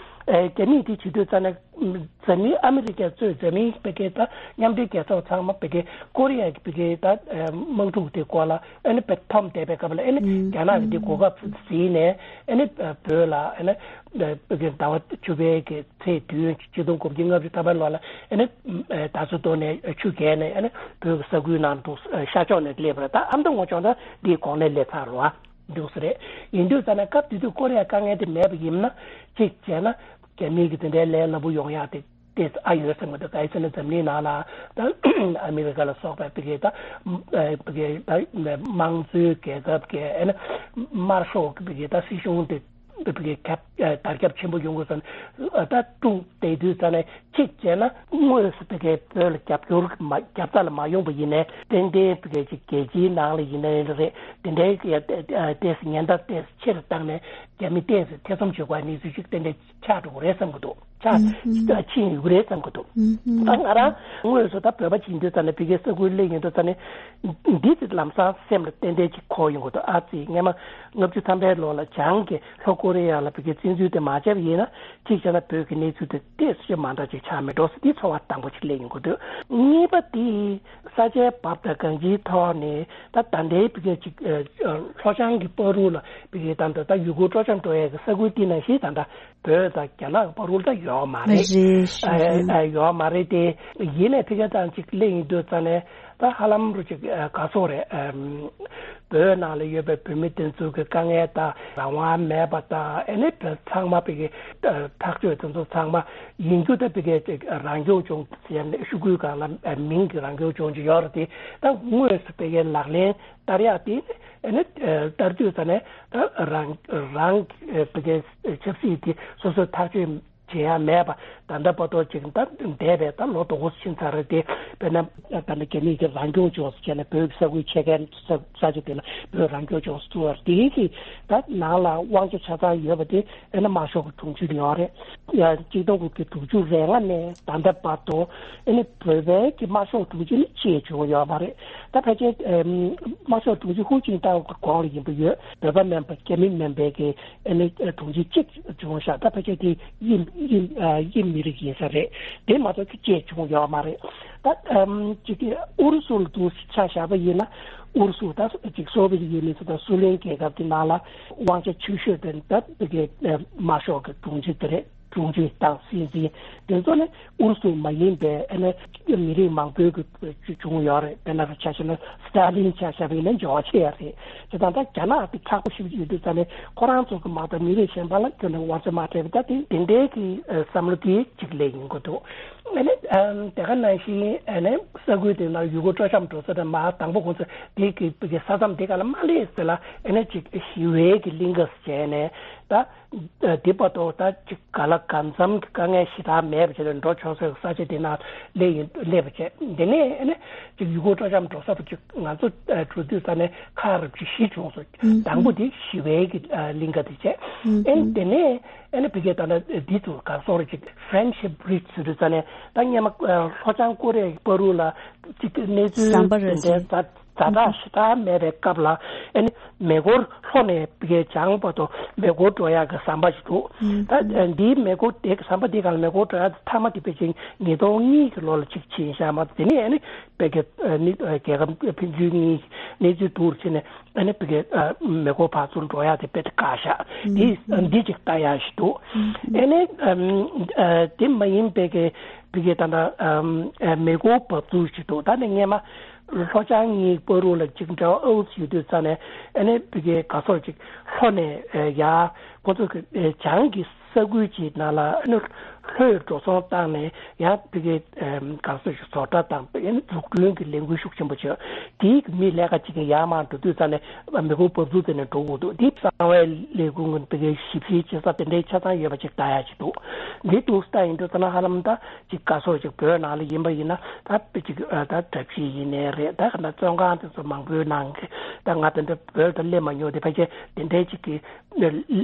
ཨེ་རྒྱ་མིས་དེ་བྱེད་དུས་ཙ་ན་འཛམ་གླིང་ཨ་མི་རི་ཀས་གཙོས་འཛམ་གླིང་བི་གེ་ད་མཉམ་འབྲེལ་རྒྱལ་ཚོགས་ཚང་མ་བི་གེ་ཀོ་རི་ཡ་གི་བི་གེ་ད་ཨེ་དམག་འཁྲུག་དེ་སྐོར་ལ་ཨ་ནི་བི་གེ་འཐོམ་བསྡད་པའི་སྐབས་ལ། ཨ་ནི་ཨུམ། རྒྱ་ནག་གིས་དེ་གོ་སྐབས་བཟུང་ནས་ཨ་ནི་བོད་ལ་ཨ་ནི་བི་གེ་ཟླ་བ་བཅུ་པའི་གི་ཚེས་བདུན་ཆིག་སྟོང་དགུ་བརྒྱ་ལྔ་བཅུ་ཐམ་པའི་ལོ་ལ་ཨ་ནི་ཨེ་དར་རྩེ་རྫོང་ནས་ཆུ་བརྒལ་ནས་ཨ་ནི་བོད་ཀྱི་ས་ཁུལ་ནང་དུ་ཤར་ཕྱོགས་ནས་སླེབས་པ་རེད། ད་ཨ་མདོ་ངོས་ཕྱོགས་ད་འདིའི་གོང་ལ་སླེབས་ཚར་རེད་བ། འདུག་ས་རེད། ཡིན་དུས་ཙ་ན་སྐབས་དེ་དུས་ཀོ་རི་ཡ་དཀའ་ངལ་དེ་མེད་པ་ཡིན་ན། གཅིག་བྱས་ན་རྒྱ་མི་གི་དེ་འདྲའི་ལས་སླ་པོ་ཡོང་ཡག་དེ་ཏོག་ཙམ་ཨ་ཡོད་བསམ་གྱི་འདུག། གང་ཡིན་ཟེར་ན་འཛམ་གླིང་ནང་ལ་ད་ཨ་མི་རི་ཀ་ལ་སོགས་པའི་བི་གེ་ད་ཨ་བི་གེ་ད་དམངས་གཙོའི་རྒྱལ་ཁབ་ཀྱི་ཨ་ནི་དམར་ཤོག་གི་བི་གེ་ད་སྲིད་གཞུང་དེ་བི་གེ་ཁྱབ་ཨ་དར་ཁྱབ་ཆེན་པོ་ཡོང་དགོས་ཟེར་ན། ད་དཀྲུག་བསྡད་དུས་ཙ་ན་གཅིག་བྱས་ན་དངོས་སུ་བི་གེ་བོད་ལ་རྒྱབ་སྐྱོར་མ་རྒྱབ་རྩ་ལ་མ་ཡོང་པ་ཡིན་ནའི། ཏན་ཏན་བི་གེ་ཅིག་རྒྱལ་སྤྱིའི་ནང་ལ་ཡིན་ནའི་རེད། དེ་འདྲའི་ཡ་ཏོག་ཙམ་ཉེན་བརྡ་ཏོག་ཙམ་ཆེ་རུ་བཏང་ནས་རྒྱ་མི་ཏོག་ཙམ་ཐེ་ཚོམ་བྱེད་དགོས་པའི་གནས་ཚུལ་ཅིག་ཏན་ཏན་ཆགས་འགྲོ་གི་རེད་བསམ་གྱི་འདུག། ཆ་ཕྱིན་ཡོད་རེད་བསམ་གྱི་འདུག་ད་ང་རང་དངོས་སུ་ད་བོད་པ་ཅིག་ཡིན་དུས་ཙང་ནས་ཕ་གིའི་ས་ཁུལ་སླེབས་ཡོང་དུས་ཙང་ནས་འདི་ཚོ་ལམ་སང་སེམས་ལ་ཏན་ཏན་ཅིག་འཁོར་ཡོང་གི་འདུག་ཨ་ཙི་སྔས་མ་ལྔ་བཅུ་ཐམ་པའི་ལོ་ལ་བྱང་གི་ལྷོ་ཀོ་རི་ཡ་ལ་ཕ་གིའི་བཙན་འཛུལ་དེ་མ་བྱས་པ་ཡིན་ན་གཅིག་བྱས་ན་བོད་ཀྱི་གནས་ཚུལ་དེ་ཏོག་ཙམ་མ་འདྲ་ཅིག་ཆགས་མེད་འགྲོ་ཟེར་འདི་ཚོར་བ་དང་པོ་ཅིག་སླེབས་ཡོང་གི་འདུག་གཉིས་པ་དེ་ས་ཆའི་བབ་དང་གང་ཅིའི་ཐོག་ནས་ད་ད་ལྟའི་ཕ་གིའི་ཅིག་ལྷོ་བྱང་གི་བར་དུ་ལ་ཕ་གིའི་ད་ལྟ་ད་ཡུལ་སྐོར་སྤྲོ་འཆམ་འགྲོ་ཡས་ཀྱི་ས་ཁུལ་དེ་ནང་བཞིན་ད་ལྟ་བོད་དང་རྒྱ་ནག་བར་དུ་ད་ཡོད་མ་རེད། རེད་ཞུ་ཨ་ཨ་ཡོད་མ་རེད་དེ། ཡིན་ནའི་ཕ་གི་ཙང་ཅིག་སླེབས་ཡིན་དུས་ཙང་ནས་ད་ཧ་ལམ་རུ་ཅིག་ཨ་ག་ཚོད་རེད། ཨམ། བོད་ནང་ལ་ཡོད་པའི་བོད་མི་དེ་ཚོ་གི་དཀའ་ངལ་དང་རང་དབང་མེད་པ་དང་ཨ་ནི་བོད་ཚང་མ་ཕ་གི་ཨ་ཐག་གཅོད་དེ་ཚོ་ཚང་མ་ཡིན་རྒྱུ་ད་ཕ་གི་ཅིག་རང་སྐྱོང་ལྗོངས་ཟེར་ནས་ཤོག་གུའི་སྒང་ལ་ཨ་མིང་གི་རང་སྐྱོང་ལྗོངས་ཅིག་ཡོད་རེད་དེ། ད་དངོས་སུ་ཕ་གི་ལག་ལེན་བསྟར་ཡག་དེ་ཨ་ནི་ཨ་བསྟར་དུས་ཙ་ནས་ད་རང་རང་གི་ཨ་ཕ་གི་ཆབ་སྲིད་དེ་སོ་སོས་ཐག་གཅོད་བྱེད་ཡག་མེད་པ་ད་ལྟ་བར་དུ་ཅིག་ད་འདས་པའི་ད་ལོ་དོ་དགུ་ཕྱིན་ཚར་རེད་དེ། དཔེར་ན་ད་ནི་རྒྱ་མི་གི་རང་སྐྱོང་ལྗོངས་སུ་བྱས་ནས་བོད་ཀྱི་ས་ཁུལ་ཕྱེད་ཀའི་ས་ས་ཆ་དེ་ལ་བོད་རང་སྐྱོང་ལྗོངས་སུ་བཙུགས་པ་དེ་གི་ད་ནང་ལ་དབང་ཆ་ཆ་ཚང་ཡོད་པ་དེ་ཨ་ནི་དམར་ཤོག་གི་དྲུང་ཆེ་ཡོད་རེད། ཡ་གཅིག་སྟོང་དགུ་བརྒྱ་དྲུག་ཅུ་རེ་ལྔ་ནས་ད་ལྟ་བར་དུ་ཨ་ནི་བོད་པའི་གི་དམར་ཤོག་དྲུང་ཆེ་ནི་ཅིག་བྱུང་ཡོད་མ་རེད། ད་ཕལ་ཆེར་ཨམ་དམར་ཤོག་དྲུང་ཆེ་ཧུ་ཅིན་ཏའོ་གི་གོང་ལ་ཡིན་པ་ཡོད། བོད་པ་མིན་པ་རྒྱ་མི་མིན་པའི་གི་ཨ་ནི་དྲུང་ཆེ་གཅིག་བྱུང་ཤག་ད་ཕལ་ཆེར་དེ་དབྱིན་དབྱིན་ཨ་དབྱིན་མི་རིགས་ཡིན་ས་རེད། དེ་མ་གཏོགས་ཅིག་བྱུང་ཡོད་མ་རེད། ད་ཨམ་ཅིག་ཨུ་རུ་སུ་ལ་དུ་ཆ་བཞག་པ་ཡིན་ན་ཨུ་རུ་སུ་ད་ཅིག་སོ་བི་ཡེ་ཡུ་ནི་ཡིན་ཙང་ད་སུ་ལེན་རྒྱལ་ཁབ་ཀྱི་ནང་ལ་དབང་ཆ་ཆེ་ཤོས་དེ་ད་དེ་གའི་དམར་ཤོག་གི་དྲུང་ཆེ་དེ་རེད། དྲུང་ཆེ་དང་སྲིད་འཛིན་དེ་ཚོ་ནི་ཨུ་རུ་སུ་མ་ཡིན་པའི་ཨ་ནི་མི་རིགས་མང་པོའི་གི་བྱུང་ཡོད་རེད། དཔེར་ན་ཆ་བཞག་ན་སི་ཏཱ་ལིན་ཆ་བཞག་པ་ཡིན་ན་འབྱོར་བ་ཆེ་ཡ་རེད། དེ་དང་ད་རྒྱ་ནག་དེ་ཁག་པོ་ཞིག་ཡོད་དུས་ཙང་ནས་ཁོ་རང་ཚོ་གི་མ་གཏོགས་མི་རིགས་གཞན་པ་ལ་ཁྱོན་ནས་དབང་ཆ་མ་སྤྲད་པ་ད་དེ་དེ་འདྲའི་གི་བསམ་བློ་དེ་གཅིག་སླེབས་ཡིན་དགོས་འདུག་ཨ་ནི་དེ་ག་ནང་བཞིན་ཨ་ནི་ས་ཁུལ་དེ་ནང་ཡུལ་སྐོར་སྤྲོ་འཆམ་འགྲོ་ས་དེ་མ་དང་པོ་ཁོང་ཚོ་དེ་གི་ས་མཚམས་དེ་ག་ལ་མ་སླེབས་ཟེར་ལ་ཨ་ནི་ཅིག་ཞི་བའི་གི་གླིང་ག་བྱས་ནས་ད། དེ་བར་དུ་ད་ཅིག་ག་ལ་གང་འཚམ་གྱི་དཀའ་ངལ་ཞེ་དྲག་མེད་པ་བྱས་ནས་འགྲོ་ཆོག་སའི་ས་ཆ་དེ་ན་སླེབས་ཡིན་སླེབས་པ་བྱས། དེ་ནས་ཨ་ནི་ཅིག་ཡུལ་སྐོར་སྤྲོ་འཆམ་འགྲོ་ས་དུ་ཅིག་ང་ཚོ་འགྲོ་དུས་ས་ནས་ཁག་རབ་ཅིག་བཞི་བྱུང་སོང་། དང་པོ་དེ་ཞི་བའི་གི་གླིང་ག་དེ་བྱས། ཨ་ནི་དེ་ནས་ཨ་ནི་ཕ་གིའི་ད་ལྟ་འདི་ཚོ་ག་སོགས་རེ་ཅིག་Friendship Bridge་ཟེར་དུས་ས་ནས་ད་སྔོན་མ་ལྷོ་བྱང་ཀོ་རི་ཡའི་བར་དུ་ལ་ཅིག་གནས་ཚུལ་ཟམ་པ་རེ་དེ་འདྲའི་ཟ། ཛ་དྲག་ཞེ་དྲག་མེད་པའི་སྐབས་ལ་ཨ་ནི་མེ་འཁོར་ལྷོ་ནས་བྱང་བར་དུ་མེ་འཁོར་འགྲོ་ཡག་གི་ཟམ་པ་ཞིག་འདུག་ད་འདིའི་མེ་འཁོར་དེ་གི་ཟམ་པ་དེ་ག་ལ་མེ་འཁོར་འགྲོ་ཡག་མཐའ་མ་དེ་ཕལ་ཆེར་ཉིས་སྟོང་གཉིས་ཀྱི་ལོ་ལ་གཅིག་ཕྱིན་ཤག་མ་གཏོགས་དེ་ནས་ཨ་ནི་བོད་ཀྱི་ཨ་ནི་རྒྱལ་ཁབ་ཕན་ཚུན་གཉིས་གནས་ཚུལ་སྡུག་རུ་ཕྱིན་ནས་ཨ་ནི་བོད་ཀྱི་མེ་འཁོར་ཕར་ཚུར་འགྲོ་ཡག་དེ་དཔེ་དཀའ་ཤག་འདི་འདི་གཅིག་ལྟ་ཡག་ཞིག་འདུག་ཨ་ནི་དེ་མ་ཡིན་པའི་གི་བོད་ཀྱི་ད་ལྟ་མེ་འཁོར་འབབ་ཚུགས་ཞིག་འདུག་ད་ནི་སྔོན་མ། ལྷོ་བྱང་གཉིས་བར་དུ་ལ་ཅིག་འབྲེལ་བ་ཨུ་ཚུགས་ཡོད་དུས་ཙ་ནས་ཨ་ནི་བི་གའི་ག་སོར་ཅིག་ལྷོ་ནས་ཡ་ཁོ་ཚོ་གི་བྱང་གི་ས་ཁུལ་གྱི་ནང་ལ་ཨ་ནི་ལྷོས་འགྲོ་སོང་བཏང་ནས་ཡང་བི་གའི་ག་སོར་ཅིག་བཟོ་གྲྭ་དང་ཨ་ནི་འཛུགས་སྐྲུན་གྱི་ལས་འགུལ་ཤུགས་ཆེན་པོ་བྱས། དེའི་མི་ལས་ཀ་ཅིག་གི་ཡར་མར་འགྲོ་དུས་ཙ་ནས་མི་ཁུངས་འབབ་ཚུགས་དེ་ནས་འགྲོ་དགོས་འདུག་དེ་གསང་བའི་ལས་ཁུངས་ཀྱི་བི་གའི་ཞིབ་བཤེར་བྱེད་ས་དེ་འདྲའི་ཆ་ཚང་ཡོད་པ་ཅིག་ལྟ་ཡ་ཅིག་འདུག་འདི་འདུག་ལྟ་ཡིན་དུས་ཙ་ན་ཧ་ལམ་ད། ཅིག་ག་སོགས་ཅིག་བོད་ནང་ལ་ཡིན་པ་ཡིན་ན་ད་དཔེ་ཅིག་ཨ་ད་གྲྭ་བཞི་ཡིན་ནའི་རེད། ད་ག་ན་བཙོན་ཁང་དེ་ཚོ་མང་པོའི་ནང་གི་ད་ང་དེ་འདྲ་བོད་དུ་སླེབས་མ་མྱོང་དེ་ཕལ་ཆེར་དེ་འདྲའི་ཅིག་གི་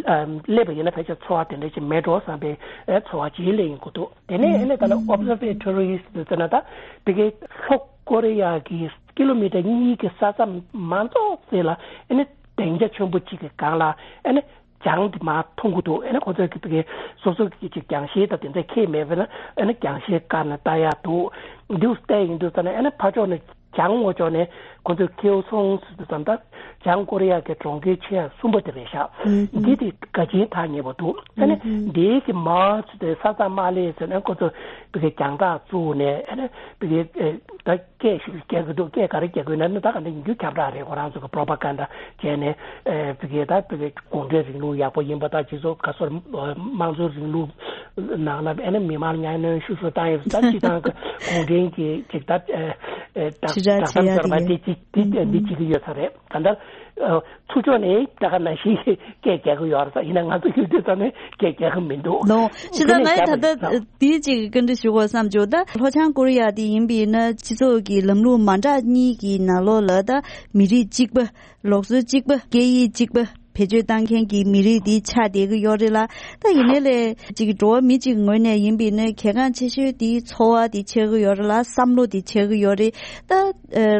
ཨ་སླེབས་པ་ཡིན་ན་ཕལ་ཆེར་ཚོར་བ་དེ་འདྲ་ཅིག་མེད་འགྲོ་བསམ་པའི་ཨ་ཚོར་བ་ཅིག་སླེབས་ཡོང་གི་འདུག་དེ་ནས་ཨ་ནི་ད་ལ་observatories་དེ་ཚོ་ན་ད་བི་གའི་ལྷོ་ཀོ་རི་ཡ་གི་ཀི་ལོ་མི་ཊར་གཉིས་ཀྱི་ས་མཚམས་མ་རྫོགས་ཚེ་ལ་ཨ་ནི་སྡིངས་ཆ་ཆེན་པོ་གཅིག་གི་སྒང་ལ་ཨ་ནི། གྱང་དེ་མར་མཐོང་གི་འདུག་ཨ་ནི་ཁོ་ཚོས་ཀྱི་བི་གའི་སོ་སོ་གི་ཅིག་གྱང་ཤེལ་དང་དེ་འདྲ་འཁྱེར་མེད་པས་ན་ཨ་ནི་གྱང་ཤེལ་བཀར་ནས་ལྟ་ཡག་འདུག་འདུག་བལྟས་ཡིན་དུས་ཙ་ན་ཨ་ནི་ཕར་ཕྱོགས་ནས་གྱང་ངོ་ཕྱོགས་ནས་ཁོ་ཚོས་ཁེའུ་སོང་ཟེར་དུས་ཙམ་ད་བྱང་ཀོ་རི་ཡ་གི་གྲོང་ཁྱེར་ཆེ་ཡ་གསུམ་པ་དེ་རེད་ཤག་འདི་དེ་དགའ་ཆེན་ཐག་ཉེ་པོ་འདུག་ཨ་ནི་འདིའི་གི་མར་ཚུར་དེ་ས་མཚམས་མ་སླེབས་ཟེར་ནས་ཁོ་ཚོས་བི་གའི་གྱང་ཐག་བཙུགས་ནས་ཨ་ནི་བི་གའི་ད། སྐད་ཤིག་རྒྱག་གི་འདུག་སྐད་ག་རེ་རྒྱག་གི་ཡོད་ན་ནི་ད་ག་འདྲ་ཡིན་རྒྱུ་ཁྱབ་བསྒྲགས་རེད། ཁོ་རང་ཚོ་གི་པྲོ་པ་གན་ཌ་བྱས་ནས་ཨེ་བི་གའི་ད་བི་གའི་གུང་ཁྲན་རིང་ལུགས་ཡག་པོ་ཡིན་པ་དང་སྤྱི་ཚོགས་ག་སོར་དམངས་གཙོ་རིང་ལུགས་ནང་ལ་ཨེ་ནི་མི་མང་གཉའ་གནོན་ཤུགས་སུ་བཏང་ཡོད་ད་སྤྱི་བཏང་གི་གུང་ཁྲན་གྱི་ཅིག་ད་ཨེ་ཨེ་ད་ཕྱི་དྲག་ད་བྱེད་ཡ་ད་དེ་ཡིན། ཅིག་འདི་འདི་བྱེད་ཀྱི་ཡོད་ས་རེད། ག་འདྲ་ཚུར་ཕྱོགས་ནས་ད་ག་ནང་བཞིན་སྐད་རྒྱག་གི་ཡོད་རེད་ས་ཡིན་ན་ང་ཚོ་ཡོད་དུས་ཙམ་ནས་སྐད་རྒྱག་གི་མི་འདུག་ནོ། ཕྱི་ད་ང་ཡི་ད་ལྟ་དེའི་ཅིག་བཀའ་འདྲི་ཞུ་དགོས་བསམ་བྱུང་། ད་ལྷོ་བྱང་ཀོ་རི་ཡ་དེ་ཡིན་པས་ན་སྤྱི་ཚོགས་ཀྱི་ལམ་ལུགས་མ་འདྲ་གཉིས་ཀྱི་ནང་ལོགས་ལ་ད་མི་རིགས་གཅིག་པ། ལུགས་སྲོལ་གཅིག་པ། སྐད་ཡིག་གཅིག་པ། བེད་སྤྱོད་བཏང་མཁན་གྱི་མི་རིགས་འདི་ཆགས་བསྡད་ཀྱི་ཡོད་རེད་ལ། ད་ཡིན་ནའི་ལས་ཅིག་འགྲོ་བ་མི་གཅིག་གི་ངོས་ནས་ཡིན་པ་ཡིན་ན་གལ་འགངས་ཆེ་ཤོས་འདི་འཚོ་བ་འདི་ཆགས་ཀྱི་ཡོད་རེད་ལ། བསམ་བློ་འདི་ཆགས་ཀྱི་ཡོད་རེད། ད་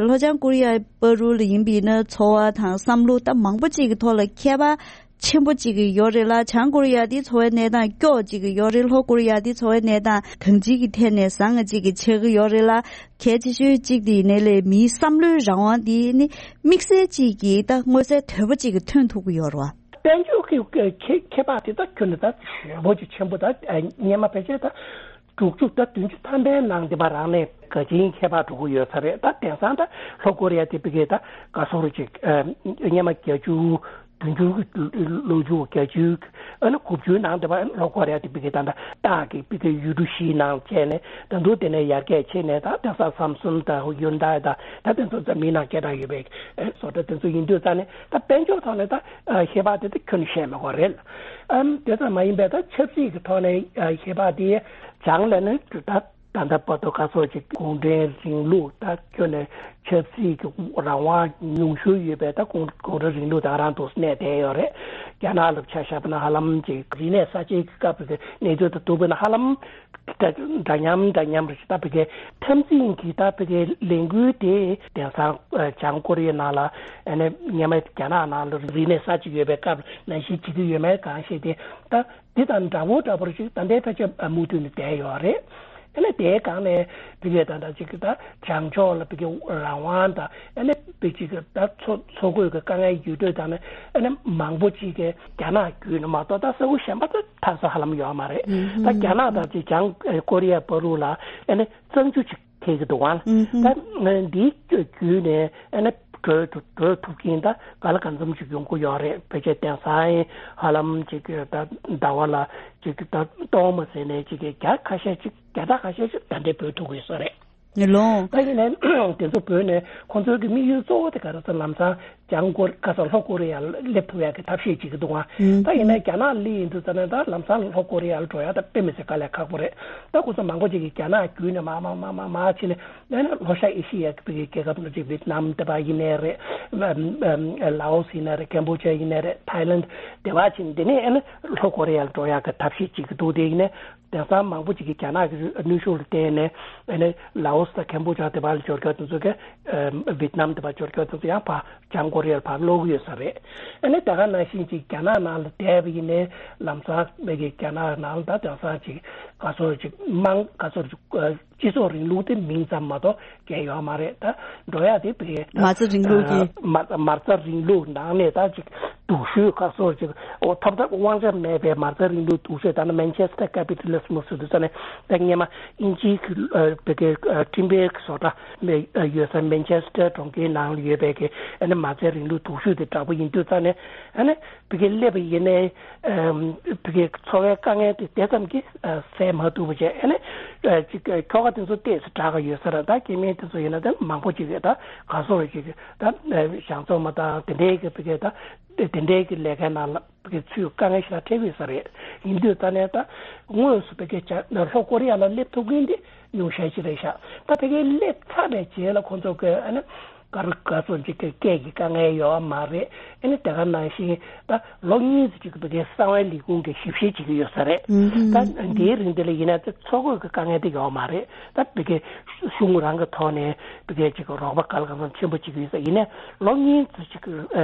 ལྷོ་བྱང་ཀོ་རི་ཡ་བར་དུ་ལ་ཡིན་པ་ཡིན་ན་འཚོ་བ་དང་བསམ་བློ་ད་མང་པོ་ཅིག་གི་ཐོག་ལ་ཁྱད་པར་ཆེན་པོ་ཅིག་ཡོད་རེད་ལ། བྱང་ཀོ་རི་ཡ་དེ་འཚོ་བའི་གནས་སྟངས་སྐྱོ་ཅིག་ཡོད་རེད། ལྷོ་ཀོ་རི་ཡ་དེ་འཚོ་བའི་གནས་སྟངས་གང་ཅིའི་ཐད་ནས་བཟང་ང་ཅིག་ཆགས་ཀྱི་ཡོད་རེད་ལ། གལ་ཆེ་ཤོས་གཅིག་དེ་ཡིན་ནའི་ལས་མིའི་བསམ་བློའི་རང་དབང་དེ་ནི་དམིགས་བསལ་ཅིག་གིས་ད་མངོན་གསལ་དོད་པོ་ཅིག་ཐོན་ཐུབ་ཀྱི་ཡོད་རེད་བ། དཔལ་འབྱོར་གྱི་ཁེ་ཁེ་པར་དེ་ད་ཁྱོན་ནས་ད་ཞེ་པོ་ཅིག་ཆེན་པོ། ད་སྔོན་མ་ཕལ་ཆེར་ད་དྲུག་ཅུ་ད་བདུན་ཅུ་ཐམ་པའི་ནང་དེ་བ་རང་ནས་ག་ཅིའི་ཁྱད་པར་འགྲོ་གི་ཡོད་ས་རེད། ད་དེང་སང་ད་ལྷོ་ཀོ་རི་ཡ་དེ་ཕ་གིའི་ད་ག་སོ་རུ་ཅིག་སྔོན་མ་བརྒྱད་ཅུ་བདུན་ཅུ་ལོ་མཇུག་བརྒྱད་ཅུ་ཨ་ནི་དགུ་བཅུའི་ནང་དེ་བ་ལྷོ་ཀོ་རི་ཡ་དེ་ཕ་གིའི་ད་ད་སྟག་གི་ཕ་གིའི་ཡུལ་གྲུ་བཞིའི་ནང་བྱས་ནས་ད་དུང་དེ་ནས་ཡར་རྒྱས་ཕྱིན་ནས་ད་དེང་སང་སམ་སུན་དང་ཧུ་ཡུན་དཱའི་ད་ད་དེ་ཚོ་འཛམ་གླིང་ནང་སྐད་གྲགས་ཡོད་པའི་བཟོ་གྲྭ་དེ་ཚོ་ཡིན་དུས་ཙང་ནས་ད་དཔལ་འབྱོར་ཐོག་ནས་ད་ཨ་ཁྱད་པར་དེ་ད་ཁྱོན་ནས་བཤད་མི་དགོས་རེད། ཨམ་དེ་ཙམ་མ་ཡིན་པའི་ད་ཆབ་སྲིད་ཀྱི་ཐོག་ནས་ཨ་ཁྱད་པར་དེ་བྱང་ལ་ནི་ད་ད་ལྟ་བར་དུ་ག་ཚོད་ཅིག་གུང་ཁྲན་རིང་ལུགས་ད་ཁྱོན་ནས་ཆབ་སྲིད་ཀྱི་རང་དབང་ཉུང་ཤོས་ཡོད་པའི་ད་གུང་གུང་ཁྲན་རིང་ལུགས་ད་རང་དུ་གནས་བསྡད་ཡོད་རེད། རྒྱ་ནག་ལ་ཆ་བཞག་པ་ན་ཧ་ལམ་ཅིག་རིག་གནས་གསར་བརྗེ་གི་སྐབས་ཀྱི་གནས་ཚུལ་དང་བསྡུར་བ་ན་ཧ་ལམ་འདྲ་མཉམ་འདྲ་མཉམ་རེད། ད་ཕ་གིའི་འཐབ་འཛིང་གི་ད་ཕ་གིའི་ལས་འགུལ་དེ་དེང་སང་ཨ་བྱང་ཀོ་རི་ཡའི་ནང་ལ་ཨ་ནི་སྔོན་མ་རྒྱ་ནག་ནང་ལ་རིག་གནས་གསར་བརྗེ་ཡོད་པའི་སྐབས་ནང་བཞིན་བྱེད་ཀྱི་ཡོད་མེད་གང་ཤེས་ཏེ། ད་འདི་དང་འདྲ་བོ་འདྲ་བོར་ཞིག་ད་ལྟའི་ཕལ་ཆེར་མུ་མཐུད་ནས་བསྡད་ཡོད་རེད། ཨ་ནི་དེའི་སྒང་ནས་ཕ་གིའི་ད་ལྟ་ཅིག་ད་བྱང་ཕྱོགས་ལ་ཕ་གིའི་རང་དབང་དང་ཨ་ནི་ཕ་གིའི་ད་འཚོ་འཚོ་གོས་ཀྱི་དཀའ་ངལ་ཡོད་དུས་ད་ནི་ཨ་ནི་མང་པོ་ཅིག་གིས་རྒྱ་ནག་བརྒྱུད་ནས་མ་གཏོགས་ད་ས་ཁུལ་གཞན་པ་ད་ཐར་ས་ཧ་ལམ་ཡོད་མ་རེད། ད་རྒྱ་ནག་དང་ཅིག་བྱང་ཀོ་རི་ཡ་བར་དུ་ལ་ཨ་ནི་གཙང་ཆུ་ཅིག་ཐེག་གི་འདུག་ཨང་། ད་འདིའི་བརྒྱུད་ནས་ཨ་ནི་བགྲོད་བགྲོད་ཐུབ་མཁན་ད་ག་ལ་གང་འཚམ་ཅིག་ཡོང་གི་ཡོད་རེད། ཕལ་ཆེར་དེང་སང་ཧ་ལམ་ཅིག་ད་ཟླ་བ་ལ་ཅིག་ད་སྟོང་མ་ཟད་ནས་ཅིག་བརྒྱ་ཁ་ཤས་ཅིག་བརྒྱ་ཕྲག་ཁ་ཤས་ཅིག་ད་འདྲའི་བགྲོད་ཐུབ་ཀྱི་ཡོད་ས་རེད། ལོང་། ད་ཡིན་ནའི་དེ་ཚོ་བོད་ནས་ཁོང་ཚོའི་གི་དམིགས་ཡུལ་གཙོ་བོ་དེ་ག་རེ་ཟེར་ལམ་སང་བྱང་ཀོ་ཁ་སང་ལྷོ་ཀོ་རི་ཡར་སླེབས་ཐུབ་ཡག་གི་ཐབས་ཤེས་བྱེད་ཀྱི་འདུག་ཨང་། ད་ཡིན་ནའི་རྒྱ་ནག་སླེབས་ཡིན་དུས་ཙ་ནས་ད་ལམ་སང་ལྷོ་ཀོ་རི་ཡར་འགྲོ་ཡག་ད་དཔེ་མི་སྲིད་དཀའ་ལས་ཁག་པོ་རེད། ད་ཁོང་ཚོ་མང་པོ་ཅིག་གིས་རྒྱ་ནག་བརྒྱུད་ནས་མར་མར་མར་མར་མར་ཕྱིན་ནས་ཨ་ནི་ལྷོ་ཤར་ཨེ་ཤི་ཡའི་གི་རྒྱལ་ཁབ་ནང་ཅིག་ཝེད་ནམ་དེ་པ་ཡིན་ནའི་རེད། ལའོ་སི་ཡིན་ནའི་རེད། ཀེམ་བྷོ་ཇ་ཡིན་ནའི་རེད། ཐའི་ལན་དེ་པ་ཕྱིན་དེ་ནས་ཨ་ནི་ལྷོ་ཀོ་རི་ཡར་འགྲོ་ཡག་གི་ཐབས་ཤེས་བྱེད་ཀྱི་འདུག་དེ་ཡིན་ནའི། དེང་སང་མང་པོ་ཅིག་གིས་རྒྱ་ནག་གི་གནོན་ཤུགས་ལ་བརྟེན་ནས་ཨ་ནི་ལའོ་སི་དང་ཀེམ་བྷོ་ཇ་དེ་པ་ལ་འབྱོར་མཁན་དེ་ཚོ་གིས་ཝེད་ནམ་དེ་པ་འབྱོར་མཁན་དེ་ཚོ་ཡང་ཕར་བྱང་ཀོ་རི་ཡར་ཕར་སློག་གི་ཡོད་ས་རེད། ཨ་ནི་དེ་ག་ནང་བཞིན་ཅིག་རྒྱ་ནག་ནང་ལ་བསྡད་པ་ཡིན་ནའི་ལམ་སང་མི་གི་རྒྱ་ནག་ནང་ལ་ད་དེང་སང་ཅིག་ག་ཚོད་ཅིག་དམངས་ག་ཚོད་ཅིག་སྤྱི་ཚོགས་རིང་ལུགས་དེ་མིང་ཙམ་མ་གཏོགས་གལ་ཡོད་མ་རེད། ད་འགྲོ་ཡག་དེ་བས་མ་རྩ་རིང་ལུགས་ཀྱི་མ་མ་རྩ་རིང་ལུགས་ནང་ནས་ད་ཅིག་སྡུག་ཤོས་ཁ་སོར་ཅིག་འོ་ཐོབ་ཐབས་དབང་ཆ་མེད་པའི་མ་རྩ་རིང་ལུགས་སྡུག་ཤོས་ད་ནི་མན་ཆེ་སི་ཊར་ཀེ་པི་ཊ་ལི་ཛམ་ཟེར་དུས་ཙ་ནས་ད་སྔོན་མ་དབྱིན་ཇིའི་གི་བོད་སྐད་འཕྲིན་སྤེལ་གི་བཟོ་གྲྭ་ཡོད་ས་མན་ཆེ་སི་ཊར་གྲོང་ཁྱེར་ནང་ལ་ཡོད་པའི་གི་ཨ་ནི་མ་རྩའི་རིང་ལུགས་སྡུག་ཤོས་དེ་འདྲ་པོ་ཡིན་དུས་ཙ་ནས་ཨ་ནི་བོད་སྐད་སླེབས་པ་ཡིན་ནའི་བོད་སྐད་འཚོ་བའི་དཀའ་ངལ་དེ་དེ་ཙམ་གྱིས་སེལ་མ་ཐུབ་པ་བྱས། ཨ་ནི་ཅིག་ཁྱོ་ག་དེ་ཚོ་ཏོག་ཙམ་དྲག་གི་ཡོད་ས་རེད། ད་སྐྱེ་དམན་དེ་ཚོ་ཡིན་ན་ད་མང་པོ་ཅིག་ཡོད། ད་ག་སོར་ཅིག་ད་གཞང་ཚོང་མ་དང་དེ་འདྲའི་གི་བོད་སྐད་ད་དེ་འདྲའི་གི་ལས་ཀའི་ནང་ལ་བོད་སྐད་ཚུད་དཀའ་ངལ་ཞེ་དྲག་འཕྲད་ཡོད་ས་རེད། ཡིན་དུས་ད་ནས་ད་དངོས་སུ་བོད་སྐད་ལྷོ་ཀོ་རི་ཡ་ལ་སླེབས་ཐུབ་མཁན་དེ་ཉུང་ཤས་ཤིག་རེད་ཤག་ད་བོད་སྐད་སླེབས་ཚར་བའི་རྗེས་ལ་ཁོང་ཚོ་གི་ཨ་ནི་ག་རུ་ག་ཚོད་ཅིག་གི་སྐད་ཀྱི་དཀའ་ངལ་ཡོད་མ་རེད། ཨ་ནི་དེ་ག་ནང་བཞིན་ད་ལོ་གཉིས་ཙམ་ཅིག་བོད་སྐད་གསང་བའི་ལས་ཁུངས་ཀྱི་ཞིབ་བཤེར་བྱེད་ཀྱི་ཡོད་ས་རེད། ད་འདིའི་རིང་འདི་ལ་ཡིན་ན་ད་འཚོ་གོས་ཀྱི་དཀའ་ངལ་དེ་ཡོད་མ་རེད། ད་བོད་སྐད་གཞུང་རང་གི་ཐོག་ནས་བོད་སྐད་ཅིག་རོགས་པ་ག་ལ་གང་འཚམ་ཆེན་པོ་བྱེད་ཀྱི་ཡོད་ས་ཡིན་ནའི་ལོ་གཉིས་ཙམ་ཅིག་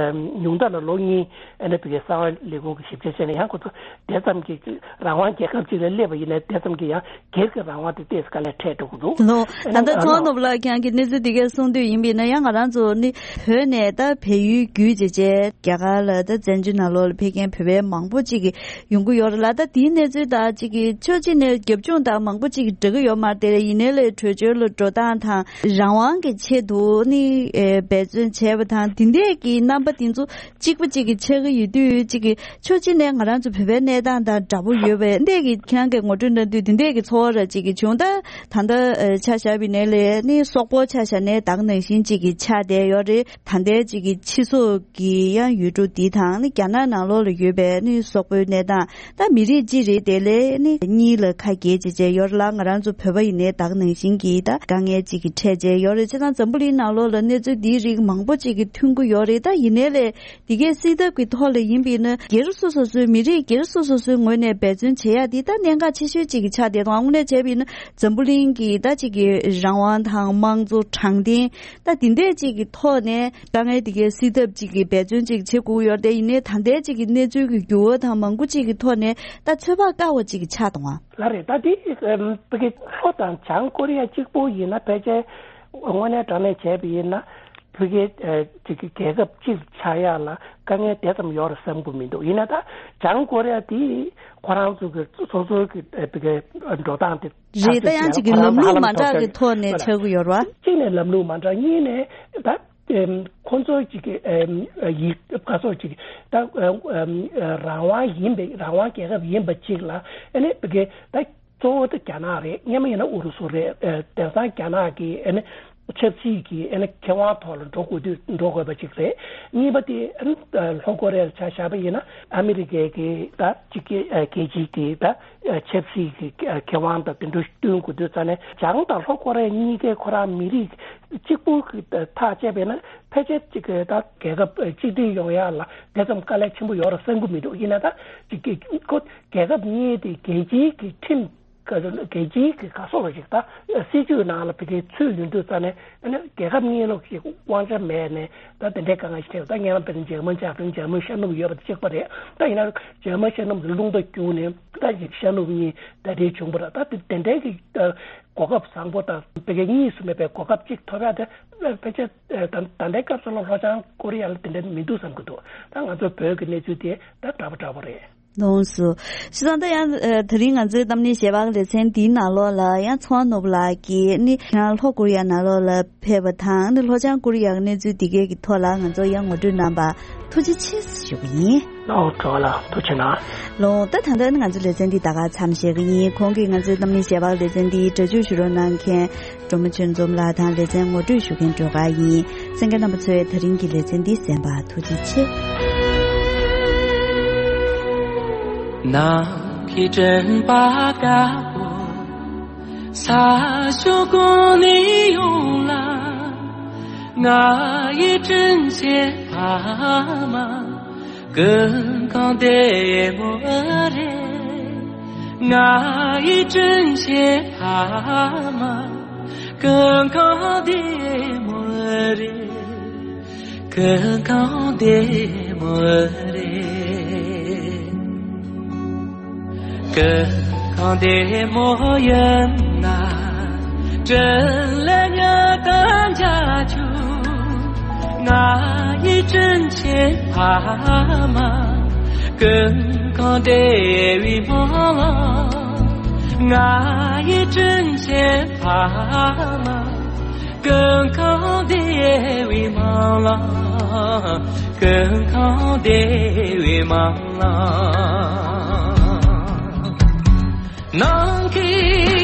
ཉུང་མཐའ་ལ་ལོ་གཉིས་ཨ་ནི་བོད་སྐད་གསང་བའི་ལས་ཁུངས་ཀྱི་ཞིབ་བཤེར་བྱས་ནས་ཡང་ཁོ་ཚོ་དེ་ཙམ་གྱི་རང་དབང་རྒྱལ་ཁབ་ཅིག་ལ་སླེབས་པ་ཡིན་ན་དེ་ཙམ་གྱི་ཡང་སྒེར་གྱི་རང་དབང་དེ་ཏོག་ཙམ་དཀའ་ལས་འཕྲད་འགྲོ་གི་འདུག་ལོ། ཨ་ད་ནི་ལྟ་ཨ་ཚོགས་ནོར་བུ་ལགས་ཁྱེད་རང་གིས་གནས་ཚུལ་འདི་གས་གསུངས་དུས་ཡིན་པས་ན་ཡང་ང་རང་ཚོ་ནི་བོད་ནས་ད་བལ་ཡུལ་བརྒྱུད་བྱས་བྱས་རྒྱ་གར་ལ་ད་བཙན་བྱོལ་ནང་ལོགས་ལ་ཕེབས་མཁན་བོད་པའི་མང་པོ་ཅིག་གི་ཡོང་གི་ཡོད་རེད་ལ། ད་དེའི་གནས་ཚུལ་ད་ཅིག་གི་ཕྱོགས་གཅིག་ནས་རྒྱབ་ལྗོངས་ད་མང་པོ་ཅིག་གི་འགྲིག་གི་ཡོད་མ་རེད་དེ། ཡིན་ནའི་ལས་བྲོས་བྱོལ་ལ་འགྲོ་སྟངས་དང་རང་དབང་གི་ཆེད་དུ་ནི་འབད་བརྩོན་བྱས་པ་དང་དེ་འདྲས་ཀྱི་རྣམ་པ་དེ་ཚོ་གཅིག་པ་གཅིག་གིས་ཆགས་ཀྱི་ཡོད་དུས་གཅིག་གིས་ཕྱོགས་གཅིག་ནས་ང་རང་ཚོ་བོད་པའི་གནས་སྟངས་དང་འདྲ་པོ་ཡོད་པས་འདས་ཀྱི་ཁྱེད་རང་གིས་ངོ་སྤྲོད་གནང་དུས་དེ་འདས་ཀྱི་ཚོར་བ་ར་གཅིག་གིས་བྱུང་། ད་ད་ལྟ་ཆ་བཞག་པའི་ནས་ལས་ནི་སོག་པོ་ཆ་བཞག་ནས་ད་ག་ནང་བཞིན་གཅིག་གིས་ ཆགས་བསྡད་ཡོད་རེད། ད་ལྟའི་གཅིག་གི་སྤྱི་ཚོགས་ཀྱི་ཡང་ཡུལ་གྲུ་འདི་དང་ནི་རྒྱ་ནག་ནང་ལོགས་ལ་ཡོད་པའི་ནི་སོག་པོའི་གནས་སྟངས། ད་མི་རིགས་གཅིག་རེད་དེ་ལས་ནི་གཉིས་ལ་ཁ་གྱེས་བྱས་བྱས་ཡོད་རེད་ལ། ང་རང་ཚོ་བོད་པ་ཡིན་ནའི་ད་ག་ནང་བཞིན་གྱི་ད་དཀའ་ངལ་གཅིག་གི་འཕྲད་བྱས་ཡོད་རེད། བྱས་ཙང་འཛམ་བུ་གླིང་ནང་ལོགས་ལ་གནས་ཚུལ་འདིའི་རིགས་མང་པོ་གཅིག་གི་ཐོན་གྱི་ཡོད་རེད། ད་ཡིན་ནའི་ལས་འདི་གའི་སྲིད་ཐབས་ཀྱི་ཐོག་ལ་ཡིན་པས་ན་སྒེར་སོ་སོ་སོའི་མི་རིགས་སྒེར་སོ་སོ་སོའི་ངོས་ནས་འབད་བརྩོན་བྱེད་ཡ་འདི་ད་གནད་འགག་ཆེ་ཤོས་གཅིག་གི་ཆགས་བསྡད་དང་། དངོས་གནས་བྱས་པ་ཡིན་ན་འཛམ་བུ་གླིང་གི་ད་གཅིག་གི་རང་དབང་དང་དམངས་གཙོ་དྲང་བདེན་ད་འདི་འདྲས་གཅིག་གི་ཐོག་ནས་དཀའ་ངལ་འདི་གའི་སེལ་ཐབས་གཅིག་གི་འབད་བརྩོན་གཅིག་བྱེད་དགོས་ཡོད་རེད། ཡིན་ནའི་ད་ལྟའི་གཅིག་གི་གནས་ཚུལ་གྱི་འགྱུར་བ་དང་མང་པོ་གཅིག་གི་ཐོག་ནས་ད་ཚོད་དཔག་དཀའ་བ་གཅིག་གི་ཆགས་འདུག་ཨ། ལགས་རེད། ད་འདི་ཨམ་ཕ་གི་ལྷོ་དང་བྱང་ཀོ་རི་ཡ་གཅིག་པོ་ཡིན་ན། ཕལ་ཆེར་དངོས་གནས་དྲང་གནས་བྱས་པ་ཡིན་ན་ཕ་གི་ཨ་གཅིག་གི་རྒྱལ་ཁབ་གཅིག་ཆགས་ཡག་ལ་དཀའ་ངལ་དེ་ཙམ་ཡོད་རེད་བསམ་གྱི་མི་འདུག་ཡིན་ན་ད་བྱང་ཀོ་རི་ཡ་དེ་ཁོ་རང་ཚོ་གི་སོ་སོའི་གི་ཨ་ཕ་གི་འགྲོ་སྟངས་དེ། རེད། ད་ཡང་གཅིག་གི་ལམ་ལུགས་མ་འདྲ་གི་ཐོག་ནས་ཆགས་ཀྱི་ཡོད་རེད་བ། གཅིག་ནས་ལམ་ལུགས་མ་འདྲ། གཉིས་ནས་ད་ཨེམ་ཁོང་ཚོ་གཅིག་གི་ཨེམ་ཡིག་བཀའ་སོགས་གཅིག་ད་ཨེམ་རང་དབང་ཡིན་པའི་རང་དབང་རྒྱལ་ཁབ་ཡིན་པ་གཅིག་ལ་ཨ་ནི་ཕ་གི་ད་གཙོ་བོ་དེ་རྒྱ་ནག་རེད། སྔོན་མ་ཡིན་ན་ཨུ་རུ་སུ་རེད། ཨེ་དེང་སང་རྒྱ་ནག་གི་ཨ་ནི་ཆབ་སྲིད་ཀྱི་ཨ་ནི་ཁེ་དབང་ཐོག་ལ་འགྲོ་དགོས་དུས་འགྲོ་དགོས་པ་གཅིག་རེད། གཉིས་པ་དེ་ཨ་ནི་ལྷོ་ཀོ་རི་ཡ་ལ་ཆ་བཞག་པ་ཡིན་ན་ཨ་མི་རི་ཀའི་གི་ད་གཅིག་གི་ཨ་རྒྱལ་སྤྱིའི་གི་ད་ཨ་ཆབ་སྲིད་ཀྱི་ཨ་ཁེ་དབང་དང་དེ་འདྲ་བསྟུན་དགོས་དུས་ཙ་ནས་བྱང་དང་ལྷོ་ཀོ་རི་ཡ་གཉིས་ཀའི་ཁོ་རང་མི་རིགས་གཅིག་པུ་གི་ཐག་བཅད་པས་ན་ཕལ་ཆེར་གཅིག་གི་ད་རྒྱལ་ཁབ་གཅིག་སྒྲིལ་ཡོང་ཡག་ལ་དེ་ཙམ་དཀའ་ལས་ཆེན་པོ་ཡོད་རེད་བསམ་གྱི་མི་འདུག་ཡིན་ན་ད་གཅིག་གི་ཁོ་རྒྱལ་ཁབ་གཉིས་དེ་རྒྱལ་སྤྱིའི་གི་ཁྲིམས་རྒྱལ་སྤྱིའི་གི་ག་སོགས་ལ་ཞིག་ད་སྲིད་ཇུས་ནང་ལ་ཕ་གིའི་ཚུད་ཡོང་དུས་ཙ་ནས་ཨ་ནི་རྒྱལ་ཁབ་གཉིས་ལོག་ཞིག་དབང་ཆ་མེད་ནས་ད་དེ་འདྲའི་དཀའ་ངལ་ཞིག་འཕྲད། ད་སྔོན་མ་དཔེར་ན་འཇར་མན་ཆགས་དུས་འཇར་མན་ཤར་ནུབ་ཡོད་པ་དང་གཅིག་པ་རེད། ད་ཡིན་ན་འཇར་མན་ཤར་ནུབ་ཀྱི་རླུང་རྟ་རྒྱུག་ནས་ད་ཅིག་ཤར་ནུབ་གཉིས་ད་རེས་བྱུང་བ་རེད། ད་དེ་དེ་འདྲའི་གི་གོ་སྐབས་བཟང་པོ་དང་ཕ་གི་གཉིས་སུ་མེད་པའི་གོ་སྐབས་གཅིག་ཐོབ་ཡ་དེ་ཕལ་ཆེར་ད་ད་ལྟའི་སྐབས་སུ་ལ་ལྷོ་བྱང་ཀོ་རི་ཡ་ལ་དེ་འདྲ་མི་འདུག་བསམ་གྱི་འདུག་ད་ང་ཚོ་བོད་ཀྱི་གནས་ཚུལ་དེ་ད་འདྲ་པོ་འདྲ་པོ་རེད། ལགས་སོ། བྱས་ཙང་ད་ཡང་ཨ་དེ་རིང་ང་ཚོའི་གཏམ་གླེང་ཞལ་པར་ལེ་ཚན་འདིའི་ནང་ལོགས་ལ་ཡང་ཚོང་ནོར་བུ་ལགས་ཀྱིས་ནི་ཡང་ལྷོ་ཀོ་རི་ཡ་ནང་ལོགས་ལ་ཕེབས་པ་དང་ནི་ལྷོ་བྱང་ཀོ་རི་ཡ་གི་གནས་ཚུལ་འདི་གའི་གི་ཐོག་ལ་ང་ཚོ་ཡང་ངོ་སྤྲོད་གནང་པ་ཐུགས་རྗེ་ཆེ་ཞུ་གི་ཡིན། ལགས་འགྲོ་བ་ལ་ཐུགས་རྗེ་གནང་། ལགས་ད་ད་ལྟ་ནི་ང་ཚོ་ལེ་ཚན་འདི་ད་ག་མཚམས་བཞག་གི་ཡིན། གོང་གི་ང་ཚོའི་གཏམ་གླེང་ཞལ་པར་ལེ་ཚན་འདི་སྒྲ་སྒྱུར་ཞུ་རོགས་གནང་མཁན་སྒྲོལ་མ་ཆོས་འཛོམས་ལགས་དང་ལེ་ཚན་ངོ་སྤྲོད་ཞུ་མཁན་སྒྲོལ་དཀར་ཡིན། གསན་མཁན་རྣམ་པ་ཚོས་ད་རིང་གི་ལེ་ཚན་འདི་གསན་པར་ཐུགས་རྗེ་ཆེ། ནམ་མཁའི་སྤྲིན་པ་དཀར་པོ་ས་ཕྱོགས་གང་ནས་ཡོང་ལ། ང་ཡི་དྲིན་ཆེན་ཕ་མ་ཀུན་ཁང་བདེ་མོ་རེད། ང་ཡི་དྲིན་ཆེན་ཕ་མ་ཀུན་ཁང་བདེ་མོ་རེད། ཀུན་ཁང་བདེ་མོ་རེད། ཀུན་ཁང་བདེ་མོ་ཡིན་ན། དྲིན་ལན་ཉག་ག་འཇལ་ཆོག་ང་ཡི་དྲིན་ཆེན་ཕ་མ་ཀུན་ཁང་བདེ་བའི་སྨོན་ལམ། ང་ཡི་དྲིན་ཆེན་ཕ་མ་ཀུན་ཁང་བདེ་བའི་སྨོན་ལམ། ཀུན་ཁང་བདེ་བའི་སྨོན་ལམ། ནམ་མཁའི་